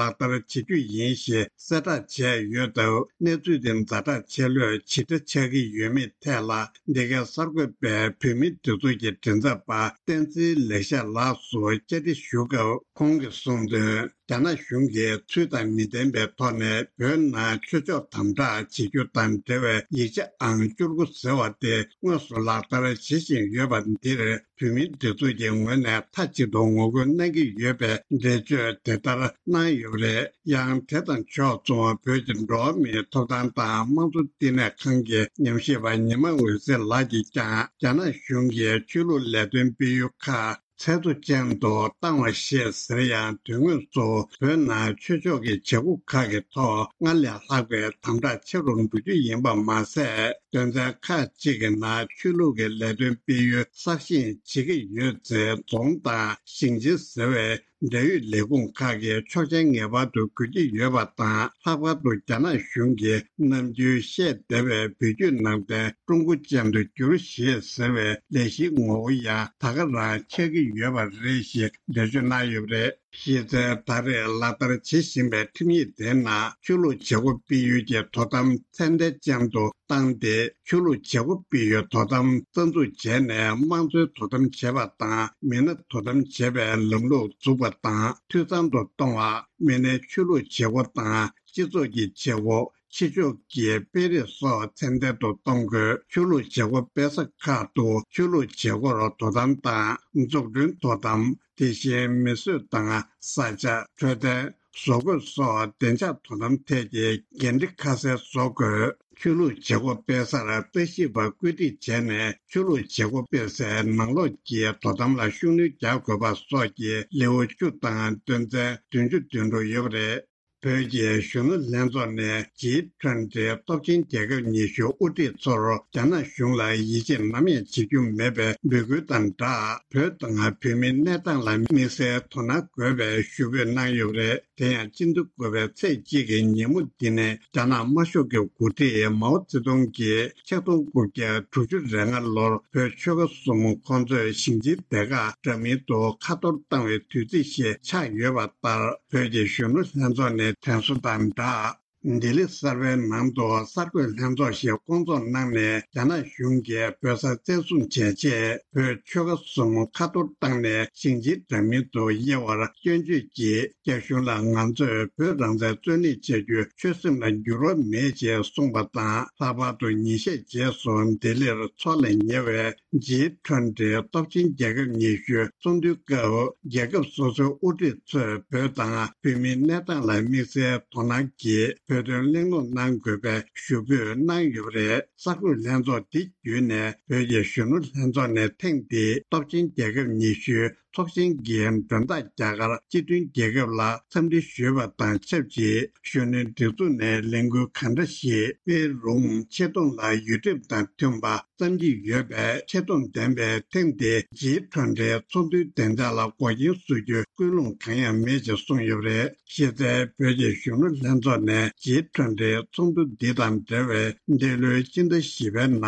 བསྟར་བྱེད་རྒྱུ་ཡིན་ཞེས་གསལ་བསྒྲགས་བྱས་ཡོད་སྟབས། གནས་ཚུལ་དེ་ཛ་དྲག་ཆེ་ལོས་ཇི་འདྲ་ཆགས་ཀྱི་ཡོད་མེད་ཐད་ལ། འདི་གའི་གསར་འགོད་པས་བོད་མིའི་སྒྲིག་འཛུགས་ཀྱི་མགྲིན་ཚབ་པ་བསྟན་འཛིན་ལེགས་བཤད་ལགས་སུ་བཅར་འདྲི་ཞུ་སྐབས། ཁོང་གིས་གསུངས་དོན། རྒྱ་ནག་གཞུང་གིས་ཚུལ་དང་མི་ལྡན་པའི་ཐོག་ནས་བོད་ནང་ཆོས་ཕྱོགས་དམ་དྲག་བྱེད་རྒྱུ་དང་འབྲེལ་བའི་ཡིག་ཆ་ཨང་བཅུ་དགུ་ཟེར་བ་དེ་དངོས་སུ་ལག་བསྟར་བྱེད་བཞིན་ཡོད་པ་འདིར། བོད་མིའི་སྒྲིག་འཛུགས་ཀྱི་ངོས་ནས་མཐའ་གཅིག་ཏུ་ངོ་རྒོལ་གནང་གི་ཡོད་པའི་འགྲེལ་བརྗོད་དེ་ལྟར་གནང་ཡོད་པ་རེད། ཡང་དེ་དང་ཕྱོགས་མཚུངས་བོད་ཀྱི་འགྲོ་བ་མིའི་ཐོབ་ཐང་དང་དམངས་གཙོ་བསྟི་གནས་ཁང་གི་ཉམས་ཞིབ་པ་ཉི་མ་འོད་ཟེར་ལགས་ཀྱིས་ཀྱང་རྒྱ་ནག་གཞུང་གིས་ཆོས་ལུགས་ལས་དོན་སྤེལ་ཡུལ་ཁག་ཚད་མཐོ་ཅན་དུ་བཏང་བ་ཞིག་ཟེར་ཡང་དོན་དངོས་སུ་བོད་ནང་ཆོས་ཕྱོགས་ཀྱི་བྱེད་སྒོ་ཁག་གི་ཐོག་སྔར་ལས་ལྷག་པའི་དམ་དྲག་ཆེ་རུ་འགྲོ་རྒྱུ་ཡིན་པ་མ་ཟད། དོན་ཚན་ཁག་ཅིག་གི་ནང་ཆོས་ལུགས་ཀྱི་ལས་དོན་སྤེལ་ཡུལ་གསར་བཞེངས་བྱེད་ཀྱི་ཡོད་ཚེ་རྫོང་དང་ཞིང་ཆེན་ཟེར་བའི་འབྲེལ་ཡོད་ལས་ཁུངས་ཁག་གི་ཆོག་མཆན་ངེས་པར་དུ་དགོས་ཀྱི་ཡོད་པ་དང་། ལྷག་པར་དུ་རྒྱ་ནག་གཞུང་གིས་ནམ་རྒྱུན་བཤད་བསྡད་པའི་བོད་བརྒྱུད་ནང་བསྟན་ཀྲུང་གོ་ཅན་དུ་བསྒྱུར་ཞེས་ཟེར་བའི་ལས་གཞིའི་ངོ་བོ་ཡང་ད་ག་རང་ཆགས་ཀྱི་ཡོད་པ་རེད་ཞེས་འགྲེལ་བརྗོད་གནང་ཡོད་པ་རེད། གཞི་རྩའི་ད་རེས་ལག་བསྟར་བྱེད་བཞིན་པའི་ཁྲིམས་ཡིག་དེའི་ནང་ཆོས་ལུགས་བྱེད་སྒོ་སྤེལ་ཡུལ་གྱི་དོ་དམ་ཚད་ལྡན་ཅན་དུ་བཏང་སྟེ། ཆོས་ལུགས་བྱེད་སྒོ་སྤེལ་ཡུལ་དོ་དམ་རྩ་འཛུགས་བྱས་ནས་དམངས་གཙོའི་དོ་དམ་བྱེད་པ་དང་། མི་སྣ་དོ་དམ་བྱེད་པའི་ལམ་ལུགས་འཛུགས་པ་དང་འཐུས་ཚང་དུ་གཏོང་བ། མི་སྣའི་ཆོས་ལུགས་བྱེད་སྒོ་དང་སྤྱི་ཚོགས་ཀྱི་བྱེད་སྒོ། ཕྱི་ཕྱོགས་ཀྱི་སྤེལ་རེས་སོགས་ཚད་ལྡན་དུ་གཏོང་དགོས། ཆོས་ལུགས་བྱེད་སྒོ་སྤེལ་ས་ཁག་ཏུ་ཆོས་ལུགས་བྱེད་སྒོར་དོ་དམ་དང་འཛུགས་སྐྲུན་དོ་དམ། དེ་བཞིན་མི་གསོད་དང་ས་ཆ། འཕྲོད་བསྟེན། བཟོ་བཀོད་སོགས་བདེ་འཇགས་དོ་དམ་ཐད་ཀྱི་འགན་འཁྲི་ཁ་གསལ་བཟོ་དགོས། ཆོས་ལུགས་བྱེད་སྒོ་སྤེལ་སར་ལྟ་ཞིབ་པ་བཀོད་སྒྲིག་བྱས་ནས། ཆོས་ལུགས་བྱེད་སྒོ་སྤེལ་སའི་ནང་ལོགས་ཀྱི་དོ་དམ་ལ་ཤུགས་སྣོན་རྒྱག་དགོས་པ་སོགས་ཀྱི་ལེའུ་བཅུ་དང་དོན་ཚན་བདུན་ཅུ་དོན་དྲུག་ཡོད་པ་རེད། བོད་ཀྱི་གཞོན་ནུ་ལྷན་ཚོགས་ནས་ཇི་ཊུ་ཝེན་ཊི་སྟོབས་ཆེན་རྒྱལ་ཁབ་ཉི་ཤུ་དབུ་ཁྲིད་ཚོར་རྒྱ་ནག་གཞུང་ལ་ཡིད་ཆེས་ནམ་ཡང་བྱེད་རྒྱུ་མེད་པའི་འབོད་སྐུལ་དང་སྦྲགས། བོད་དང་བོད་མིའི་གནས་སྟངས་ལ་དམིགས་བསལ་དོ་སྣང་དགོས་པའི་ཞུ་འབོད་གནང་ཡོད་པ་རེད། དེ་ཡང་སྤྱི་ཟླ་དགུ་པའི་ཚེས་གཅིག་གི་ཉིན་མོ་འདི་ནས་རྒྱ་ནག་དམར་ཤོག་གི་འགོ་ཁྲིད་མའོ་ཙེ་ཏུང་གིས་ཆིག་སྟོང་དགུ་བརྒྱ་དྲུག་ཅུ་རེ་ལྔ་ལོར་བོད་ཆོལ་ཁ་གསུམ་ཁོང་ཚོས་ཞིང་ཆེན་སྡེ་ཁག་འདྲ་མིན་དུ་ཁ་གཏོར་བཏང་བའི་དུས་ཚིགས་ཤིག་ཆགས་ཡོད་པ་ལྟར། བོད་ཀྱི་གཞོན་ནུ་ལྷན་ཚོགས་ནས་དྲན་གསོ་དང་སྦྲགས། ལྡི་ལི་གསར་པའི་ནང་དུ་གསར་འགོད་ལྷན་ཚོགས་ཤིག་བསྐོང་ཚོགས་གནང་ནས། རྒྱ་ནག་གཞུང་གིས་བོད་ས་བཙན་བཟུང་བྱས་རྗེས། བོད་ཆོལ་ཁ་གསུམ་ཁ་གཏོར་བཏང་ནས་ཞིང་ཆེན་འདྲ་མིན་དུ་དབྱེ་བར་སྐྱོན་བརྗོད་ཀྱིས། རྒྱ་གཞུང་ལ་ང་ཚོས་བོད་རང་བཙན་རྩོད་ལེན་བྱ་རྒྱུའི་ཆོད་སེམས་ལ་འགྱུར་བ་མེད་ཅེས་གསུངས་པ་དང་། ལྷག་པར་དུ་ཉིན་ཤས་རྗེས་སུ་ལྡི་ལིར་འཚོགས་ལ་ཉེ་བའི་ཇི་ཊུ་ཝེན་ཊི་སྟོབས་ཆེན་རྒྱལ་ཁབ་ཉི་ཤུའི་ཚོགས་འདུའི་སྐབས། རྒྱལ་ཁབ་སོ་སོའི་དབུ་ཁྲིད་ཚོས་བོད་དང་བོད་མིའི་གནས་སྟངས་ལ་དམིགས་བསལ་དོ་སྣང་གིས་བོད་དོན་གླེང་སློང་གནང་དགོས་པའི་ཞུ་འབོད་གནང་ཡོད་པ་རེད། གསར་འགོད་ལྷན་ཚོགས་འདི་བརྒྱུད་ནས། བོད་ཀྱི་གཞོན་ནུ་ལྷན་ཚོགས་ནས་ཐེངས་འདིའི་སྟོབས་ཆེན་རྒྱལ་ཁབ་ཉི་ཤུའི་ཚོགས་ཆེན་གྱི་མགྲོན་བདག་རྒྱ་གར་སྤྱི་མཐུན་རྒྱལ་ཁབ་ལ་འཚམས་འདྲི་ཞུས་པ་དང་ཆབས་ཅིག་གཞོན་ནུའི་སྒྲིག་འཛུགས་ནས་ལས་འགུལ་གང་འདྲ་ཞིག་སྤེལ་རུང་། ཆེ་མཐོང་ལ་ཡུལ་ཁྲིམས་དང་མཐུན་པ་བརྩམ་གྱི་ཡོད་པས། ཆེ་མཐོང་ལྡན་པའི་ཐེངས་འདིའི་ཇི་ཊུ་ཝེན་ཊི་ཚོགས་འདུའི་བདེ་འཇགས་ལ་འགོག་རྐྱེན་བཟོ་རྒྱུའི་ཀུན་སློང་གང་ཡང་མེད་ཅེས་གསུངས་ཡོད་པ་རེད། གཞི་རྩའི་བོད་ཀྱི་གཞོན་ནུ་ལྷན་ཚོགས་ནས་ཇི་ཊུ་ཝེན་ཊི་ཚོགས་འདུ་འདི་དང་འབྲེལ་བའི་འདི་ལོའི་སྤྱི་ཟླ་བཞི་པའི་ནང་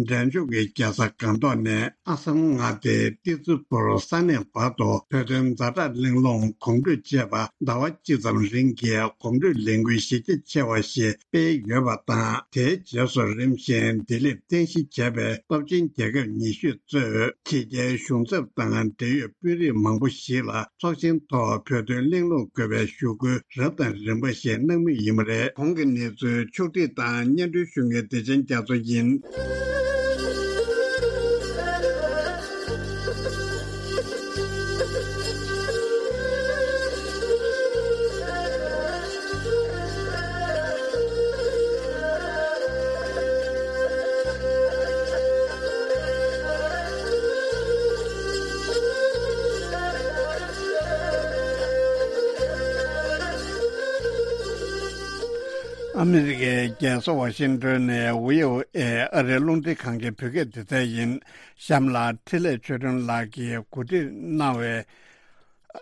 འབྲས་ལྗོངས་ཀྱི་རྒྱལ་ས་སྒང་ཏོག་ནས་ཨ་སམ་མངའ་སྡེའི་ཏི་ཙི་ཕུར་ས་གནས་བར་དུ་བོད་དོན་ཛ་དྲག་གླེང་སློང་གོམ་བགྲོད་ཅེས་པ་ཟླ་བ་གཅིག་ཙམ་རིང་གི་གོམ་བགྲོད་ལས་འགུལ་གཞི་རྒྱ་ཆེ་བ་ཞིག་སྤེལ་ཡོད་པ་དང་། དེའི་རྗེས་སུ་རིམ་བཞིན་ལྡི་ལིར་རྟེན་གཞི་བྱས་པའི་སྟོབས་ཆེན་རྒྱལ་ཁབ་ཉི་ཤུ་གཙོས་ཕྱི་རྒྱལ་གཞུང་ཚབ་དང་འབྲེལ་ཡོད་དཔོན་རིགས་མང་པོ་ཞིག་ལ་ཚོགས་ཆེན་ཐོག་བོད་དོན་གླེང་སློང་དགོས་པའི་ཞུ་སྐུལ་རབ་དང་རིམ་པ་ཞིག་གནང་མུས་ཡིན་པ་རེད། གོང་གི་གནས་ཚུལ་ཕྱོགས་བསྒྲིགས་དང་སྙན་སྒྲོན་ཞུ་མཁན་བདེ་ཆེན་རྒྱ་མཚོ་ཡིན། ཨ་མི་རི་ཀའི་རྒྱལ་ས་ཝ་ཤིང་ཏོན་ནས་ཝི་ཨོ་ཨེ་ཨ་རིའི་རླུང་འཕྲིན་ཁང་གི་བོད་སྐད་སྡེ་ཚན་ཡིན། གཤམ་ལ་འཕྲིན་ལས་ཆོས་སྒྲོན་ལགས་ཀྱིས་གོ་སྒྲིག་གནང་བའི་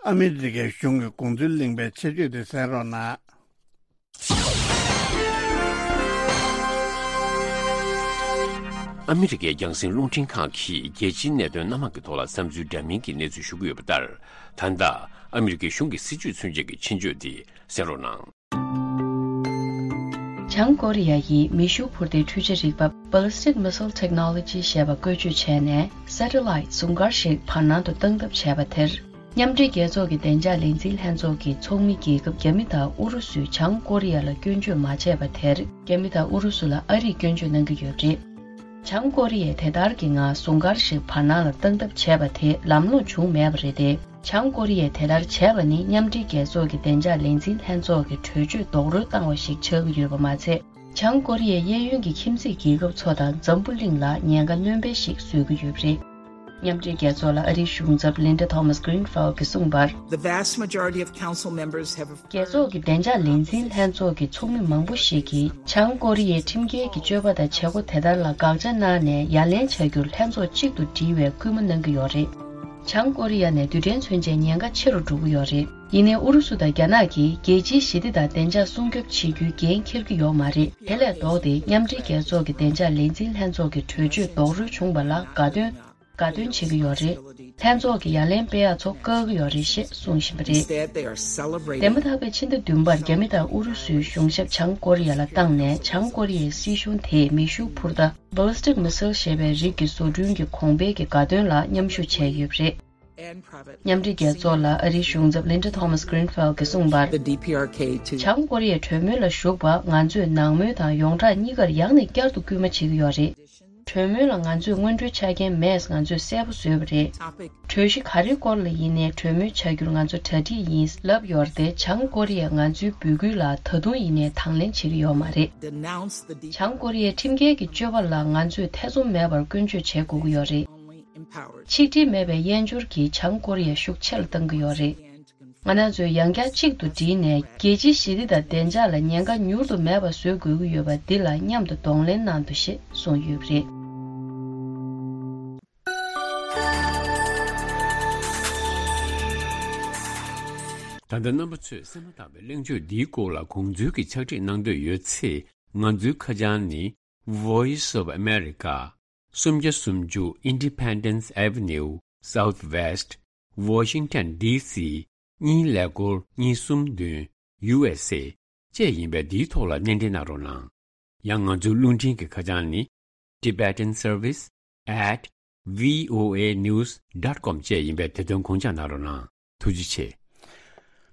ཨ་མི་རི་ཀའི་གཞུང་གི་དགོངས་ཚུལ་གླེང་བའི་ཆེད་བརྗོད་དེ་གསན་རོགས་གནང་། ཨ་མི་རི་ཀའི་རྒྱང་སྲིང་རླུང་འཕྲིན་ཁང་གིས་རྒྱལ་སྤྱིའི་གནད་དོན་སྣ་མང་གི་ཐོག་ལ་བསམ་ཚུལ་འདྲ་མིན་གྱི་གནས་ཚུལ་ཞུ་གི་ཡོད་པ་ལྟར། ད་ལྟ་ཨ་མི་རི་ཀའི་གཞུང་གི་སྲིད་བྱུས་མཚོན་བྱེད་ཀྱི་ཆེད་བརྗོད་དེ་གསན་རོགས་གནང་། བྱང་ཀོ་རི་ཡ་ཡིས་མེ་ཤུགས་འཕུར་མདེལ་འཕྲུལ་ཆས་རིག་པ་Ballistic Missile Technology ཞེས་པ་བཀོལ་སྤྱོད་བྱས་ནས། Satellite ཟུང་སྐར་ཞིག་བར་སྣང་དུ་བཏང་ཐབས་བྱས་པ་དེར། མཉམ་འབྲེལ་རྒྱལ་ཚོགས་ཀྱི་བདེ་འཇགས་ལས་འཛིན་ལྷན་ཚོགས་ཀྱི་ཚོགས་མི་རྒྱལ་ཁབ་རྒྱ་མི་དང་ཨུ་རུ་སུས་བྱང་ཀོ་རི་ཡ་ལ་སྐྱོན་བརྗོད་མ་བྱས་པ་དེར། རྒྱ་མི་དང་ཨུ་རུ་སུ་ལ་ཨ་རིས་སྐྱོན་བརྗོད་གནང་གི་ཡོད་པ་རེད། བྱང་ཀོ་རི་ཡས་དེ་ལྟར་གྱི་ངང་ཟུང་སྐར་ཞིག་བར་སྣང་ལ་བཏང་ཐབས་བྱས་པ་དེ་ལམ་ལྷོང་བྱུང་མེད་པ་རེད་དེ། བྱང་ཀོ་རི་ཡས་དེ་ལྟར་བྱས་པ་ནི་མཉམ་འབྲེལ་རྒྱལ་ཚོགས་ཀྱི་བདེ་འཇགས་ལས་འཛིན་ལྷན་ཚོགས་ཀྱི་གྲོས་ཆོད་རྡོག་རོལ་བཏང་བ་ཞིག་ཆགས་ཀྱི་ཡོད་པ་མ་ཚད། བྱང་ཀོ་རི་ཡའི་གཡས་གཡོན་གྱི་ཁྱིམ་མཚེས་རྒྱལ་ཁབ་ཚོ་དང་འཛམ་བུ་གླིང་ལ་ཉེན་ཁ་སྣོན་སྤེལ་ཞིག་བཟོ་གི་ཡོད་པ་རེད། མཉམ་འབྲེལ་རྒྱལ་ཚོགས་ལ་ཨ་རིའི་གཞུང་ཚབ་Linda Thomas Greenfield གྱིས་གསུངས་པར། The vast majority of council members have རྒྱལ་ཚོགས་ཀྱི་བདེ་འཇགས་ལས་འཛིན་ལྷན་ཚོགས་ཀྱི་ཚོགས་མི་མང་པོ་ཞིག་གིས་བྱང་ཀོ་རི་ཡའི་ཁྲིམས་འགལ་གྱི་སྤྱོད་པ་དང་བྱེད་སྒོ་དེ་ལྟར་ལ་དགག་བྱ་གནང་ནས་ཡ་ལན་བྱ་རྒྱུར་ལྷན་ཚོགས་གཅིག་ཏུ་སྒྲིལ་བའི་སྐུལ་མ་གནང་གི་ཡོད་རེད། བྱང་ཀོ་རི་ཡ་ནས་རྡུལ་ཕྲན་མཚོན་ཆའི་ཉེན་ཁ་ཆེ་རུ་འགྲོ་གི་ཡོད་རེད། ཡིན་ནའི་ཨུ་རུ་སུ་དང་རྒྱ་ནག་གིས་རྒྱལ་སྤྱིའི་ཞི་བདེ་དང་བདེ་འཇགས་སྲུང་སྐྱོབ་བྱེད་རྒྱུའི་འགན་འཁྱེར་གྱི་ཡོད་མ་རེད། དེ་ལས་ལྡོག་སྟེ་མཉམ་འབྲེལ་རྒྱལ་ཚོགས་ཀྱི་བདེ་འཇགས་ལས་འཛིན་ལྷན་ཚོགས་ཀྱི་གྲོས་ཆོད་རྡོག་རོལ་བྱུང་བ་ལ་དགའ་སྟོན། དགའ་སྟོན་བྱེད་ཀྱི་ཡོད་རེད། ལྷན་ཚོགས་ཀྱི་ཡ་ལན་སྤེལ་ཡག་ཚོ་དཀའ་གི་ཡོད་རེད་ཞེས་གསུངས་བཞིན་པ་རེད། Instead, they are celebrating. འདས་མ་ཐག་པའི་ཕྱི་ཟླ་བདུན་པར་རྒྱ་མི་དང་ཨུ་རུ་སུའི་གཞུང་ཞབས་བྱང་ཀོ་རི་ཡ་ལ་བཏང་ནས་བྱང་ཀོ་རི་ཡའི་སྲིད་གཞུང་དེས་མེ་ཤུགས་འཕུར་མདའ་ballistic missile ཞེས་པའི་རིགས་ཀྱི་བཟོ་སྐྲུན་གྱི་གོང་འཕེལ་གྱི་དགའ་སྟོན་ལ་མཉམ་ཞུགས་བྱས་ཡོད་པ་རེད། མཉམ་འབྲེལ་རྒྱལ་ཚོགས་ལ་ཨ་རིའི་གཞུང་ཚབ་Linda Thomas Greenfield གྱིས་གསུངས་པར། The D P R K to བྱང་ཀོ་རི་ཡའི་གྲོས་མོལ་ལ་ཞུགས་པ་ང་ཚོས་ནང་མོལ་དང་ཡོངས་གྲགས་གཉིས་ཀར་ཡང་ནས་བསྐྱར་དུ་སྐུལ་མ་བྱེད་ཀྱི་ཡོད་རེད། གྲོས་མོལ་ལ་ང་ཚོས་སྔོན་འགྲོའི་ཆ་རྐྱེན་མེད། ང་ཚོས་གསལ་པོ་བཟོས་པ་རེད། གྲོས་གཞི་ག་རེའི་སྐོར་ལ་ཡིན་ནའི་གྲོས་མོལ་བྱ་རྒྱུར་ང་ཚོ་གྲ་སྒྲིག་ཡིན་ལབ་ཡོད་རེད་དེ། བྱང་ཀོ་རི་ཡས་ང་ཚོའི་འབོད་སྐུལ་ལ་ད་དུང་ཡིན་ནའི་དང་ལེན་བྱེད་ཀྱི་ཡོད་མ་རེད། Denounce the D P R K. བྱང་ཀོ་རི་ཡའི་ཁྲིམས་འགལ་གྱི་སྤྱོད་པ་ལ་ང་ཚོས་ཐེ་ཚོམ་མེད་པར་སྐྱོན་བརྗོད་བྱེད་དགོས་ཀྱི་ཡོད་རེད། Only empowered. ཆིག་སྒྲིལ་མེད་པའི་དབྱེན་སྦྱོར་གྱིས་བྱང་ཀོ་རི་ཡ་ཤུགས་ཆེ་ལ་གཏང་གི་ཡོད་རེད། ང་རང་ཚོས་ཡང་བསྐྱར་གཅིག་ཏུ་བསྒྲིལ་ནས་རྒྱལ་སྤྱིའི་ཞི་བདེ་དང་བདེ་འཇགས་ལ་ཉེན་ཁ་མྱུར་དུ་མེད་པ་བཟོ་དགོས་ཀྱི་ཡོད་པ་འདི་ལ་མཉམ་དུ་གདོང་ལེན་གནང་དགོས་ཞེས་གསུངས་ཡོད་པ་རེད། ད་ལྟ་རྣམ་པ་ཚོས་གསན་མ་ཐག་པའི་གླེང་བརྗོད་འདིའི་སྐོར་ལ་དགོངས་ཚུལ་གྱི་ཕྱག་བྲིས་གནང་འདོད་ཡོད་ཚེ། ང་ཚོའི་ཁ་བྱང་ནི། Voice of America། སུམ་བརྒྱ་སུམ་ཅུ་Independence Avenue Southwest Washington D C གཉིས་ཀླད་ཀོར་གཉིས་གསུམ་བདུན་U S A བཅས་ཡིན་པས། འདིའི་ཐོག་ལ་སྣེ་འདྲེན་གནང་རོགས་གནང་། ཡང་ང་ཚོའི་རླུང་འཕྲིན་གྱི་ཁ་བྱང་ནི། Tibetan Service at V O A news dot com བཅས་ཡིན་པས། དེ་དོན་དགོངས་འཇགས་གནང་རོགས་གནང་། ཐུགས་རྗེ་ཆེ།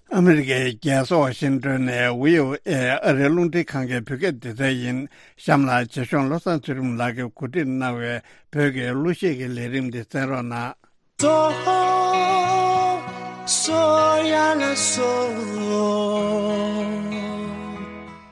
ཨ་མི་རི་ཀའི་རྒྱལ་ས་ཝ་ཤིང་ཏོན་ནས་V O A ཨ་རིའི་རླུང་འཕྲིན་ཁང་གི་བོད་སྐད་སྡེ་ཚན་ཡིན། གཤམ་ལ་རྗེ་གཞུང་བློ་བཟང་ཚུལ་ཁྲིམས་ལགས་ཀྱིས་གོ་སྒྲིག་གནང་བའི་བོད་ཀྱི་གླུ་གཞས་ཀྱི་ལས་རིམ་འདི་གསན་རོགས་གནང་། སོ་སོ་ཡ་ལ་སོ།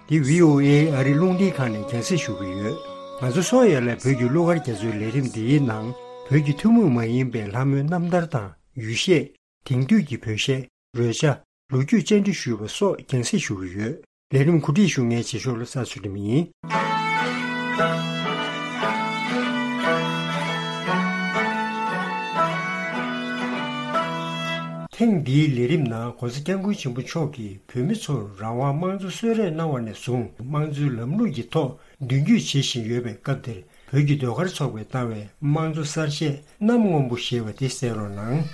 འདི་V O A ཨ་རིའི་རླུང་འཕྲིན་ཁང་ནས་རྒྱང་སྲིང་ཞུ་གི་ཡོད། ང་ཚོ་སོ་ཡ་ལ་བོད་ཀྱི་གླུ་གར་རྒྱ་མཚོའི་ལས་རིམ་འདིའི་ནང་བོད་ཀྱི་ཐུན་མོང་མ་ཡིན་པའི་ལྷ་མོའི་རྣམ་ཐར་དང་ཡུལ་གཞས། དེང་དུས་ཀྱི་བོད་གཞས། རོལ་ཆ། ལོ་རྒྱུས་བཅར་འདྲི་ཞུས་པ་སོགས་རྒྱང་སྲིང་ཞུ་གི་ཡོད། ལས་རིམ་གོ་སྒྲིག་ཞུ་མཁན་རྗེ་ཤོ་བློ་བཟང་ཚུལ་ཁྲིམས་ཡིན། ཐེངས་འདིའི་ལས་རིམ་ནང་༸གོང་ས་༸སྐྱབས་མགོན་ཆེན་པོ་མཆོག་གིས་བོད་མི་ཚོར་རང་དབང་དམངས་གཙོ་གསོལ་རས་གནང་བ་ནས་བཟུང་དམངས་གཙོའི་ལམ་ལུགས་ཀྱི་ཐོག་མདུན་སྐྱོད་བྱེད་བཞིན་ཡོད་པའི་སྐབས་འདིར། བོད་ཀྱི་ཟློས་གར་ཚོགས་པས་བཏང་བའི་དམངས་གཙོ་གསར་བཞེངས་གནམ་སྔོན་པོ་ཞེས་པ་དེ་གསན་རོགས་གནང་།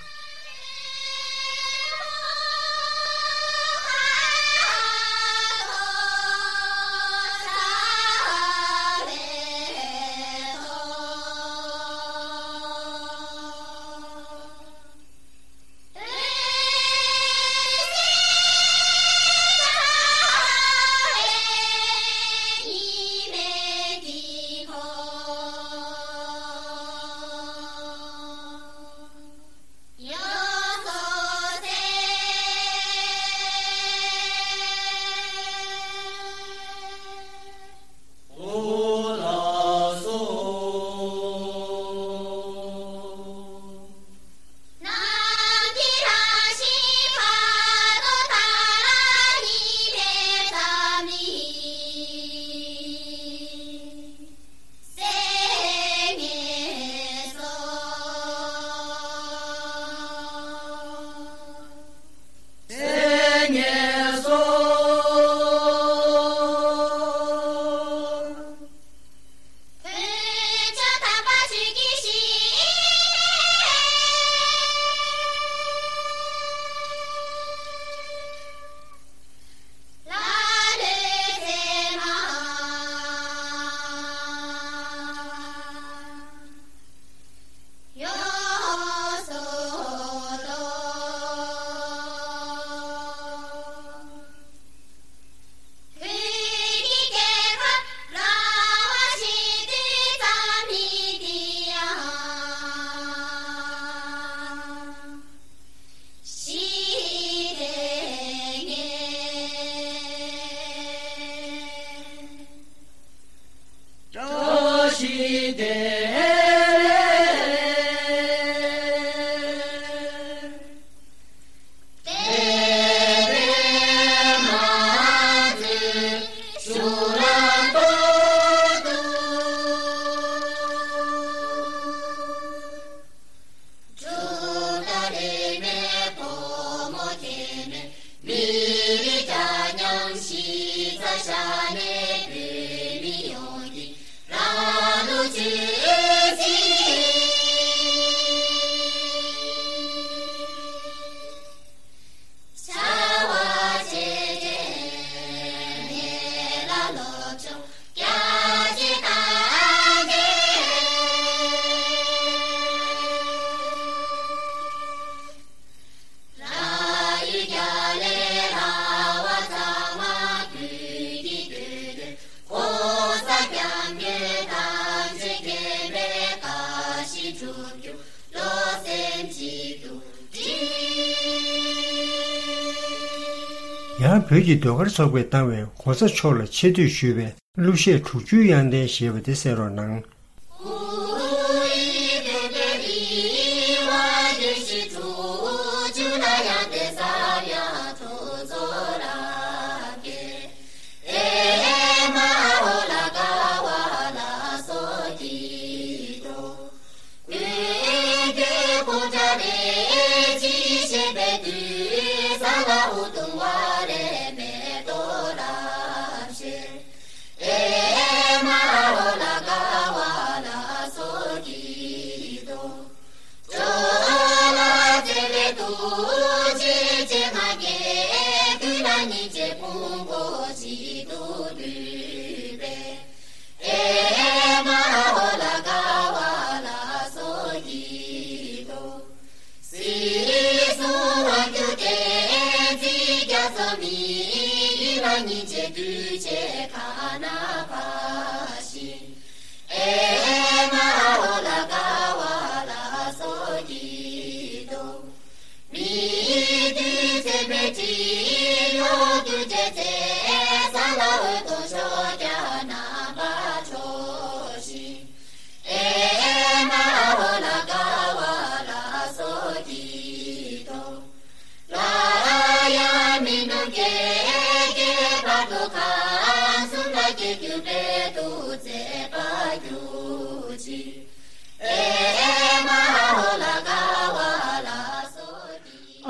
ཡང་བོད་ཀྱི་ཟློས་གར་ཚོགས་པས་བཏང་བའི་གོང་ས་མཆོག་ལ་ཆེ་བསྟོད་ཞུས་པའི་གླུ་གཞས་དྲུག་ཅུའི་དབྱངས་ལྡན་ཞེས་པ་དེ་གསན་རོགས་གནང་།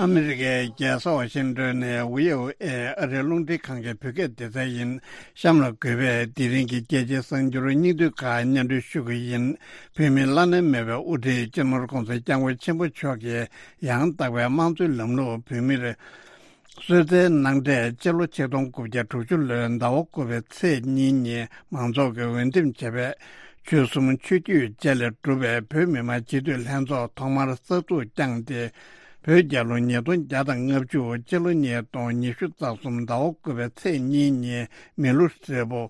ཨ་མི་རི་ཀའི་རྒྱལ་ས་ཝ་ཤིང་ཏོན་ནས་ཝི་ཨོ་ཨེ་ཨ་རིའི་རླུང་འཕྲིན་ཁང་གི་བོད་སྐད་སྡེ་ཚན་ཡིན། གཤམ་ལ་འགོད་པའི་དེ་རིང་གི་རྒྱལ་སྤྱིའི་གསར་འགྱུར་སྙིང་བསྡུས་ཁག་སྙན་སྒྲོན་ཞུ་གི་ཡིན། བོད་མིའི་བླ་ན་མེད་པའི་དབུ་ཁྲིད་སྤྱི་ནོར་༧གོང་ས་༧སྐྱབས་མགོན་ཆེན་པོ་མཆོག་གིས་ཡང་དག་པའི་དམངས་གཙོའི་ལམ་ལུགས་བོད་མིར་གསོལ་སྩལ་གནང་འཕྲལ་སྤྱི་ལོ་ཆིག་སྟོང་དགུ་བརྒྱ་དྲུག་ཅུ་ལོའི་ཟླ་བ་དགུ་པའི་ཚེས་གཉིས་ཉིན་མང་ཚོགས་ཀྱིས་འོས་འདེམས་བྱས་པའི་ཆོལ་གསུམ་ཆོས་བརྒྱུད་བཅས་ལས་གྲུབ་པའི་བོད་མི་མང་སྤྱི་འཐུས་ལྷན་ཚོགས་ཐོག་མར་གསར་འཛུགས་བསྐྱངས་ཏེ། བོད་རྒྱལ་ལོ་ཉིས་སྟོང་བརྒྱ་དང་ལྔ་བཅུ་སྤྱི་ལོ་ཉིས་སྟོང་ཉི་ཤུ་རྩ་གསུམ་ཟླ་བ་དགུ་པའི་ཚེས་གཉིས་ཉིན་མི་ལོ་ཧྲིལ་པོ་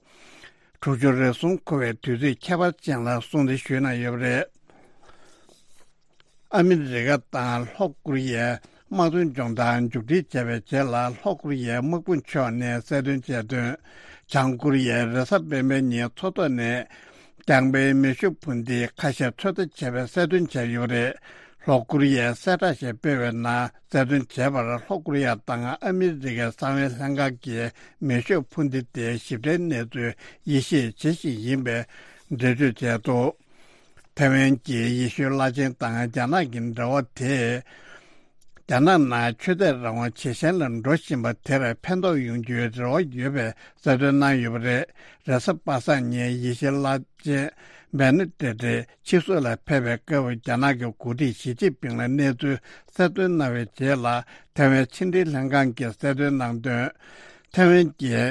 དྲུག་ཅུ་རེ་ཟུང་འཁོར་བའི་དུས་ཚིགས་ཁྱད་པར་ཅན་ལ་སྲུང་བརྩི་ཞུས་གནང་ཡོད་པ་རེད། ཨ་མི་རི་ཀ་དང་ལྷོ་ཀོ་རི་ཡའི་དམག་དོན་སྦྱོང་བརྡར་མཇུག་སྒྲིལ་བྱས་པའི་རྗེས་ལ། ལྷོ་ཀོ་རི་ཡའི་དམག་དཔུང་ཕྱོགས་ནས་གསལ་སྟོན་བྱས་དོན། བྱང་ཀོ་རི་ཡས་རེས་གཟའ་སྤེན་པའི་ཉིན་མཚོ་ཐོག་ནས་རྐྱང་པའི་མེ་ཤུགས་འཕུར་མདེལ་ཁ་ཤས་ཚོད་ལྟ་བྱས་པའི་གསལ་སྟོན་བྱས་ཡོད་པ་རེད། ལྷོ་ཀོ་རི་ཡས་གསལ་བསྒྲགས་ཤིག་སྤེལ་བའི་ནང་གསལ་སྟོན་བྱས་པར། ལྷོ་ཀོ་རི་ཡ་དང་ཨ་མི་རི་ཀའི་གསང་བའི་ལྷན་ཁང་གིས་མེ་ཤུགས་འཕུར་མདེལ་དེའི་ཞིབ་ཕྲའི་གནས་ཚུལ་དབྱེ་ཞིབ་བྱེད་བཞིན་ཡིན་པའི་འགྲེལ་བརྗོད་བྱས་འདུག། ཐའེ་ཝན་གྱི་ཡེ་ཤུའི་བླ་ཆེན་དང་རྒྱ་ནག་གི་འབྲེལ་བ་དེས། རྒྱ་ནག་ནང་ཆོས་དད་རང་དབང་ཇེ་ཞན་ལ་འགྲོ་བཞིན་པ་དེར་ཕན་ཐོགས་ཡོང་རྒྱུའི་རེ་བ་ཡོད་པའི་གསལ་སྟོན་གནང་ཡོད་པ་རེད། རེས་གཟའ་པ་སངས་ཉིན་ཡེ་ཤུའི་བླ་ཆེན་བེ་ནེ་ཏེ་ཏེ་ཕྱི་སོག་ལ་ཕེབས་པའི་སྐབས། རྒྱ་ནག་གི་འགོ་ཁྲིད་ཞི་ཅིན་ཕིང་ལ་གནས་ཚུལ་གསལ་སྟོན་གནང་བའི་རྗེས་ལ། ཐའེ་ཝན་ཕྱི་འབྲེལ་ལྷན་ཁང་གིས་གསལ་སྟོན་གནང་དོན། ཐའེ་ཝན་གྱི་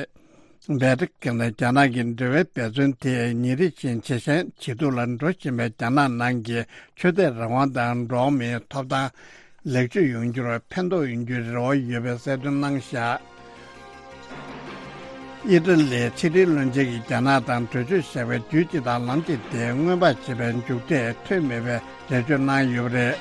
པེ་ཀིང་དང་རྒྱ་ནག་གི་འབྲེལ་བའི་འབད་བརྩོན་དེ་ཉིན་རེ་བཞིན་ཇེ་ཞན་ཇེ་སྡུག་ལ་འགྲོ་བཞིན་པའི་རྒྱ་ནག་ནང་གི་ཆོས་དད་རང་དབང་དང་འགྲོ་བ་མིའི་ཐོབ་ཐང་ལེགས་བཅོས་ཡོང་རྒྱུར་ཕན་ཐོགས་ཡོང་རྒྱུའི་རེ་བ་ཡོད་པའི་གསལ་སྟོན་གནང་བཞག། ཨི་ཊ་ལིའི་ཕྱི་དྲིལ་བློན་ཆེན་གྱིས་རྒྱ་ནག་དང་གྲོས་ཆོད་བཞག་པའི་དུས་བཅད་དང་ལམ་བཅད་དེ་སྔོན་དཔག་བྱེད་པའི་མཇུག་འབྲས་ཐོན་མེད་པའི་འགྲེལ་བརྗོད་གནང་ཡོད་པ་རེད།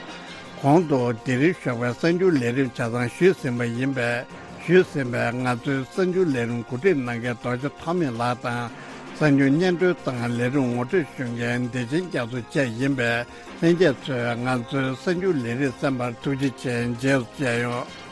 གོང་དུ་དེ་རིང་ཞོགས་པའི་གསར་འགྱུར་ལས་རིམ་ཆ་ཚང་ཞུས་ཟིན་པ་ཡིན་པས། ཞུས་ཟིན་པའི་ང་ཚོའི་གསར་འགྱུར་ལས་རིམ་གོ་སྒྲིག་གནང་མཁན་རྡོ་རྗེ་ཐོགས་མེད་ལགས་དང་། གསར་འགྱུར་སྙན་སྒྲོན་དང་ལས་རིམ་ངོ་སྤྲོད་ཞུ་མཁན་བདེ་ཆེན་རྒྱ་མཚོ་བཅས་ཡིན་པས། ལྷན་རྒྱས་ཚོས་ང་ཚོའི་གསར་འགྱུར་ལས་རིམ་གསན་པར་ཐུགས་རྗེ་ཆེ། རྗེས་སུ་མཇལ་ཡོང་།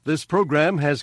This program has